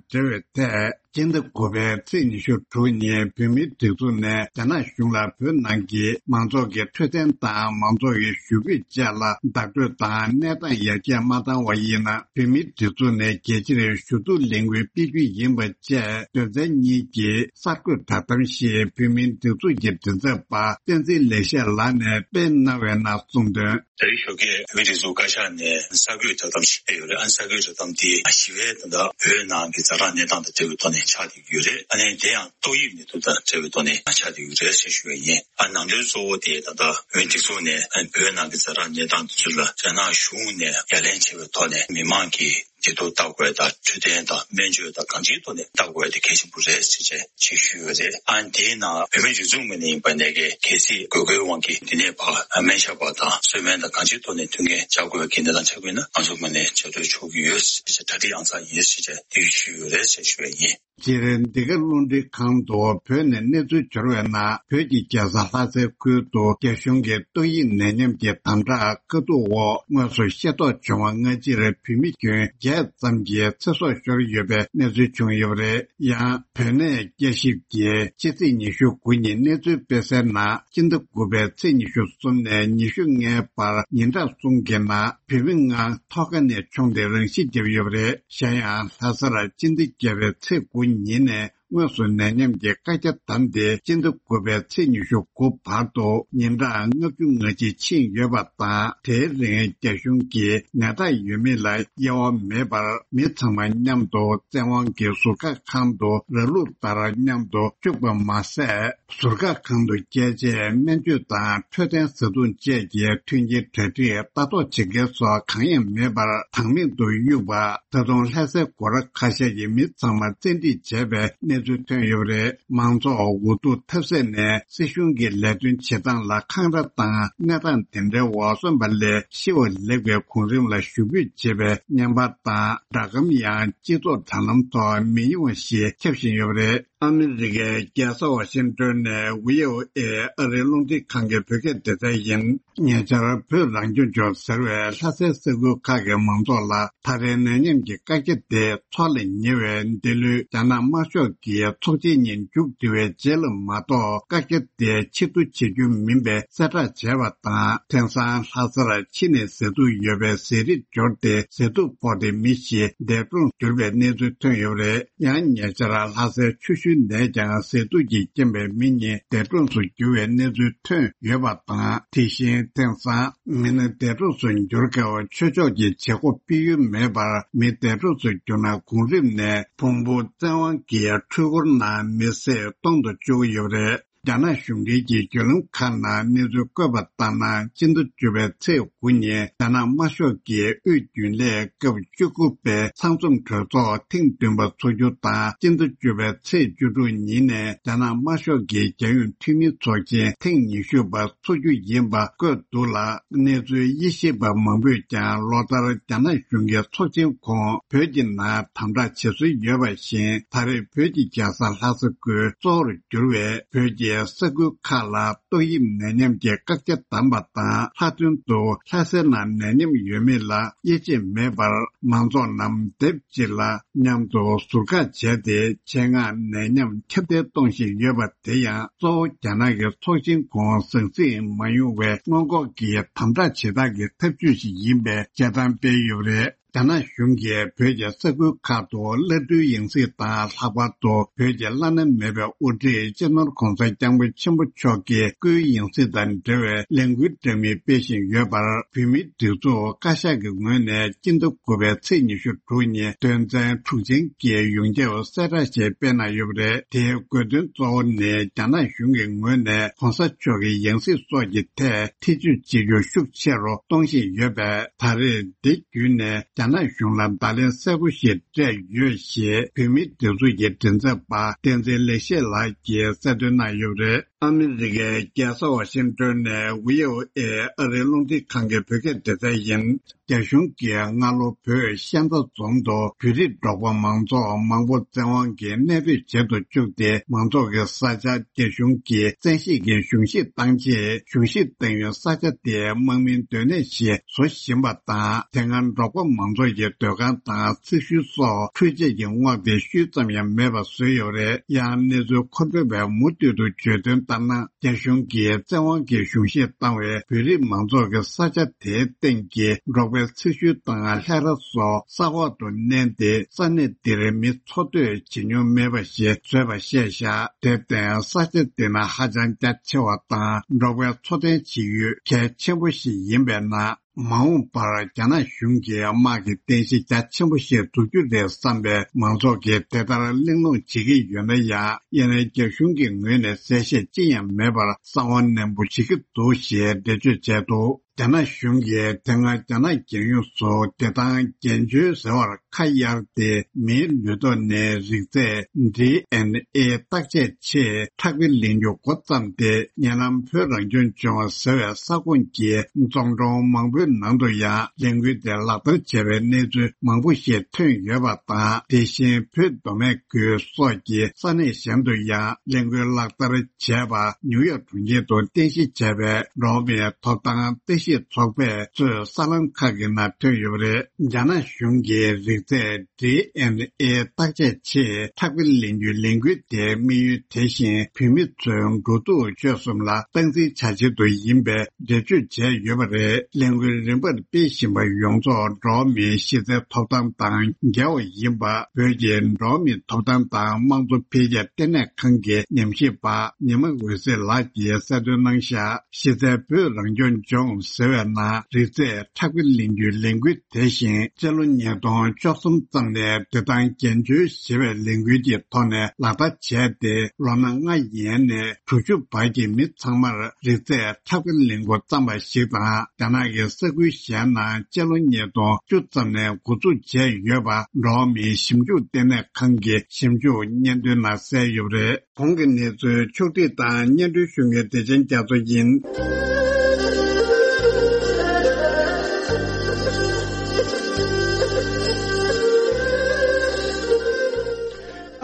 འབྲེལ་བའི་ཐད། སྤྱི་ཟླ་དགུ་པའི་ཚེས་ཉི་ཤུ་དྲུག་ཉིན་བོད་མིའི་སྒྲིག་འཛུགས་ནས་རྒྱ་ནག་གཞུང་ལ་བོད་ནང་གི་མང་ཚོགས་ཀྱི་འཕྲོད་བསྟེན་དང་མང་ཚོགས་ཀྱི་ཞུ་སྐུལ་བཅས་ལ་བདག་སྤྲོད་དང་གནས་སྟངས་ཡར་རྒྱས་མ་བཏང་བ་ཡིན་ན། བོད་མིའི་སྒྲིག་འཛུགས་ནས་རྒྱལ་སྤྱིར་ཞུ་གཏུག་ལས་འགུལ་སྤེལ་རྒྱུ་ཡིན་པ་བཅས་དོན་ཚན་གཉིས་ཀྱི་གསར་འགོད་བསྒྲགས་གཏམ་ཞིག་བོད་མིའི་སྒྲིག་འཛུགས་ཀྱི་མགྲིན་ཚབ་པ་བསྟན་འཛིན་ལེགས་བཤད་ལགས་ནས་སྤེལ་གནང་བའི་ནང་གསུངས་དོན། ད་རེས་ཞོགས་ཀས་བོད་མིའི་སྒྲིག་འཛུགས་བཀའ་ཤག་ནས་གསར་འགོད་བསྒྲགས་གཏམ་ཞིག་སྤེལ་ཡོད་རེད། ཨ་ནི་གསར་འགོད་བསྒྲགས་གཏམ་དེ་ཞི་བའི་ད་ལྟ་བོད་ནང་གི་ཛ་དྲག་གནས་སྟངས་དང་འབྲེལ་བའི་ཐོག་ནས་ཆགས་བསྡད་ཀྱི་ཡོད་རེད། ཨ་ནི་དེ་ཡང་ཏོག་དབྱིབས་ནད་དུག་དང་འབྲེལ་བའི་ཐོག་ནས་ཆགས་བསྡད་ཀྱི་ཡོད་རེད་ཞེས་ཞུ་བ་ཡིན། ཨ་ནང་དོན་གཙོ་བོ་དེ་ད་ལྟ་བོད་མིའི་སྒྲིག་འཛུགས་ནས་ཨ་ནི་བོད་ནང་གི་ཛ་དྲག་གནས་སྟངས་དེ་ཚོ་ལ་རྒྱ་ནག་གཞུང་ནས་ངོས་ལེན་བྱས་པའི་ཐོག་ནས་མི་མང་གི་བདེ་སྡུག་ལྟ་དགོས་དང་འཕྲོད་བསྟེན་དང་སྨན་བཅོས་དང་གང་ཅིའི་ཐོག་ནས་ལྟ་དགོས་དེ་གལ་ཆེན་པོ་རེད་ཟེར་བྱས་ཞེས་ཞུས་ཡོད་རེད། ཨ་ནི་དེའི་ནང་བོད་མིའི་སྒྲིག་འཛུགས་ངོས་ནས་ཡིན་པ་ནས་གལ་སྲིད་དགོས་མཁོའི་དབང་གིས་འདི་ནས་ཕར་སྨན་ཞབས་པ་དང་གསོལ་སྨན་དང་གང་ཅིའི་ཐོག་ནས་མཐུན་རྐྱེན་སྦྱར་དགོས་པའི་འགན་དེ་དང་ཆ་བཞག་ན་ང་ཚོ་ངོས་ནས་བྱ་སྤྲོད་ཆོག་གི་ཡོད་ཟེར་བྱས་གྲ་སྒྲིག་ཨང་གསར་ཡིན་ཟེར་བྱས་དེ་ཞུས་ཡོད་རེད་ཟེར་ཞུ་བ་ཡིན། སྤྱིར་འདི་ག་རླུང་འཕྲིན་ཁང་དུ་བོད་ནས་གནས་ཚུལ་འབྱོར་བའི་ནང་བོད་ཀྱི་རྒྱལ་ས་ལྷ་སའི་ཁུལ་དུ་རྒྱ་གཞུང་གི་ཏོག་དབྱིབས་ནད་ཉམས་ཀྱི་དམ་དྲག་དཀའ་སྡུག་འོག་དངོས་སུ་ཤེས་རྟོགས་བྱུང་བ་སྔ་ཕྱིར་བོད་མི་ཁྱོན་བརྒྱད་ཙམ་གྱི་ཚེ་སྲོག་ཤོར་ཡོད་པའི་གནས་ཚུལ་བྱུང་ཡོད་པ་རེད། ཡང་བོད་གནས་བསྐྱར་ཞིབ་ཀྱིས་ཕྱི་ཚེས་ཉི་ཤུ་དགུ་ཉིན་གནས་ཚུལ་སྤེལ་གསལ་ནང་སྤྱི་ཟླ་དགུ་པའི་ཚེས་ཉི་ཤུ་གསུམ་ནས་ཉི་ཤུ་ལྔའི་བར་ཉིན་གྲངས་གསུམ་གྱི་ནང་བོད་མི་ལྔ་ཐོག་ཁ་ནས་མཆོངས་ཏེ་རང་ཤི་བརྒྱབ་ཡོད་པ་རེད། གཞན་ཡང་ལྷ་སར་སྤྱི་ཟླ་བརྒྱད་པའི་ཚེས་དགུ་ཉིན་ནས་དངོས་སུ་ནད་ཉམས་ཀྱི་བཀའ་རྒྱ་བསྡམས་ཏེ་སྤྱི་ཟླ་དགུ་པའི་ཚེས་ཉི་ཤུ་དགུ་བར་དུ་ཉིན་གྲངས་ལྔ་བཅུ་ང་གཅིག་ཕྱིན་ཡོད་པ་དང་། དེའི་རིང་རྒྱ་གཞུང་གིས་ནད་རྟགས་ཡོད་མེད་ལ་དབྱེ་བ་མེད་པར་མི་ཚང་མ་མཉམ་དུ་བཙན་དབང་གིས་ཟུར་བཀག་ཁང་དུ་ར་ལུག་ལྟར་མཉམ་དུ་བཅུག་པ་མ་ཟད། ཟུར་བཀག་ཁང་དུ་བསྐྱལ་རྗེས་སྨན་བཅོས་དང་འཕྲོད་བསྟེན་བཟའ་བཏུང་བཅས་ཀྱི་མཐུན་རྐྱེན་གྲ་སྒྲིག་ལྟ་རྟོག་བྱེད་མཁན་སོགས་གང་ཡང་མེད་པར་བདག་མེད་དུ་གཡུགས་པ། ད་དུང་ལྷ་སའི་སྒོ་ར་ཁ་ཤས་ཀྱི་མི་ཚང་མ་བཙན་ཁྲིད་བྱས་པའི་གནས་ཚུལ་ཐོན་ཡོད་པ་རེད། མང་ཚོགས་འུ་ཐུག་ཐབས་ཟད་ནས་སྲིད་གཞུང་གི་ལས་དོན་བྱེད་སྟངས་ལ་འཁང་ར་དང་། གནས་སྟངས་དེ་འདྲའི་འོག་སོན་པ་ལས་ཤི་བ་ལེགས་པའི་གོང་རིམ་ལ་ཞུ་འབོད་བྱེད་པའི་བརྙན་པར་དང་སྒྲ་སྒམ་ཡང་སྤྱི་ཚོགས་དྲ་ལམ་ཐོག་མི་ཉུང་བ་ཞིག་ཁྱབ་བཞིན་ཡོད་པ་རེད། ཨ་མི་རི་ཀའི་རྒྱལ་ས་ཝ་ཤིང་ཏོན་ནས་བྷི་ཨོ་ཨེ་ཨ་རིའི་རླུང་འཕྲིན་ཁང་གི་བོད་སྐད་སྡེ་ཚན་ཡིན། ཉེ་ཆར་བོད་རང་སྐྱོང་ལྗོངས་ཟེར་བས་ལྷ་སའི་ས་ཁུལ་ཁག་གི་མང་ཚོགས་ལ་ད་རེས་ནད་ཉམས་ཀྱི་བཀའ་རྒྱ་དེ་འཚོགས་ལ་ཉེ་བའི་འདི་ལོའི་རྒྱ་ནག་དམར་ཤོག་གི་ཚོགས་ཆེན་ཉིན་མཇུག་བསྡུ་བའི་རྗེས་ལ་མ་གཏོགས་བཀའ་རྒྱ་དེ་ཕྱིར་བསྡུ་བྱེད་རྒྱུ་མིན་པའི་གསལ་བསྒྲགས་བྱས་པ་དང་། དེང་སང་ལྷ་སར་ཕྱི་ནས་ཟས་དུག་ཡོད་པའི་ཟས་རིགས་འབྱོར་ཏེ་ཟས་དུག་ཕོག་སྟེ་མི་ཞིག་འདས་གྲོངས་གྱུར་པའི་གནས་ཚུལ་ཐོན་ཡོད་པ་རེད། ཡང་ཉེ་ཆར་ལྷ་སའི་ཆུ་ཤུལ་ ནས་ཀྱང་ཟས་དུག་གི་རྐྱེན་པས་མི་གཉིས་འདས་གྲོངས་སུ་གྱུར་བའི་གནས་ཚུལ་ཐོན་ཡོད་པ་དང་། དེ་བཞིན་དེང་སང་མི་སྣ་འདས་གྲོངས་སུ་གྱུར་སྐབས་ཆོས་ཕྱོགས་ཀྱི་བྱེད་སྒོ་སྤེལ་ཡུལ་མེད་པར། མི་འདས་གྲོངས་སུ་གྱུར་ན་གོང་རིམ་ནས་བོང་བུ་བཙན་དབང་གིས་འཕྲུལ་འཁོར་ནང་མི་བསད་གཏོང་དུ་བཅུག་གི་ཡོད་པ་རེད། རྒྱ་ནག་གཞུང་འབྲེལ་གྱི་བརྒྱུད་ལམ་ཁག་ནང་གནས་ཚུལ་བཀོད་པ་ལྟར་ན། སྤྱི་ཟླ་བཅུ་པའི་ཚེས་དགུ་ཉིན་རྒྱ་ནག་དམར་ཤོག་གི་དབུས་རྒྱུན་ལས་སྐབས་བཅུ་དགུ་པའི་ཚང་འཛོམས་གྲོས་ཚོགས་ཐེངས་བདུན་པ་འཚོགས་རྒྱུ་དང་། སྤྱི་ཟླ་བཅུ་པའི་ཚེས་བཅུ་དྲུག་ཉིན་ནས་རྒྱ་ནག་དམར་ཤོག་གི་རྒྱལ་ཡོངས་འཐུས་མིའི་ཚོགས་ཆེན་ཐེངས་ཉི་ཤུ་པ་འཚོགས་རྒྱུ་ཡིན་པ་བཀོད་འདུག་ལ། གནས་ཚུལ་དབྱེ་ཞིབ་པ་མང་པོས་ཀྱང་ལོ་ལྟར་རྒྱ་ནག་གཞུང་གི་ཚོགས་ཆེན་གོང་བོད་ཀྱི་ནང་དམ་དྲག་བྱེད་སྲོལ་ཡོད་པ་བཞིན། ད་རེས་བོད་ཀྱི་རྒྱལ་ས་ལྷ་ས་ཁུལ་གཙོ་བོར་གྱུར་བའི་བོད་ཀྱི་ས་ཁུལ་ཁག་ལ་ཏོག་དབྱིབས་ནད་ཉམས་ཀྱི་བཀག་རྒྱ་བསྡམས་པ་དང་། ལྷག་དོན་དུ་ལྷ་སའི་ནང་ནད་ཉམས་ཡོད་མེད་ལ་དབྱེ་འབྱེད་མེད་པར། མང་ཚོགས་རྣམས་སྡེབ་གཅིག་ལ་མཉམ་དུ་ཟུར་བཀག་བྱས་ཏེ། ཆེད་མངགས་ནད་ཉམས་ཁྱབ་གདལ་གཏོང་བཞིན་ཡོད་པ་དེ་ཡང་། གཙོ་བོ་རྒྱ་ནག་གི་ཚོགས་ཆེན་གོང་ཟང་ཟིང་མ་ཡོང་བའི་སྔོན་འགོག་གི་དམ་དྲག་བྱེད་སྟངས་ཀྱི་ཐབས་ཇུས་ཤིག་ཡིན་པའི་དཔྱད་གཏམ་སྤེལ་ཡོད་པ་རེད། རྒྱ་ནག་གཞུང་གིས་བོད་ཀྱི་ས་ཁུལ་ཁག་ཏུ་བླ་སྤྲུལ་ཡང་སྲིད་དང་། ལྷག་པར་དུ་བོད་ཀྱི་བླ་ན་མེད་པའི་དབུ་ཁྲིད་སྤྱི་ནོར་༧གོང་ས་༧སྐྱབས་མགོན་ཆེན་པོ་མཆོག་གི་སྐུའི་ཡང་སྲིད་དང་འབྲེལ་བའི་ལས་འགུལ་འདྲ་མིན་སྤེལ་བཞིན་ཡོད་པར། བོད་མིའི་སྒྲིག་འཛུགས་བཀའ་ཤག་གི་ངོས་ནས་སྤྱི་ཟླ་དགུ་པའི་ཚེས་ཉི་ཤུ་དྲུག་ཉིན་དོན་ཚན་དྲུག་ཅན་གྱི་ཡོངས་ཁྱབ་གསལ་བསྒྲགས་ཤིག་སྤེལ་གནང་ཡོད་པ་རེད། དེའི་དགོས་དོན་གཙོ་བོ་ནི། རྒྱ་ནག་གཞུང་གི་ངོས་ནས་༧གོང་ས་མཆོག་གི་ཡང་སྲིད་སོགས་ཀྱི་ཐད་ཐེ་བྱུས་བྱེད་རྒྱུ་ཤུགས་ཆེ་རུ་གཏོང་བཞིན་ཡོད་པས། ད་རེས་འདི་བརྒྱུད་ནས་རྒྱ་ནག་གཞུང་ལ་བརྡ་ལན་གསལ་པོ་ཞིག་སྤྲད་ཡོད་ཞེས། བོད་མིའི་སྒྲིག་འཛུགས་ཀྱི་མགྲིན་ཚབ་པ་བསྟན་འཛིན་ལེགས་བཤད་ལགས་ཀྱིས་གསལ་སྟོན་གནང་ཡོད་པ་རེད། ཨ་མི་རི་ཀའི་རྒྱལ་ས་ཝ་ཤིང་ཏོན་ནས་བྷི་ཨོ་ཨེ་ཨ་རིའི་རླུང་འཕྲིན་ཁང་གི་བོད་སྐད་སྡེ་ཚན་ཡིན། རྒྱ་གཞུང་གིས་སྔ་ལོ་བོད་ཤན་རྩ་རྫོང་དུ་བོད་རིགས་འབྲོག་པ་མང་ཚོགས་མང་པོ་བཙན་དབང་གིས་གནས་སྤོས་བྱེད་དུ་བཅུག་སྟེ། མང་ཚོགས་ཀྱི་ས་ཆ་རྒྱ་གཞུང་གིས་བཙན་ཤེད་ཀྱིས་གཞུང་བཞེས་བཏང་རྗེས། གཞུང་བཞེས་བཏང་ཡུལ་ས་ཆ་དེ་དམག་མིའི་སྡོད་གནས་ཤིག་བཟོ་བཞིན་པ་དང་། དེ་སྔ་འབྲོག་པ་མང་ཚོགས་ཀྱི་སྡོད་ཁང་དང་ཚིག་ཤུལ་སོགས་འཕྲུལ་ཆས་ཀྱི་རྔོག་དེ་ཤུལ་ཙམ་ཡང་མེད་པ་བཟོས་ཡོད་པ་རེད། ཡང་གནས་ཚུལ་མཁོ་སྤྲོད་པས་མུ་མཐུད་དུ་བརྗོད་དོན་ལྟར་ན། རྒྱ་གཞུང་གིས་བཙན་དབང་གིས་གཞུང་བཞེས་བཏང་བའི་བོད་རིགས་མང་ཚོགས་ཀྱི་ས་ཆ་དེའི་སྟེང་གི་འབྲོག་པའི་ཚིག་ཤུལ་དང་ལྷས་ར་སོགས་ས་འོག་ཏུ་མནན་ཏེ། ས་གནས་འདིར་མི་འཚོ་སྡོད་བྱེད་མྱོང་མེད་པ་ཞིག་བཟོས་པ་ཤེས་བཞག་དེར་བརྟེན། ས་ཆ་འདི་ནི་ཧ་ཅང་རྒྱ་ཆེ་བ་དང་། འབྲོག་པའི་འཚོ་རྟེན་བྱེད་ཡུལ་གལ་ཆེན་པོ་ཞིག་ཡིན་པས་ན། མ་འོངས་པར་རྒྱ་ནག་གཞུང་གིས་དམག་གི་རྟེན་གཞི་རྒྱ་ཆེན་པོ་ཞིག་འཛུགས་རྒྱུ་རེད་བསམ་པའི་མང་ཚོགས་ཀྱིས་དེ་ལྟར་གླེང་སློང་བྱེད་ཀྱི་ཡོད་ན་ཡང་། ཡིན་ནའི་རྒྱ་གཞུང་གི་ངོས་ནས་གསལ་བཤད་ཅི་ཡང་མེད་པར་གསང་བ་ནན་པོ་བྱེད་ཀྱི་འདུག་ཞེས་འགྲེལ་བརྗོད་བྱས་འདུག་རྒྱ་ནག་གཞུང་གིས་དེ་སྔ་རྒྱ་ནག་རྒྱལ་ཡོངས་སུ་བདེ་ཐང་འགན་བཅོལ་ཟེར་བར་ཁ་གཡར་ཏེ། མིའི་ལུས་ཐོག་ནས་རིགས་རྫས་ཌི་ཨེན་ཨེ་བརྟག་དཔྱད་ཆེད་ཁྲག་དཔེ་ལེན་རྒྱུ་འགོ་བརྩམས་ཏེ། ཉེ་ལམ་བོད་རང་སྐྱོང་ལྗོངས་ཟེར་བའི་ས་ཁོངས་ཀྱི་རྫོང་གྲོང་མང་པོའི་ནང་དུ་ཡང་ལས་འགུལ་དེ་ལག་བསྟར་བྱས་པའི་གནས་ཚུལ་མང་པོ་ཞིག་ཐོན་ཡོད་པ་དང་། དེ་བཞིན་བོད་མདོ་སྨད་ཁུལ་སོགས་ཀྱི་ས་གནས་གཞན་དུ་ཡང་ལས་འགུལ་ལག་བསྟར་བྱས་པ། ནིའུ་ཡོག་གྲོང་ཁྱེར་དུ་རྟེན་གཞི་བྱས་པའི་འགྲོ་བ་མིའི་ཐོབ་ཐང་ལྟ་ཞིབ་ཚོགས་པས་གཙོས་གསར་ལམ་ཁག་གི་ནང་ཐོན་ཡོད་པ་རེད། རྒྱ་ནག་གཞུང་གིས་རིགས་རྫས་ཌི་ཨེན་ཨེ་བརྟག་དཔྱད་ཆེད་ཁྲག་དཔེ་ལེན་རྒྱུའི་ལས་འགུལ་དེའི་དམིགས་ཡུལ་དེ་བཞིན་བོད་མི་ཚོའི་འགྲོ་འདུག་སྤྱོད་གསུམ་ལ་སྟངས་འཛིན་བྱ་ཆེད་དུ་ཡིན་པའི་འགྲེལ་བརྗོད་བྱས་ཡོད་པ་རེད། ལས་འགུལ་རིམ་པར་སྤེལ་བཞིན་པ་ཡོངས་རྫོགས་འགྲོ་བ་མིའི་གཞི་རྩའི་ཐོབ་ཐང་དང་འགལ་བ་ཡིན་པ། བོད་ཀྱི་འགྲོ་བ་མིའི་ཐོབ་ཐང་དང་དམངས་གཙོ་འཕེལ་རྒྱས་ལྟེ་གནས་ཁང་གི་ཉམས་ཞིབ་པ་ཉི་མ་འོད་ཟེར་ལགས་ཀྱིས་གསལ་སྟོན་གནང་བཞག་གཞི་རྩའི་བོད་རང་སྐྱོང་ལྗོངས་ཟེར་བའི་ནང་རིགས་རྫས་ཁྲག་དཔེ་ལེན་རྒྱུའི་ལས་འགུལ་དེ་བཞིན་སྤྱི་ལོ་ཉིས་སྟོང་བཅུ་གསུམ་ཙམ་ནས་བདེ་ཐང་འགན་བཅོལ་ཞེས་པའི་ལས་འགུལ་གྱི་ཐོག་ནས་ལག་བསྟར་བྱས་ཏེ། ལོ་ན་ལྔ་ཡན་ནས་དྲུག་ཅུ་བར་གྱི་མི་ཚང་མར་རིགས་རྫས་ཁྲག་དཔེ་ལེན་འགོ་བརྩམས་པ་ཞིག་དང་། རྒྱ་ནག་གི་ས་ཁུལ་གཞན་ནང་སྤྱི་ལོ་ཉིས་སྟོང་བཅུ་ཙམ་ནས་འགོ་འཛུགས་བྱས་ཡོད་པ་འགྲོ་བ་མིའི་ཞིབ་འཇུག་ལྟེ་གནས་ཁང་གི་ཞིབ་འཇུག་སྙན་ཐོའི་ནང་གསལ་ཡོད་པ་རེད། གོང་གི་གནས་ཚུལ་ཕྱོགས་སྒྲིག་དང་སྙན་སྒྲོན་ཞུ་མཁན་བདེ་ཆེན་རྒྱ་མཚོ་ཡིན།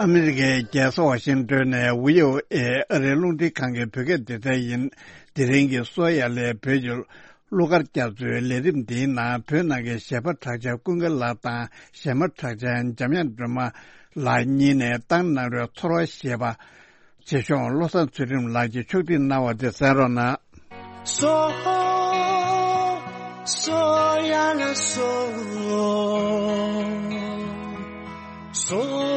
ཨ་མི་རི་ཀའི་རྒྱལ་ས་ཝ་ཤིང་ཏོན་ནས་བྷི་ཨོ་ཨེ་ཨ་རིའི་རླུང་འཕྲིན་ཁང་གི་བོད་སྐད་སྡེ་ཚན་ཡིན། དེ་རིང་གི་གསོལ་ཡ་ལས་བོད་ཀྱི་གླུ་གར་རྒྱ་མཚོའི་ལས་རིམ་འདིའི་ནང་བོད་ནང་གི་གཞས་པ་གྲགས་ཅན་ཀུན་དགའ་ལགས་དང་གཞས་མ་གྲགས་ཅན་འཇམ་དབྱངས་སྒྲོལ་མ་ལགས་གཉིས་ནས་བཏང་གནང་རོལ་ཚོར་བ་ཞེས་པ། རྗེ་གཞུང་བློ་བཟང་ཚུལ་ཁྲིམས་ལགས་ཀྱིས་ཕྱོགས་སྒྲིག་གནང་བ་དེ་གསན་རོགས་གནང་། སོ། སོ་ཡ་ལ་སོ། སོ།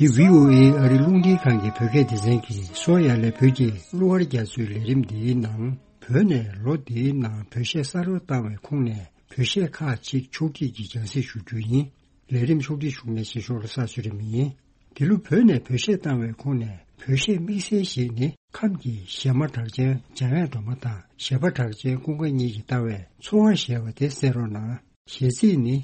འདི་བྷི་ཨོ་ཨེ་ཨ་རི་རླུང་འཕྲིན་ཁང་གི་བོད་སྐད་སྡེ་ཚན་གྱིས་གསོ་ཡ་ལས་བོད་ཀྱི་གླུ་གར་རྒྱ་མཚོའི་ལས་རིམ་འདིའི་ནང་། བོད་ནས་ལོ་འདིའི་ནང་བོད་གཞས་གསར་པ་བཏང་བའི་ཁོངས་ནས་བོད་གཞས་ཁག་ཅིག་ཕྱོགས་སྒྲིག་གིས་རྒྱང་སྲིང་ཞུ་རྒྱུ་ཡིན། ལས་རིམ་ཕྱོགས་སྒྲིག་ཞུ་མཁན་ཞིག་ཞོགས་ལ་ས་ཚུ་རིམ་ཡིན། འདི་ལོ་བོད་ནས་བོད་གཞས་བཏང་བའི་ཁོངས་ནས་བོད་གཞས་དམིགས་བསལ་ཞིག་ནི། ཁམས་ཀྱི་གཞས་མ་གྲགས་ཅན་འཇམ་དབྱངས་སྒྲོལ་མ་དང་གཞས་པ་གྲགས་ཅན་ཀུན་དགའ་གཉིས་ཀྱིས་བཏང་བའི་ཚོར་བ་ཞེས་པ་དེ་གསན་རོགས་གནང་། གཞས་ཚིག་ནི།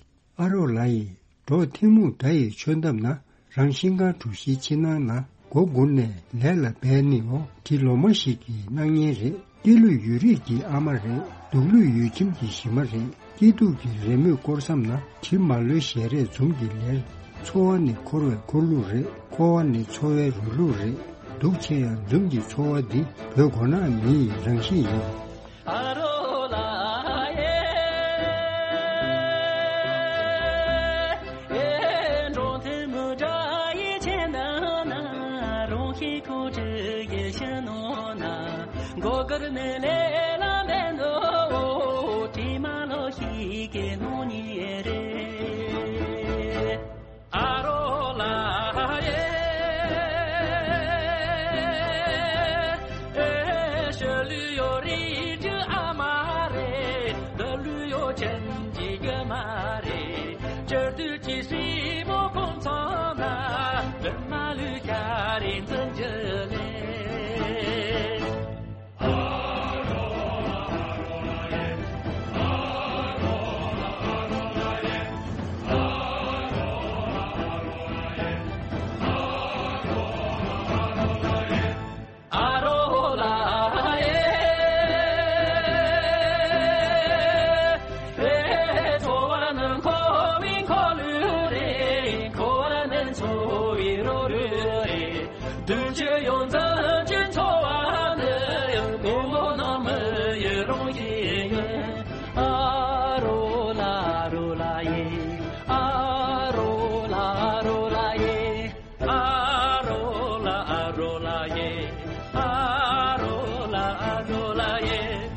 ཨ་རོགས་ལགས་ཡིས། འགྲོགས་ཐུན་མོང་དགྲ་ཡི་ཆོད་འདབས་ན། རང་ཤིང་ཁང་གྲུ་བཞིའི་ཕྱི་ནང་ན། མགོ་སྒུར་ནས་ལས་ལ་འབད་ནི་འོ། དེ་ལོ་མ་ཞིག་གི་སྣང་བརྙན་རེད། སྐྱེས་ལུས་ཡུལ་རིས་ཀྱི་ཨ་མ་རེད། སྡུག་ལུས་ཡུལ་ཁྱིམ་གྱི་གཞི་མ་རེད། སྐྱིད་སྡུག་གི་རེས་མོས་སྐོར་མཚམས་ན། གྲིབ་མ་ལོའི་ཞལ་རས་འཛུམ་གྱིས་ལེར། འཚོ་བ་ནི་འཁོར་བའི་འཁོར་ལུགས་རེད། འཁོར་བ་ནི་འཚོ་བའི་རུ་ལུགས་རེད། སྡུག་ཆེ་ཡང་འཛུམ་གྱི་འཚོ་བ་འདི། བོད་མགོ་ནག་མི་ཡི་རང་གཤིས་ཡིན། ཨ་རོགས་ལགས་ཡེ། ཨེ་འགྲོགས་ཐུན་མོང་དགྲ་ཡི་ཆོད་འདབས་ན། རང་ཤིང་ཁང་གྲུ་བཞིའི་ཕྱི་ནང་ན། མགོ་སྒུར་ནས་ལས་ལ་འབད་ནི་འོ། དྲི་མ་ལོ་ཞིག་གི་སྣང་བརྙན་རེད། ཨ་རོགས་ལགས་ཡེ། ཨེ་ཤི་ལུས་ཡོད་རིགས་ཀྱི་ཨ་མ་རེད། སྡུག་ལུས་ཡོད་ཁྱིམ་གྱི་རྒྱུ་མ་རེད། སྤྱིར་དུས་ཀྱི་སྲིན་མོ་ཁོང་ཚང་ན། འདུན་མ་ལུས་ཤ་རེད་འཛིན་རྒྱུ་ལས། ཨ་རོགས་ལགས་ཡེ། འཚོ་བ་ནི་འཁོར་བའི་འཁོར་ལུགས་རེད། འཁོར་བ་ནི་འཚོ་བའི་རོ་རུ་རེད། སྡུག་ཅག་ཡོངས་འཛིན་གྱི་འཚོ་བ་ནི། དགོང་མོ་ནང་མི་ཡི་རང་བཞིན་ཡིན། ཨ་རོགས་ལགས་ཨ་རོགས་ལགས་ཡེ། ཨ་རོགས་ལགས་ཨ་རོགས་ལགས་ཡེ། ཨ་རོགས་ལགས་ཨ་རོགས་ལགས་ཡེ།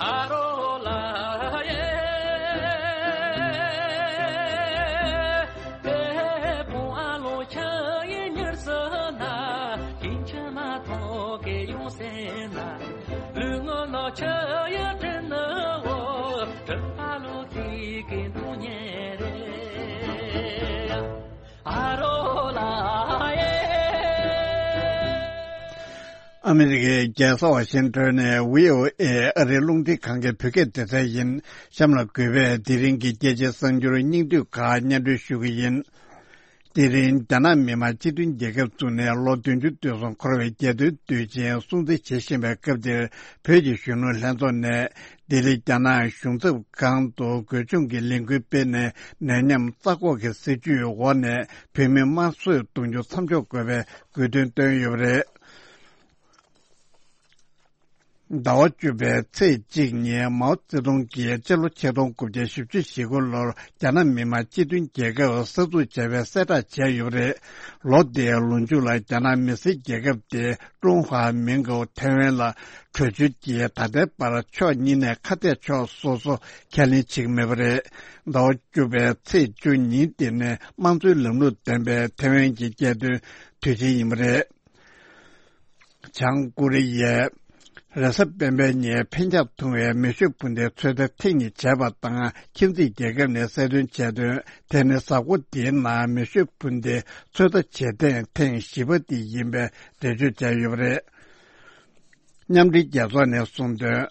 ཨ་རོགས་ལགས་ཨ་རོགས་ལགས་ཡེ། ཨ་རོགས་ལགས་ཡེ། དཔུང་ཨ་ལོ་ཁྱི་ཡི་མྱུར་སོང་ན། ཁྱིམ་ཁྱི་མ་ཐོག་གི་ཡོང་སེ་ན། ལུས་ངོ་ལོ་ཁྱི་ཡི་དྲིན་ནི་འོ། དྲིན་ཕ་ལོ་ཁྱི་གི་འདུག་ཉེ་རེད། ཨ་རོགས་ལགས་ཡེ། ཨ་མི་རི་ཀའི་རྒྱལ་ས་ཝ་ཤིང་ཏོན་ནས་བྷི་ཨོ་ཨེ་ཨ་རིའི་རླུང་འཕྲིན་ཁང་གི་བོད་སྐད་སྡེ་ཚན་ཡིན། གཤམ་ལ་གུས་པས་དེ་རིང་གི་རྒྱལ་སྤྱིའི་གསར་འགྱུར་སྙིང་བསྡུས་ཁག་སྙན་སྒྲོན་ཞུ་གི་ཡིན། དེ་རིང་རྒྱ་ནག་མི་དམངས་སྤྱི་མཐུན་རྒྱལ་ཁབ་བཙུགས་ནས་ལོ་བདུན་ཅུ་དོན་གསུམ་འཁོར་བའི་རྒྱལ་སྟོན་དུས་ཆེན་སྲུང་བརྩི་བྱེད་བཞིན་པའི་སྐབས་འདིར། བོད་ཀྱི་གཞོན་ནུ་ལྷན་ཚོགས་ནས་ལྡི་ལི་རྒྱ་ནག་གཞུང་ཚབ་ཁང་དུ་སྒོ་སྲུང་གི་ལས་འགུལ་སྤེལ་ནས། ནད་ཉམས་རྩ་འགོག་གི་སྲིད་ཇུས་འོག་ནས་བོད་མི་དམར་གསོད་གཏོང་རྒྱུ་མཚམས་འཇོག་དགོས་པའི་དགོས་འདུན་བཏོན་ཡོད་པ་རེད། ཟླ་བ་བཅུ་པའི་ཚེས་གཅིག་ཉིན་མའོ་ཙེ་ཏུང་གིས་སྤྱི་ལོ་ཆིག་སྟོང་དགུ་བརྒྱ་བཞི་བཅུ་ཞེ་དགུ་ལོར་རྒྱ་ནག་མི་དམངས་སྤྱི་མཐུན་རྒྱལ་ཁབ་གསར་འཛུགས་བྱས་པའི་གསལ་བསྒྲགས་བྱས་ཡོད་པ་རེད། ལོ་དེའི་ལོ་མཇུག་ལ་རྒྱ་ནག་མི་སེར་རྒྱལ་ཁབ་དེ་ཀྲུང་ཧྭ་མིང་གི་ཐའེ་ཝན་ལ་བྲོས་བྱོལ་གྱིས་ད་ལྟའི་བར་ཕྱོགས་གཉིས་ནས་ཁ་གཏད་ཕྱོགས་སོ་སོ་ཁས་ལེན་བྱེད་ཀྱི་མེད་པ་རེད། ཟླ་བ་བཅུ་པའི་ཚེས་བཅུ་ཉིན་དེ་ནི་དམངས་གཙོའི་ལམ་ལུགས་ལྡན་པའི་ཐའེ་ཝན་གྱི་རྒྱལ་སྟོན་དུས་ཆེན་ཡིན་པ་རེད། བྱང་ཀོ་རི་ཡས་ རེས་གཟའ་སྤེན་པའི་ཉིན་འཕེན་ཆག་ཐུང་བའི་མེ་ཤུགས་འཕུར་མདེལ་ཚོད་ལྟ་ཐེངས་གཉིས་བྱས་པ་དང་། ཁྱིམ་མཚེས་རྒྱལ་ཁབ་ནས་གསལ་སྟོན་བྱས་དོན། དེ་ནི་གཟའ་འཁོར་འདིའི་ནང་མེ་ཤུགས་འཕུར་མདེལ་ཚོད་ལྟ་བྱེད་ཐེངས་ཐེངས་བཞི་པ་དེ་ཡིན་པའི་འགྲེལ་བརྗོད་བྱས་ཡོད་པ་རེད། མཉམ་འབྲེལ་རྒྱལ་ཚོགས་ནས་གསུངས་དོན།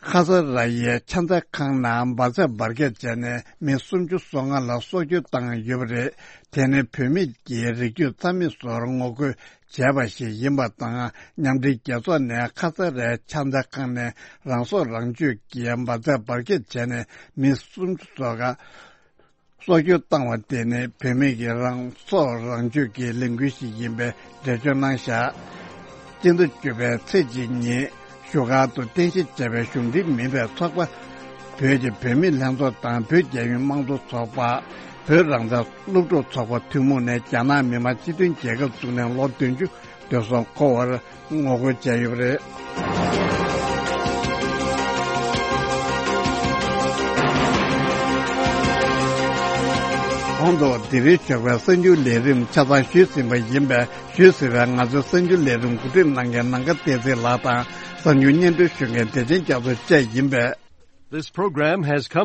ཁ་ས་ར་ཡའི་ཆ་ཚང་ཁང་ནང་འབར་རྫས་འབར་གས་བྱས་ནས་མི་སུམ་ཅུ་སོ་ལྔ་ལ་སྲོག་སྐྱོན་བཏང་ཡོད་པ་རེད། དེ་ནི་བུད་མེད་ཀྱི་རིགས་རྒྱུད་རྩ་མེད་བཟོར་ངོ་རྒོལ་བྱས་པ་ཞིག་ཡིན་པ་དང་། མཉམ་འབྲེལ་རྒྱལ་ཚོགས་ནས་ཁ་ས་རའི་ཆ་ཚང་ཁང་ནས་རང་སྲོག་རང་གཅོད་ཀྱི་འབར་རྫས་འབར་གས་བྱས་ནས་མི་སུམ་ཅུ་སོ་ལྔ་སྲོག་སྐྱོན་བཏང་བ་དེ་ནི་བུད་མེད་ཀྱི་རང་སྲོག་རང་གཅོད་ཀྱི་ལས་འགུལ་ཞིག་ཡིན་པའི་འགྲེལ་བརྗོད་གནང་བཞག་སྤྱི་ཟླ་བཅུ་པའི་ཚེས་གཅིག་ཉིན་བཞུགས་སྒར་དུ་རྟེན་གཞི་བྱས་པའི་གཞུང་འབྲེལ་མིན་པའི་ཚོགས་པ། བོད་ཀྱི་བུད་མེད་ལྷན་ཚོགས་དང་བོད་རྒྱལ་ཡོངས་དམངས་གཙོ་ཚོགས་པ། བོད་རང་བཙན་སློབ་ཕྲུག་ཚོགས་པ་ཐུན་མོང་ནས་རྒྱ་ནག་མི་དམངས་སྤྱི་མཐུན་རྒྱལ་ཁབ་བཙུགས་ནས་ལོ་བདུན་ཅུ་དུས་སོང་འཁོར་བར་ངོ་རྒོལ་བྱས་ཡོད་པ་རེད། གོང་དུ་འདི་རིང་ཞོགས་པའི་གསར་འགྱུར་ལས་རིམ་ཆ་ཚང་ཞུས་ཟིན་པ་ཡིན་པས། ཞུས་ཟིན་པའི་ང་ཚོའི་གསར་འགྱུར་ལས་རིམ་གོ་སྒྲིག་གནང་མཁན་ནམ་མཁའ་བསྟན་འཛིན་ལགས་དང་། གསར་འགྱུར་སྙན་སྒྲོན་ཞུ་མཁན་བདེ་ཆེན་རྒྱ་མཚོ་བཅས་ཡིན་པས། This program has come